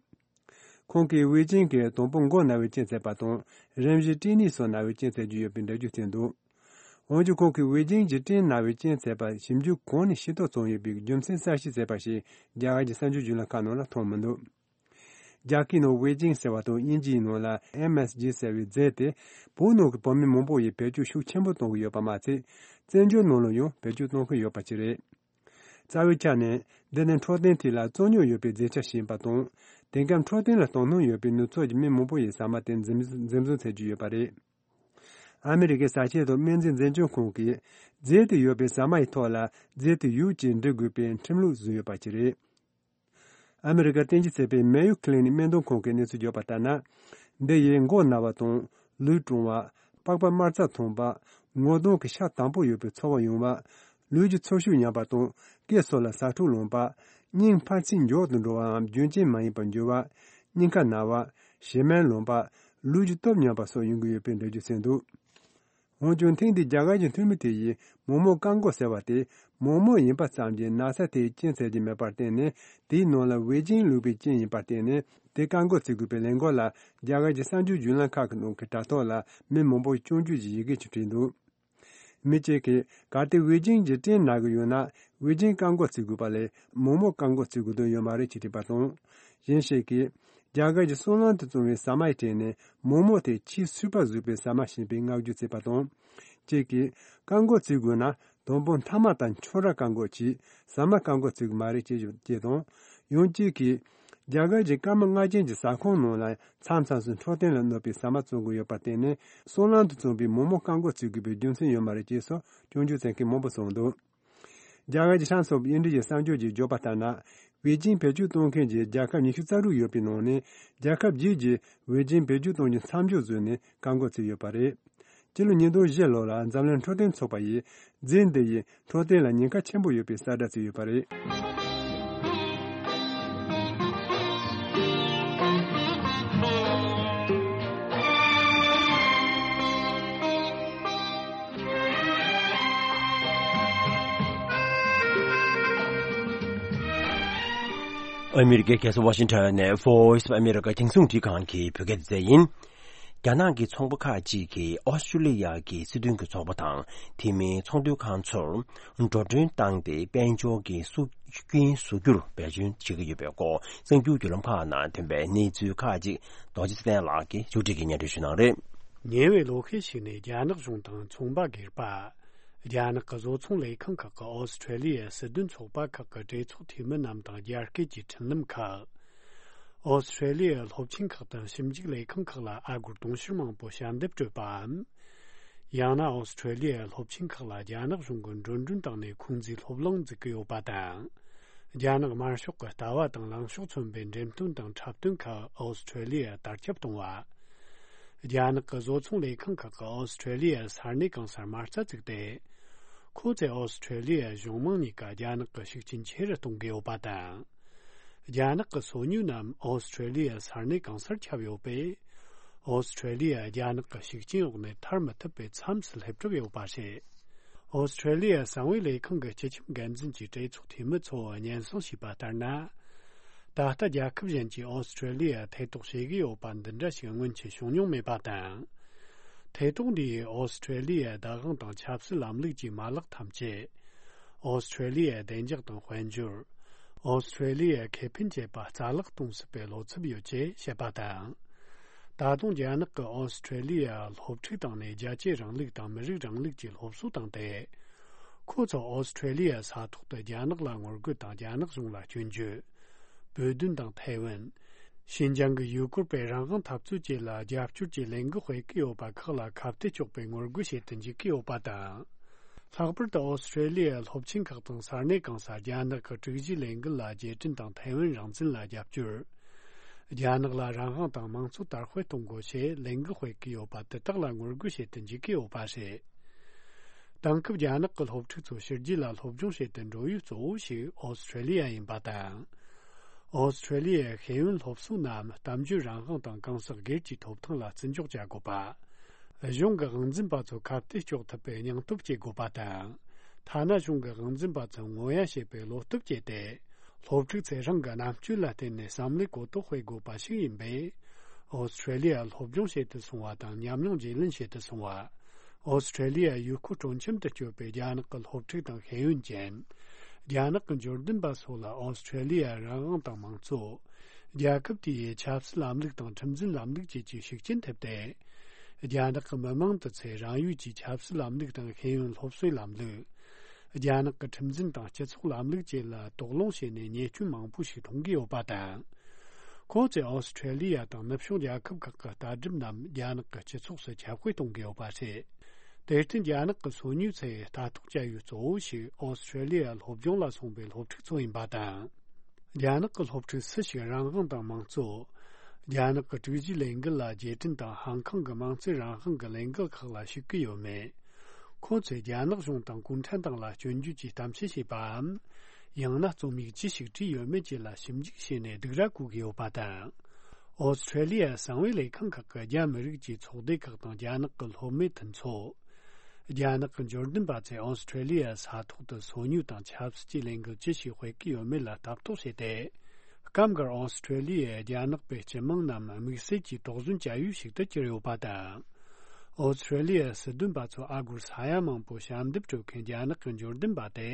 ཁོང་གིས་ཝེ་ཅིང་གིས་དང་པོ་མགོ་ན་བའི་རྐྱེན་བྱས་པ་དང་། རིམ་བཞིན་སྐྲན་ནད་སོགས་ན་བའི་རྐྱེན་བྱེད་ཀྱི་ཡོད་པའི་འགྲེལ་བརྗོད་བྱས་འདུག་འོན་ཀྱང་། ཁོང་གིས་ཝེ་ཅིང་གི་སྐྲན་ན་བའི་རྐྱེན་བྱས་པ་ཞིབ་འཇུག་གང་ནས་ཤེས་རྟོགས་བྱུང་ཡོད་པའི་རྒྱུ་མཚན་གསལ་བཤད་བྱས་པ་ཞིག་རྒྱ་གར་གྱི་གསར་འགྱུར་བརྒྱུད་ལམ་ཁག་ནང་ལ་མཐོང་མི་འདུག་རྒྱ་སྐད་ནང་ཝེ་ཅིང་ཟེར་བ་དང་། དབྱིན་ཇིའི་ནང་ལ་ཨེམ་ཨེས་ཇི་ཟེར་བའི་རྫས་དེ། བོད་ནང་གི་བོད་མི་མང་པོ་ཡིས་བེད་སྤྱོད་ཤུགས་ཆེན་པོ་གཏོང་གི་ཡོད་པ་མ་ཚད། བཙན་བྱོལ་ནང་ལ་ཡང་བེད་སྤྱོད་གཏོང་གི་ཡོད་པ་ཅིག་རེད། རྩ་བའི་ཆ་ནས། འདི་ནི་འཕྲོད་བསྟེན་ཐད་ལ་རྩོད་རྙོག་ཡོད་པའི་རྫས་ཆ་ཞིག་ཡིན་པ་དང་། དེང་སྐབས་འཕྲོད་བསྟེན་ལ་དོ་སྣང་ཡོད་པའི་ནུབ་ཕྱོགས་ཀྱི་མི་མང་པོ་ཡིས་ཟ་མ་དེ་འཛིན་འཛིན་བཟུང་བྱེད་ཀྱི་ཡོད་པ་རེད། ཨ་མི་རི་ཀའི་ཟ་ཆས་དང་སྨན་རྫས་འཛིན་སྐྱོང་ཁང་གིས། རྫས་དེ་ཡོད་པའི་ཟ་མ་ཡི་ཐོག་ལ་རྫས་དེ་ཡོད་ཅེས་འབྲི་དགོས་པའི་ཁྲིམས་ལུགས་བཟོས་ཡོད་པ་ཅིག་རེད། ཨ་མི་རི་ཀར་རྟེན་གཞི་བྱས་པའི་Mayo Clinic སྨན་དོན་ཁང་གིས་གནས་ཚུལ་བརྗོད་པ་ལྟར་ན། འདི་ཡིས་མགོ་ན་བ་དང་། ལུས་གྲང་བ། པགས་པ་དམར་རྩ་ཐོན་པ། ངོ་གདོང་གི་ཤ་དྭངས་པོ་ཡོད་པའི་ཚོར་བ་ཡོང་བ། ལུས་ཀྱི་ཚོར་ཤུགས་ཉམས་པ་དང་། སྐེ་སོགས་ལ་ཟ་འཕྲུག་ལངས་པ། སྙིང་འཕར་ཚད་མགྱོགས་སུ་འགྲོ་བའམ་རྒྱུན་ཆད་མ་ཡིན་པར་འགྱུར་བ། སྙིང་ཁ་ན་བ། བྱེ་སྨན་ལངས་པ། ལུས་ཀྱི་སྟོབས་ཉམས་པ་སོགས་ཡོང་གི་ཡོད་པའི་འགྲེལ་བརྗོད་བྱས་འདུག་འོན་ཀྱང་། ཐེངས་འདིའི་རྒྱ་གར་གྱི་འཐུས་མི་དེ་ཡིས་མོག་མོག་བཀག་འགོག་ཟེར་བ་དེ། མོག་མོག་ཡིན་པ་ཙམ་གྱིས་ན་ཚ་དེའི་རྐྱེན་བྱེད་ཀྱི་མེད་པར་བརྟེན་ནས། དེའི་ནང་ལ་ཝེ་ཅིང་བླུགས་པའི་རྐྱེན་ཡིན་པར་བརྟེན་ནས། དེ་བཀག་འགོག་བྱེད་དགོས་པའི་ལས་འགུལ་ལ། རྒྱ་གར་གྱི་གསར་འགྱུར་བརྒྱུད་ལམ་ཁག་གི་ནང་གི་དྲ་ཐོག་ལ། མི་མང་པོས་སྐྱོན་བརྗོད་ཀྱི་ཡི་གེ་ཅིག་བྲིས་འདུག་མི་གཅིག་གིས། གལ་ཏེ་ཝེ་ཅིང་གི་སྐྲན་ན་གི་ཡོད་ན། ཝེ་ཅིང་བཀག་འགོག་བྱེད་དགོས་པ་ལས། མོག་མོག་བཀག་འགོག་བྱེད་དགོས་དོན་ཡོད་མ་རེད་ཅེས་བྲིས་པ་དང་། གཞན་ཞིག་གིས། རྒྱ་གར་གྱི་སོལ་རླངས་དུ་བཙོངས་པའི་ཟ་མ་ཡི་གྲས་ནས། མོག་མོག་དེ་ཆེས་སུས་པ་བཟོས་པའི་ཟ་མ་ཞིག་ཡིན་པའི་བསྔགས་བརྗོད་བྱས་པ་དང་། གཅིག་གིས། བཀག་འགོག་བྱེད་དགོས་ན། དང་པོ་མཐའ་མ་ལྟར་ཁྱོད་རང་བཀག་འགོག་གྱིས། ཟ་མ་བཀག་འགོག་བྱེད་དགོས་མ་རེད་ཅེས་བརྗོད་ཅེས་དང་། ཡང་གཅིག་གིས། རྒྱ་གར་གྱི་སྐར་མ་ལྔ་ཅན་གྱི་ཟ་ཁང་ནང་ལ། མཚམས་མཚམས་སུ་འཕྲོད་བསྟེན་ལ་གནོད་པའི་ཟ་མ་བཙོང་གི་ཡོད་པར་བརྟེན་ནས། སོལ་རླངས་དུ་བཙོངས་པའི་མོག་མོག་བཀག་འགོག་བྱེད་དགོས་པའི་རྒྱུ་མཚན་ཡོད་མ་རེད་ཅེས་སོགས་སྐྱོན་བརྗོད་བྱེད་མཁན་མང་པོ་གསུངས་འདུག་རྒྱ་གར་གྱི་Times of India ཡི་གསར་འགྱུར་གྱིས་བརྗོད་པ་ལྟར་ན། ཝེ་ཅིང་བེད་སྤྱོད་གཏོང་མཁན་གྱི་རྒྱལ་ཁབ་ཉི་ཤུ་རྩ་དྲུག་ཡོད་པའི་ནང་ནས། རྒྱལ་ཁབ་བརྒྱད་ཀྱིས་ཝེ་ཅིང་བེད་སྤྱོད་གཏོང་རྒྱུ་མཚམས་འཇོག་བཟོས་ནས་བཀག་འགོག་བྱས་ཡོད་པ་རེད། སྤྱི་ལོ་ཉིས་སྟོང་བཞི་ལོ་ལ་འཛམ་གླིང་འཕྲོད་བསྟེན་ཚོགས་པ་ཡིས། རྫས་འདི་ཡིས་འཕྲོད་བསྟེན་ལ་ཉེན་ཁ་ཆེན་པོ་ཡོད་པའི་གསལ་བསྒྲགས་བྱས་ཡོད་པ་རེད། ཨ་མི་རི་ཀའི་རྒྱལ་ས་ཝ་ཤིང་ཊོན་ནས་Voice of America རྒྱང་སྲིང་རླུང་འཕྲིན་ཁང་གི་བོད་སྐད་སྡེ་ཚན་ཡིན། རྒྱ་ནག་གི་ཚོང་པ་ཁག་ཅིག་གིས་ཨོ་སི་ཀྲོ་ལི་ཡ་གི་སྲིད་དོན་གྱི་ཚོགས་པ་དང་། དེ་མིན་ཚོང་དོན་ཁང་ཚོར་འགྲོ་གྲོན་བཏང་སྟེ། དཔལ་འབྱོར་གྱི་སྲོག་རྐྱེན་བཟོ་རྒྱུར་འབད་བརྩོན་བྱེད་ཀྱི་ཡོད་པའི་སྐོར། གསར་འགྱུར་བརྒྱུད་ལམ་ཁག་ནང་ཐོན་པའི་གནས་ཚུལ་ཁག་ཅིག་རྡོ་རྗེ་ཚེ་བརྟན་ལགས་ཀྱིས་མཇུག་སྒྲིལ་གྱིས་སྙན་སྒྲོན་ཞུ་གནང་རེད། ཉེ་བའི་ལོ་ཤས་ཤིག་ནས་རྒྱ་ནག་གཞུང་དང་ཚོང་པ་སྒེར་པ། རྒྱ་ནག་གི་བཟོ་ཚོང་ལས་ཁང་ཁག་གི་ཨོ་སི་ཁྲེ་ལི་ཡའི་སྲིད་དོན་ཚོགས་པ་ཁག་གི་གྲོས་ཚོགས་འཐུས་མི་རྣམས་དང་རྒྱ་སྐད་ཀྱི་འཕྲིན་ལམ་ཁག་ཨོ་སི་ཁྲེ་ལི་ཡའི་སློབ་ཆེན་ཁག་དང་ཞིབ་འཇུག་ལས་ཁང་ཁག་ལ་ཨ་སྒོར་དུང་ཕྱུར་མང་པོ་ཞལ་འདེབས་སྤྲོད་པའམ། ཡང་ན་ཨོ་སི་ཁྲེ་ལི་ཡའི་སློབ་ཆེན་ཁག་ལ་རྒྱ་ནག་གཞུང་གི་འགྲོ་གྲོན་བཏང་ནས་ཁོང་ཚོའི་སློབ་གླིང་འཛུགས་ཀྱི་ཡོད་པ་དང་། རྒྱ་ནག་དམར་ཤོག་གི་ལྟ་བ་དང་ལངས་ཕྱོགས་མཚོན་པའི་འགྲེམས་སྟོན་དང་འཁྲབ་སྟོན་ཁག་ཨོ་སི་ཁྲེ་ལི་ཡར་དར་ཁྱབ་གཏོང་བ། རྒྱ་ནག་གི་བཟོ་ཚོང་ལས་ཁང་ཁག་གིས་ཨོ་སི་ཁྲེ་ལི་ཡར་ས་གནས་གང་སར་མ་རྩ་བཙུགས་ཏེ། ཁོ་ཚོས་ཨོ་སི་ཁྲེ་ལི་ཡའི་གཞུང་མང་གཉིས་ཀ་རྒྱ་ནག་གི་ཤུགས་རྐྱེན་ཆེ་རུ་གཏོང་གི་ཡོད་པ་དང་། རྒྱ་ནག་གི་སོ་ཉུལ་རྣམས་ཨོ་སི་ཁྲེ་ལི་ཡའི་ས་གནས་གང་སར་ཁྱབ་ཡོད་པས། ཨོ་སི་ཁྲེ་ལི་ཡ་རྒྱ་ནག་གི་ཤུགས་རྐྱེན་འོག་ནས་ཐར་མི་ཐུབ་པའི་མཚམས་སུ་སླེབས་གྲབས་ཡོད་པ་རེད། ཨོ་སི་ཁྲེ་ལི་ཡ་གསང་བའི་ལས་ཁང་གི་སྤྱི་ཁྱབ་འགན་འཛིན་གྱིས་གྲོས་ཚོགས་འཐུས་མི་ཚོར་སྙན་སེང་ཞུས་པ་ལྟར་ན། ད་ལྟ་རྒྱལ་ཁབ་གཞན་གྱིས་ཨོ་སི་ཁྲེ་ལི་ཡར་ཐེ་གཏོགས་བྱེད་ཀྱི་ཡོད་པ་འདི་འདྲ་ཞིག་སྔོན་ཆད་བྱུང་མྱོང་མེད་པ་དང་། ཐེ་གཏོགས་འདི་ཡིས་ཨོ་སི་ཁྲེ་ལི་ཡའི་བདག་དབང་དང་ཆབ་སྲིད་ལམ་ལུགས་ཀྱི་མ་ལག་ཐམས་ཅད། ཨོ་སི་ཁྲེ་ལི་ཡའི་བདེ་འཇགས་དང་དཔལ་འབྱོར། ཨོ་སི་ཁྲེ་ལི་ཡའི་ཁེ་ཕན་བཅད་པ་རྩ་བརླག་གཏོང་སྲིད་པའི་བློ་འཚབ་ཡོད་ཅེས་བཤད་པ་དང་། ད་དུང་རྒྱ་ནག་གིས་ཨོ་སི་ཁྲེ་ལི་ཡར་སློབ་ཕྲུག་བཏང་ནས་རྒྱལ་གཅེས་རིང་ལུགས་དང་མི་རིགས་རིང་ལུགས་ཀྱི་སློབ་གསོ་བཏང་སྟེ། ཁོ་ཚོ་ཨོ་སི་ཁྲེ་ལི་ཡའི་ས་ཐོག་ཏུ་རྒྱ་ནག་ལ་ངོ་རྒོལ་དང་རྒྱ་ནག་གཞུང་ལ་སྐྱོན་བརྗོད། བོད་དོན་དང་ཐའེ་ཝན། ཤིན་ཅང་གི་ཡུལ་སྐོར་སྤེལ་རང་དབང་འཐབ་རྩོད་བཅས་ལ་རྒྱབ་སྐྱོར་གྱི་ལས་འགུལ་སྤེལ་གྱི་ཡོད་པ་ཁག་ལ་ཁ་གཏད་གཅོག་པའི་ངོ་རྒོལ་བྱེད་དུ་འཇུག་གི་ཡོད་པ་དང་། ལྷག་པར་དུ་ཨོ་སི་ཁྲེ་ལི་ཡའི་སློབ་ཆེན་ཁག་དང་ས་གནས་གང་སར་རྒྱ་ནག་གི་དྲུག་གཞིའི་ལས་འགུལ་ལ་རྗེས་དྲན་དང་ཐའེ་ཝན་རང་བཙན་ལ་རྒྱབ་སྐྱོར། རྒྱ་ནག་ལ་རང་དབང་དང་དམངས་གཙོ་དར་སྤེལ་གཏོང་དགོས་ཞེས་ལས་འགུལ་སྤེལ་གྱི་ཡོད་པ་དེ་དག་ལ་ངོ་རྒོལ་བྱེད་དུ་འཇུག་གི་ཡོད་པ་རེད། དེང་སྐབས་རྒྱ་ནག་གི་སློབ་ཕྲུག་ཚོ་ཕྱི་རྒྱལ་ལ་སློབ་སྦྱོང་བྱེད་དུ་འགྲོ་ཡུལ་གཙོ་བོ་ཞིག་ཨོ་སི་ཁྲེ་ལི་ཡ་ཡིན་པ་དང་། ཨོ་སི་ཁྲེ་ལི་ཡའི་ཤེས་ཡོན་སློབ་གསོ་རྣམས་གཏམ་བརྗོད་རང་དབང་དང་གང་ཟག་སྒེར་གྱི་ཐོབ་ཐང་ལ་བརྩི་འཇོག་བྱ་དགོས་པ། གཞུང་གི་དབང་འཛིན་པ་ཚོ་ཁ་གཏད་གཅོག་ཐུབ་པའི་སྙིང་སྟོབས་བསྐྱེད་དགོས་པ་དང་། ཐ་ན་གཞུང་གི་དབང་འཛིན་པ་ཚོ་ངོ་ཡ་བྱེད་པའི་བློ་སྟོབས་བསྐྱེད་དེ། སློབ་ཕྲུག་ཚོས་རང་གི་རྣམ་དཔྱོད་ལ་བརྟེན་ནས་བསམ་བློའི་གོ་རྟོགས་སྤེལ་དགོས་པ་ཞིག་ཡིན་པས། ཨོ་སི་ཁྲེ་ལི་ཡར་སློབ་སྦྱོང་བྱེད་དུ་སོང་བ་དང་ཉམས་མྱོང་བརྗེ་ལེན་བྱེད་དུ་སོང་བ། ཨོ་སི་ཁྲེ་ལི་ཡའི་ཡུལ་སྐོར་སྤྲོ་འཆམ་དུ་བསྐྱོད་པའི་རྒྱ་ནག་གི་སློབ་ཕྲུག་དང་ཤེས་ཡོན་ཅན། རྒྱ་ནག་གི་འབྱོར་ལྡན་པ་སོགས་ལ་ཨོ་སི་ཁྲེ་ལི་ཡའི་རང་དབང་དང་དམངས་གཙོ། རྒྱལ་ཁབ་དེའི་ཆབ་སྲིད་ལམ་ལུགས་དང་ཁྲིམས་འཛིན་ལམ་ལུགས་བཅས་ཀྱི་ཤུགས་རྐྱེན་ཐེབས་ཏེ། རྒྱ་ནག་གི་མི་མང་དུ་ཚོས་རང་ཡུལ་གྱི་ཆབ་སྲིད་ལམ་ལུགས་དང་ཤེས་ཡོན་སློབ་གསོའི་ལམ་ལུགས། རྒྱ་ནག་གི་ཁྲིམས་འཛིན་དང་སྤྱི་ཚོགས་ལམ་ལུགས་བཅས་ལ་དོགས་སློང་བྱས་ནས་ཉེས་སྐྱོན་མང་པོ་ཞིག་མཐོང་གི་ཡོད་པ་དང་། ཁོང་ཚོས་ཨོ་སི་ཁྲེ་ལི་ཡ་དང་ནུབ་ཕྱོགས་རྒྱལ་ཁབ་ཁག་གི་ལྟ་གྲུབ་རྣམས་རྒྱ་ནག་གི་སྤྱི་ཚོགས་སུ་ཁྱབ་སྤེལ་གཏོང་གི་ཡོད་པ་རེད། དེར་བརྟེན་རྒྱ་ནག་གི་སོ་ཉུལ་ཚོས་ལྟ་རྟོག་བྱ་ཡུལ་གཙོ་བོ་ཞིག་ཨོ་སི་ཁྲེ་ལི་ཡར་སློབ་སྦྱོང་ལ་སོང་པའི་སློབ་ཕྲུག་ཚོ་ཡིན་པ་དང་། རྒྱ་ནག་གི་སློབ་ཕྲུག་སུ་ཞིག་རང་དབང་དང་དམངས་གཙོ། རྒྱ་ནག་གི་དྲུག་གཞིའི་ལས་འགུལ་ལ་རྗེས་དྲན་དང་ཧང་ཁང་གི་དམངས་གཙོའི་རང་དབང་གི་ལས་འགུལ་ཁག་ལ་ཞུགས་ཀྱི་ཡོད་མེད། ཁོ་ཚོས་རྒྱ་ནག་གཞུང་དང་གུང་ཁྲན་ཏང་ལ་སྐྱོན་བརྗོད་ཀྱི་གཏམ་བཤད་བྱས་པའམ། ཡང་ན་རྩོམ་ཡིག་ཅི་ཞིག་བྲིས་ཡོད་མེད་བཅས་ལ་ཞིབ་འཇུག་བྱས་ནས་སྡིགས་ར་བསྐུལ་གྱི་ཡོད་པ་དང་། ཨོ་སི་ཁྲེ་ལི་ཡའི་གསང་བའི་ལས་ཁང་ཁག་གིས་རྒྱ་མི་རིགས་ཀྱི་ཚོགས་སྡེ་ཁག་དང་རྒྱ་ནག་གི་སློབ་མའི་མཐུན་ཚོགས། རྒྱ་ནག་གི་འབྱོར་ལྡན་པ་ཚོས་ཨོ་སི་ཁྲེ་ལི་ཡའི་ས་ཐོག་ཏུ་སོ་ཉུལ་དང་ཆབ་སྲིད་ཀྱི་ལས་འགུལ་ཅི་ཞིག་སྤེལ་གྱི་ཡོད་མེད་ལ་ལྟ་རྟོག་བྱས་ཏེ། སྐབས་འགར་ཨོ་སི་ཁྲེ་ལི་ཡའི་རྒྱ་ནག་པའི་སྤྱི་དམངས་རྣམས་དམིགས་བསལ་གྱི་དོགས་ཟོན་བྱ་ཡུལ་ཞིག་ཏུ་གྱུར་ཡོད་པ་དང་། ཨོ་སི་ཁྲེ་ལི་ཡའི་སྲིད་དོན་པ་ཚོ་ཨ་སྒོར་ས་ཡ་མང་པོ་ཞབས་འདེབས་སྤྲོད་མཁན་རྒྱ་ནག་གི་འབྱོར་ལྡན་པ་དེ།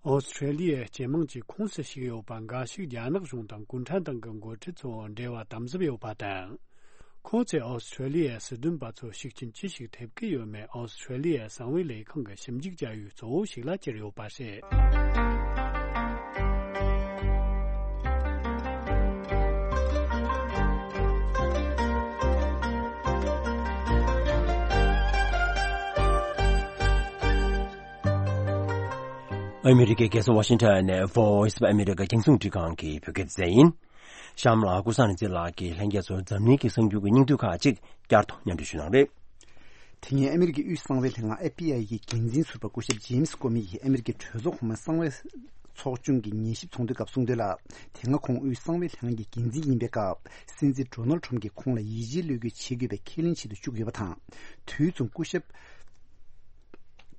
ཨོ་སི་ཁྲེ་ལི་ཡའི་སྤྱི་དམངས་ཀྱི་ཁོངས་སུ་ཞུགས་ཡོད་པ་འགའ་ཞིག་རྒྱ་ནག་གཞུང་དང་གུང་ཁྲན་ཏང་གི་འགོ་ཁྲིད་ཚོ་འབྲེལ་བ་དམ་ཟབ་ཡོད་པ་དང་། ཁོང་ཚོས་ཨོ་སི་ཁྲེ་ལི་ཡའི་སྲིད་དོན་པ་ཚོར་ཤུགས་རྐྱེན་ཅི་ཞིག་ཐེབས་ཀྱི་ཡོད་མེད་ཨོ་སི་ཁྲེ་ལི་ཡའི་གསང་བའི་ལས་ཁང་གི་ཞིབ་འཇུག་བྱ་ཡུལ་གཙོ་བོ་ཞིག་ལ་གྱུར་ཡོད་པ་རེད། ཨ་མི་རི་ཀའི་རྒྱལ་ས་ཝ་ཤིང་ཊོན་ནས་Voice of America རྒྱང་སྲིང་འཕྲིན་ཁང་གི་བོད་སྐད་སྡེ་ཚན་ཡིན། གཤམ་ལ་ཀུན་བཟང་ནི་ཚེ་ལགས་ཀྱིས་ལྷན་རྒྱས་ཚོར་འཛམ་གླིང་གི་གསར་འགྱུར་གྱི་སྙིང་བསྡུས་ཁག་ཅིག་བསྐྱར་དུ་སྙན་སྒྲོན་ཞུ་གནང་རེད། དེ་སྔོན་ཨ་མི་རི་ཀའི་དབུས་གསང་བའི་ལྷན་ཁང་F B I གི་འགན་འཛིན་ཟུར་པ་སྐུ་ཞབས་ཇེམ་སི་ཀོ་མི་ཡིས་ཨ་མི་རི་ཀའི་གྲོས་ཚོགས་གོང་མའི་གསང་བའི་ཚོགས་ཆུང་གི་ཉན་ཞིབ་ཚོགས་འདུའི་སྐབས་གསུངས་དོན་ལ། དེ་སྔ་ཁོང་དབུས་གསང་བའི་ལྷན་ཁང་གི་འགན་འཛིན་ཡིན་པའི་སྐབས། སྲིད་འཛིན་ཌོ་ནལ་ཊམ་གྱིས་ཁོང་ལ་ཡིད་ཆེས་བློས་འགེལ་བྱེད་དགོས་པའི་ཁས་ལེན་བྱེད་དུ་བཅུག་ཡོད་པ་དང་། དུས་མཚུངས་སྐུ་ཞབས་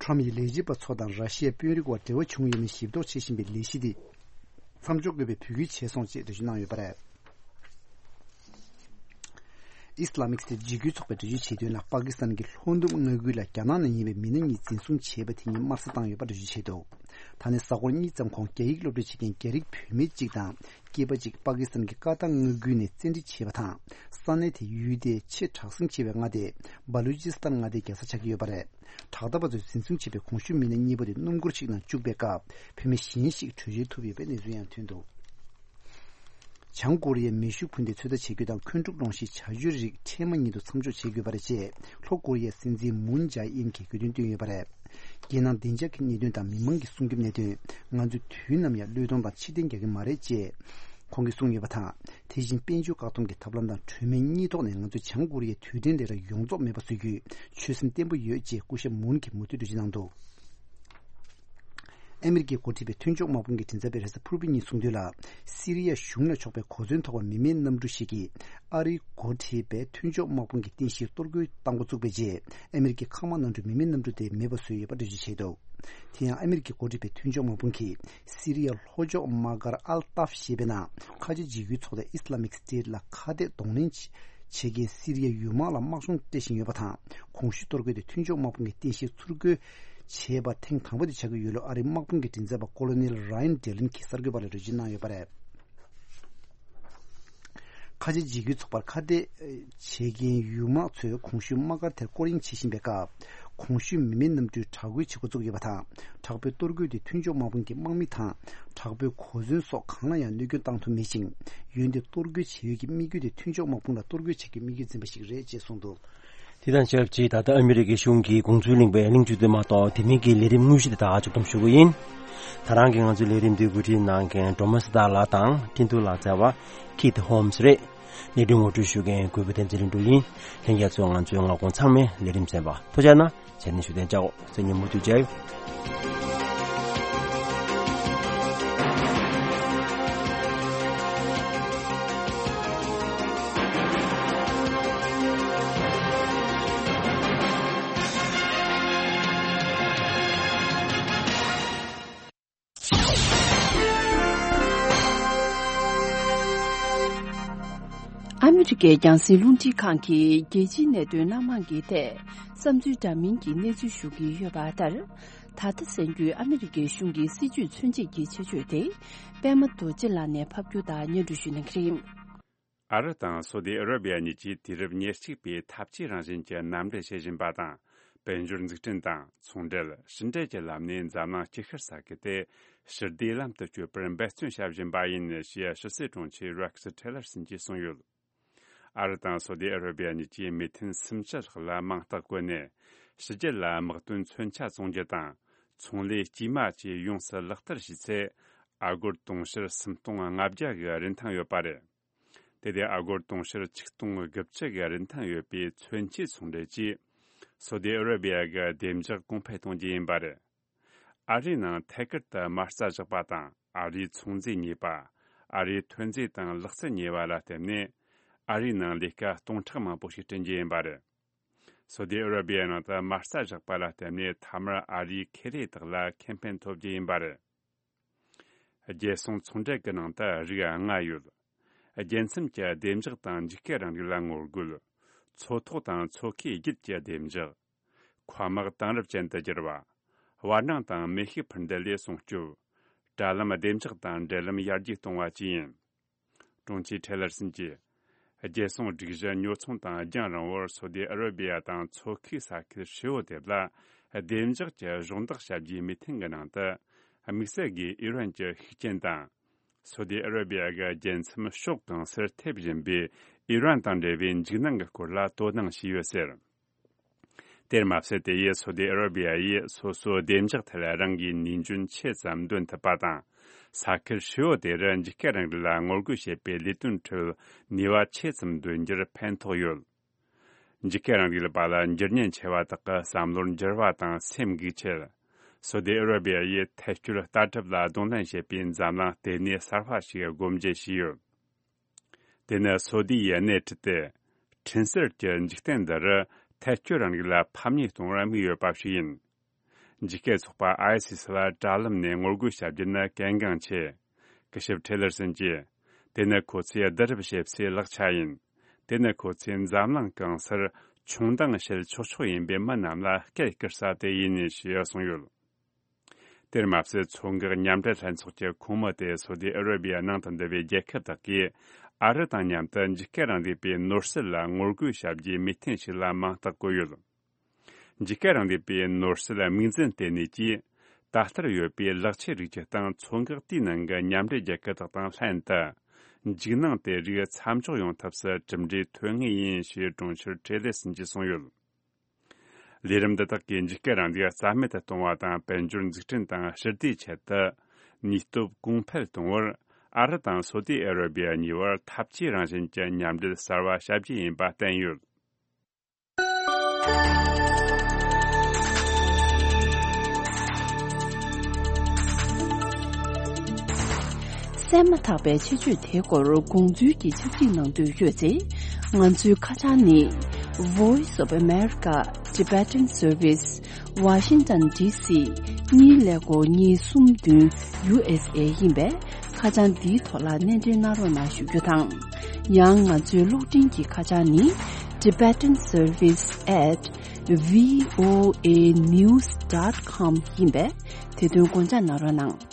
ཊམ་ཡིས་ལས་བྱེད་པ་ཚོ་དང་ར་ཤི་ཡའི་དཔོན་རིགས་བར་འབྲེལ་བ་བྱུང་ཡོད་མེད་ཞིབ་རྟོག་བྱེད་བཞིན་པའི་ལས་གཞི་དེ་མཚམས་འཇོག་དགོས་པའི་འབོད་སྐུལ་བྱས་སོང་ཅེས་འགྲེལ་བརྗོད་གནང་ཡོད་པ་རེད། ཨིས་ལ་མིག་སི་ཊའི་འཇིགས་སྐུལ་ཚོགས་པས་འགྲེལ་བརྗོད་བྱས་དོན་ལ། པ་ཀི་སི་ཐན་གྱི་ལྷོ་ནུབ་མངའ་ཁུལ་ལ་རྒྱ་ནག་ནས་ཡིན་པའི་མི་སྣ་གཉིས་འཛིན་བཟུང་བྱས་པ་དེ་ཉིད་དམར་གསོད་བཏང་ཡོད་པ་འགྲེལ་བརྗོད་བྱས་འདུག་ད་ནི་གཟའ་འཁོར་གཉིས་ཙམ་གོང་རྒྱ་ཡིག་སློབ་ཁྲིད་བྱེད་མཁན་རྒྱ་རིགས་བུད་མེད་ཅིག་དང་སྐྱེས་པ་ཅིག་པ་ཀི་སི་ཐན་གྱི་ཀ་ཏ་མངའ་ཁུལ་ནས་བཙན་ཁྲིད་བྱས་པ་དང་། ས་གནས་དེའི་ཡུལ་དེའི་ཆེས་དྲག་ཟིང་ཆེ་བའི་མངའ་སྡེ་སྦ་ལུ་ཅི་སི་ཐན་མངའ་སྡེའི་རྒྱལ་ས་ཆགས་ཀྱི་ཡོད་པ་རེད། དྲག་འཐབ་པ་ཚོས་འཛིན་བཟུང་བྱས་པའི་གོང་ཞུས་མི་སྣ་གཉིས་པོ་དེ་སྣུམ་འཁོར་ཞིག་ནང་བཅུག་པའི་སྐབས། བུད་མེད་གཞན་ཞིག་བྲོས་བྱོལ་ཐུབ་ཡོད་པའི་གནས་ཚུལ་ཡང་ཐོན་འདུག་བྱང་ཀོ་རི་ཡས་མེ་ཤུགས་འཕུར་མདེལ་ཚོད་ལྟ་བྱེད་རྒྱུ་དང་འཁོན་འཁྲུག་སློང་གཞིའི་བྱ་སྤྱོད་རིགས་འཕྲལ་མ་ཉིད་དུ་མཚམས་འཇོག་བྱེད་དགོས་པ་རེད་ཅེས། ལྷོ་ཀོ་རི་ཡའི་སྲིད་འཛིན་མུན་ཇཱ་ཨིན་གྱིས་དགོས་འདུན་བཏོན་ཡོད་པ་རེད། རྒྱལ་ནང་བདེ་འཇགས་ཀྱི་གནད་དོན་དང་མི་མང་གི་སྲུང་སྐྱོབ་གནད་དོན། ང་ཚོས་དུས་ནམ་ཡང་བློས་གཏོང་དང་ཕྱིར་འཐེན་རྒྱག་གི་མ་རེད་ཅེས་ཁོང་གིས་གསུངས་ཡོད་པ་དང་། དེ་བཞིན་དཔལ་འབྱོར་བཀག་སྡོམ་གྱི་ཐབས་ལམ་དང་གྲོས་མོལ་གཉིས་ཐོག་ནས་ང་ཚོས་བྱང་ཀོ་རི་ཡའི་དུས་དྲན་ལས་གྲྭ་ཡོངས་རྫོགས་མེད་པ་བཟོ་རྒྱུའི་ཆོད་སེམས་བརྟན་པོ་ཡོད་ཅེས་སྐུ་ཞབས་མུན་གྱིས་མུ་མཐུད་འགྲེལ་བརྗོད་གནང་འདུག་ཨ་མི་རི་ཀས་འགོ་ཁྲིད་པའི་མཐུན་ཕྱོགས་དམག་དཔུང་གི་མགྲིན་ཚབ་པས་རེས་གཟའ་ཕུར་བུ་ཉིན་གསུངས་དོན་ལ། སི་རི་ཡ་གཞུང་ལ་ཕྱོགས་པའི་གོ་མཚོན་ཐོགས་པ་མི་མེད་གནམ་གྲུ་ཞིག་གིས་ཨ་རིས་འགོ་ཁྲིད་པའི་མཐུན་ཕྱོགས་དམག་དཔུང་གི་རྟེན་གཞིར་གཏོར་རྒོལ་བཏང་འགོ་བཙུགས་པའི་རྗེས། ཨ་མི་རི་ཀའི་མཁའ་དམག་གནམ་གྲུས་མི་མེད་གནམ་གྲུ་དེ་མེད་པ་བཟོས་ཡོད་པ་འགྲེལ་བརྗོད་བྱས་འདུག་དེ་ཡང་ཨ་མི་རི་ཀས་འགོ་ཁྲིད་པའི་མཐུན་ཕྱོགས་དམག་དཔུང་གིས་སི་རི་ཡའི་ལྷོ་ཕྱོགས་དམག་སྒར་ཨལ་ཏཱབ་ཞེས་པའི་ནང་། ཁ་ཆེ་འཇིགས་སྐུལ་ཚོགས་སྡེ་ཨི་སི་ལ་མིག་སི་ཊེཊ་ལ་ཁ་གཏད་གདོང་ལེན་བྱེད་མཁན་སི་རི་ཡའི་ཡུལ་དམག་ལ་དམག་སྦྱོང་སྤྲད་བཞིན་ཡོད་པ་དང་། གོང་ཞུས་གཏོར་རྒོལ་དེ་མཐུན་ཕྱོགས་དམག་དཔུང་གི་རྟེན་གཞིར་ཚུར་རྒོལ་བྱས་པ་ཐེངས་དང་པོ་དེ་ཆགས་ཀྱི་ཡོད་ལུགས་ཨ་རིའི་དམག་དཔུང་གི་མགྲིན་ཚབ་པ་ཀོ་ལོ་ནེལ་ར་ཡན་ཌེ་ལིན་གྱིས་གསར་འགོད་པ་ལ་འགྲེལ་བརྗོད་གནང་ཡོད་པ་རེད། ཁ་ཆེ་འཇིགས་སྐུལ་ཚོགས་པར་ཁ་གཏད་བྱེད་མཁན་ཡུལ་དམག་ཚོས་གོང་ཞུས་དམག་སྒར་དེར་སྐོར་གཡེང་བྱེད་བཞིན་པའི་སྐབས། གོང་ཞུས་མི་མེད་གནམ་གྲུས་དྲག་རྒོལ་བྱེད་འགོ་བཙུགས་ཡོད་པ་དང་། དྲག་པོའི་གཏོར་རྒོལ་དེ་མཐུན་ཕྱོགས་དམག་དཔུང་གི་དམག་མི་དང་། དྲག་པོའི་གོ་མཚོན་སོགས་གང་ལ་ཡང་གནོད་སྐྱོན་བཏང་ཐུབ་མེད་ཅིང་། འོན་ཏེ་གཏོར་རྒོལ་བྱེད་ཡུལ་གྱི་དམིགས་ཡུལ་དེ་མཐུན་ཕྱོགས་དམག་དཔུང་ལ་གཏོར་རྒོལ་བྱེད་རྒྱུའི་དམིགས་ཡུལ་འཛིན་པ་ཞིག་རེད་ཅེས་གསུངས་འདུག་དེ་དང་ཆབས་ཅིག་ད་ལྟ་ཨ་མི་རི་ཀའི་གཞུང་གིས་དགོངས་ཚུལ་གླེང་བའི་གླེང་བརྗོད་དེ་མ་གཏོགས་དེ་མིན་གྱི་ལས་རིམ་དངོས་གཞི་དེ་དག་མཇུག་བསྡོམས་ཞུ་གི་ཡིན། ད་རང་གིས་ང་ཚོའི་ལས་རིམ་འདི་གོ་སྒྲིག་གནང་མཁན་སྒྲོལ་མ་སྲི་ཐར་ལགས་དང་སྤྲིན་ཐུང་ལགས་བཅས་པ་ཁིད་ཧོམ་སི་རེད། ལས་རིམ་ངོ་སྤྲོད་ཞུ་མཁན་གུས་པ་བསྟན་འཛིན་ལྷུན་གྲུབ་ཡིན། ལྷན་རྒྱས་ཚོས་ང་ཚོའི་མངའ་ཁོངས་ཚང་མའི་ལས་རིམ་གསན་པ་ཐུགས་རྗེ་གནང་། བྱས་ནས་བཞུགས་གདན་འཇགས། སང་ཉིན་མུ་མཐུད་མཇལ་ཡོང་། ཨ་མི་རི་ཀའི་རྒྱང་སྲིང་རླུང་འཕྲིན་ཁང་གིས་རྒྱལ་སྤྱིའི་གནད་དོན་སྣ་མང་གི་ཐད་བསམ་ཚུལ་འདྲ་མིན་གྱི་གནས་ཚུལ་ཞུ་གི་ཡོད་པ་ལྟར། ད་ལྟ་གསན་རྒྱུའི་ཨ་མི་རི་ཀའི་གཞུང་གི་སྲིད་ཇུས་མཚོན་བྱེད་ཀྱི་ཆེད་བརྗོད་དེ། པད་མ་རྡོ་རྗེ་ལགས་ནས་ཕབ་སྒྱུར་དང་སྙན་སྒྲོན་ཞུ་གནང་གི་རེད། ཨ་རི་དང་སོ་ཏི་ཨ་ར་བི་ཡ་གཉིས་ཀྱིས་དུས་རབས་ཉེར་གཅིག་པའི་འཐབ་ཇུས་རང་བཞིན་གྱི་མཉམ་འབྲེལ་བྱེད་བཞིན་པ་དང་། དཔལ་འབྱོར་འཛུགས་སྐྲུན་དང་ཚོང་འབྲེལ་ཕྱི་འབྲེལ་གྱི་ལམ་ནས་འཛམ་གླིང་སྐྱིད་ཤར་ས་ཁུལ་དེ་ཞི་བདེའི་ལམ་དུ་བསྐྱོད་པར་འབད་བརྩོན་བྱ་བཞིན་པ་ཡིན་ཞེས་ཕྱི་སྲིད་དྲུང་ཆེ་རེག་སི་ཊེ་ལར་སོན་གྱིས་གསུངས་ཡོད། ཨ་རི་དང་སོ་ཏི་ཨ་ར་བི་ཡ་གཉིས་ཀྱིས་མི་ཐོན་སུམ་ཅུ་ལྷག་ལ་མིང་རྟགས་བཀོད་ནས། ཕྱི་རྒྱལ་ལ་དམག་དོན་མཚོན་ཆ་བཙོང་རྒྱུ་དང་། ཚོང་ལས་དཀྱུས་མ་བཅས་ཡོངས་སུ་ལག་བསྟར་བྱས་ཚེ། ཨ་སྒོར་དུང་ཕྱུར་སུམ་སྟོང་ལྔ་བརྒྱ་གི་རིན་ཐང་ཡོད་པ་རེད། དེ་དེ་ཨ་སྒོར་དུང་ཕྱུར་ཆིག་སྟོང་དགུ་བཅུ་གི་རིན་ཐང་ཡོད་པའི་མཚོན་ཆའི་ཚོང་འབྲེལ་གྱིས། སོ་ཏི་ཨ་ར་བི་ཡ་གི་བདེ་འཇགས་གོང་འཕེལ་གཏོང་རྒྱུ་ཡིན་པ་རེད། ཨ་རིའི་ནང་ཐད་ཀར་དུ་མ་རྩ་བཞག་པ་དང་། ཨ་རིའི་ཚོང་རྫས་གཉིས་པ། ཨ་རིའི་ཐོན་རྫས་དང་ལག་རྩལ་གཉིས་པ་ལ་བརྟེན་ནས། ཨ་རིའི་ནང་ལས་ཀ་སྟོང་ཕྲག་མང་པོ་ཞིག་བསྐྲུན་རྒྱུ་ཡིན་པ་རེད། སོ་ཏི་ཨ་ར་བི་ཡའི་ནང་དུ་མ་རྩ་བཞག་པ་ལ་བརྟེན་ནས། མཐའ་མར་ཨ་རིའི་ཁེ་ལས་དག་ལ་ཁེ་ཕན་ཐོབ་རྒྱུ་ཡིན་པ་རེད། རྒྱལ་སྲུང་ཚོང་འབྲེལ་གྱི་ནང་དུ་རིགས་ལྔ་ཡོད། རྒྱལ་མཚམས་ཀྱི་བདེ་འཇགས་དང་འཇིགས་སྐུལ་རིང་ལུགས་ལ་ངོ་རྒོལ། མཚོ་ཐོག་དང་མཚོ་ཁའི་རྒྱུད་ཀྱི་བདེ་འཇགས། མཁའ་དམག་དེང་རབས་ཅན་དུ་བསྒྱུར་བ། བར་སྣང་དང་མེ་ཤུགས་འཕུར་མདེལ་ལས་སྲུང་སྐྱོབ། དྲ་ལམ་བདེ་འཇགས་དང་འབྲེལ་ལམ་ཡར་རྒྱས་གཏོང་བ་བཅས་ཡིན། དྲུང་ཆེ་ཁྲེ་ལར་སན་གྱིས། རྒྱལ་སྲུང་སྒྲིག་གཞི་ཉོ་ཚོང་དང་རྒྱང་རིང་བོར་སོ་ཏི་ཨ་ར་བི་ཡ་དང་མཚོ་ཁའི་ས་ཁུལ་ཧྲིལ་བོ་དེ་ལ་བདེ་འཇགས་ཀྱི་གཞོགས་འདེགས་བྱ་རྒྱུའི་མོས་མཐུན་གྱི་ནང་དུ། དམིགས་བསལ་གྱིས་ཨི་རན་གྱི་ཤུགས་རྐྱེན་དང་། སོ་ཏི་ཨ་ར་བི་ཡ་གི་རྒྱལ་མཚམས་ཕྱོགས་གང་སར་ཐེབས་བཞིན་པའི་ཨི་རན་དང་འབྲེལ་བའི་འཇིགས་སྣང་གི་སྐོར་ལ་དོ་སྣང་བྱས་ཡོད་ཟེར། དེར་མ་ཟད། དེ་ཡིས་སོ་ཏི་ཨ་ར་བི་ཡ་ཡིས་སོ་སོའི་བདེ་འཇགས་ཐད་རང་གི་ནུས་འཇོན་ཆེ་ཙམ་འདོན་ཐུབ་པ་དང་། ས་ཁུལ་ཧྲིལ་བོ་དེར་འཇིགས་སྐུལ་རིང་ལུགས་ལ་ངོ་རྒོལ་བྱེད་པའི་ལས་དོན་ཁྲོད་ནུས་པ་ཆེ་ཙམ་འདོན་རྒྱུར་ཕན་ཐོགས་ཡོད། འཇིགས་སྐུལ་རིང་ལུགས་པ་ལ་འགྱུར་ཉེན་ཆེ་བ་དག་གི་བསམ་བློར་འགྱུར་བ་དང་སེམས་འགུག་ཆེད། སོ་ཏི་ཨ་ར་བི་ཡ་ཡིས་ཐད་སྐྱོད་ལྟ་གྲུབ་ལ་གདོང་ལེན་བྱེད་པའི་འཛམ་གླིང་ལྟེ་གནས་གསར་པ་ཞིག་སྒོ་འབྱེད་བྱས་ཡོད། དེ་ནི་སོ་ཏི་ཡི་སྣེ་ཁྲིད་དེ། འཕྲིན་གསར་གྱི་འཇིག་རྟེན་འདིར་ཐད་སྐྱོད་རིང་ལུགས་ལ་ཕམ་ཉེས་གཏོང་བར་དམིགས་ཡོད་པ་ཞིག་ཡིན། འཇིགས་སྐུལ་ཚོགས་པ་ཨའི་སི་སི་ལ་དྲ་ལམ་ནས་ངོ་རྒོལ་བྱ་རྒྱུ་ནི་གལ་འགངས་ཆེ། སྐུ་ཞབས་ཁྲེ་ལར་སན་གྱིས། དེ་ནི་ཁོ་ཚོས་བསྡུ་རུབ་བྱེད་སའི་ལག་ཆ་ཡིན། དེ་ནི་ཁོ་ཚོས་འཛམ་གླིང་གང་སར་ཆུང་མདངས་བྱེད་ཆོག་ཆོག་ཡིན་པའི་མི་རྣམས་ལ་སྐད་བསྐུར་ས་དེ་ཡིན་ཞེས་གསུངས་ཡོད། དེར་མ་ཟད། མཚོ་འགག་མཉམ་འབྲེལ་ལྷན་ཚོགས་ཀྱི་ཁོངས་མི་དེ་སོ་ཏི་ཨ་ར་བི་ཡ་ནང་དུ་འདུ་བའི་རྒྱལ་ཁབ་དག་གིས་ཨ་རི་དང་མཉམ་དུ་འཇིགས་སྐུལ་རིང་ལུགས་པའི་ནོར་སྲིད་ལ་ངོ་རྒོལ་བྱ་རྒྱུའི་མོས་མཐུན་ཞིག་ལ་མིང་རྟགས་བཀོད་ཡོད། འཇིགས་སྐུལ་རིང་ལུགས་པའི་ནོར་སྲིད་དམིགས་འཛིན་ལྟེ་གནས་ཀྱིས། ད་ལྟར་ཡོད་པའི་ལག་ཆས་རིགས་ཀྱི་སྟེང་མཚོ་འགག་དེའི་ནང་གི་མཉམ་འབྲེལ་རྒྱལ་ཁབ་དག་དང་ལྷན་དུ། འཇིགས་སྣང་དེ་རིགས་མཚམས་འཇོག་ཡོང་ཐབས་སུ་གྲུབ་འབྲས་ཐོན་ངེས་ཡིན་ཞེས་གྲོང་ཁྱེར་ཁྲེ་ལེ་སིན་གྱིས་གསུངས་ཡོད། ལས་རིམ་འདི་དག་གིས་འཇིགས་སྐུལ་རིང་ལུགས་རྩ་མེད་དུ་གཏོང་བ་དང་། དཔལ་འབྱོར་འཛུགས་སྐྲུན་དང་ཞི་བདེའི་ཆེད་དུ་ནུས་སྟོབས་གོང་འཕེལ་གཏོང་བར། ཨ་རི་དང་སོ་ཏི་ཨ་ར་བི་ཡ་གཉིས་བར་འཐབ་ཇུས་རང་བཞིན་གྱི་མཉམ་འབྲེལ་གསར་བ་བྱ་རྒྱུ་ཡིན་པ་བསྟན་ཡོད། གསན་མ་ཐག་པའི་ཆེད་བརྗོད་དེའི་སྐོར་དགོངས་ཚུལ་གྱི་ཕྱག་བྲིས་གནང་འདོད་ཡོད་ཚེ། ང་ཚོའི་ཁ་བྱང་ནི། Voice of America Tibetan Service Washington D C གཉིས་ཀླད་ཀོར་གཉིས་གསུམ་བདུན་U S A ཡིན་པས། ཁ་བྱང་འདིའི་ཐོག་ལ་སྣེ་འདྲེན་གནང་རོགས་གནང་ཞུ་རྒྱུ་དང་། ཡང་ང་ཚོའི་གློག་འཕྲིན་གྱི་ཁ་བྱང་ནི། Tibetan Service at V O A news dot com ཡིན་པས། དེ་དོན་དགོངས་འཇགས་གནང་རོགས་གནང་།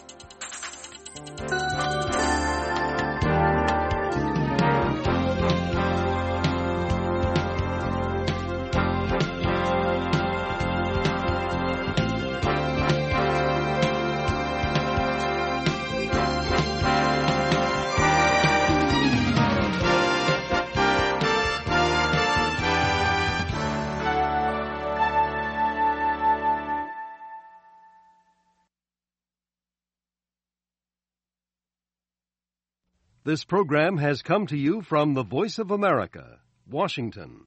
This program has come to you from the Voice of America, Washington.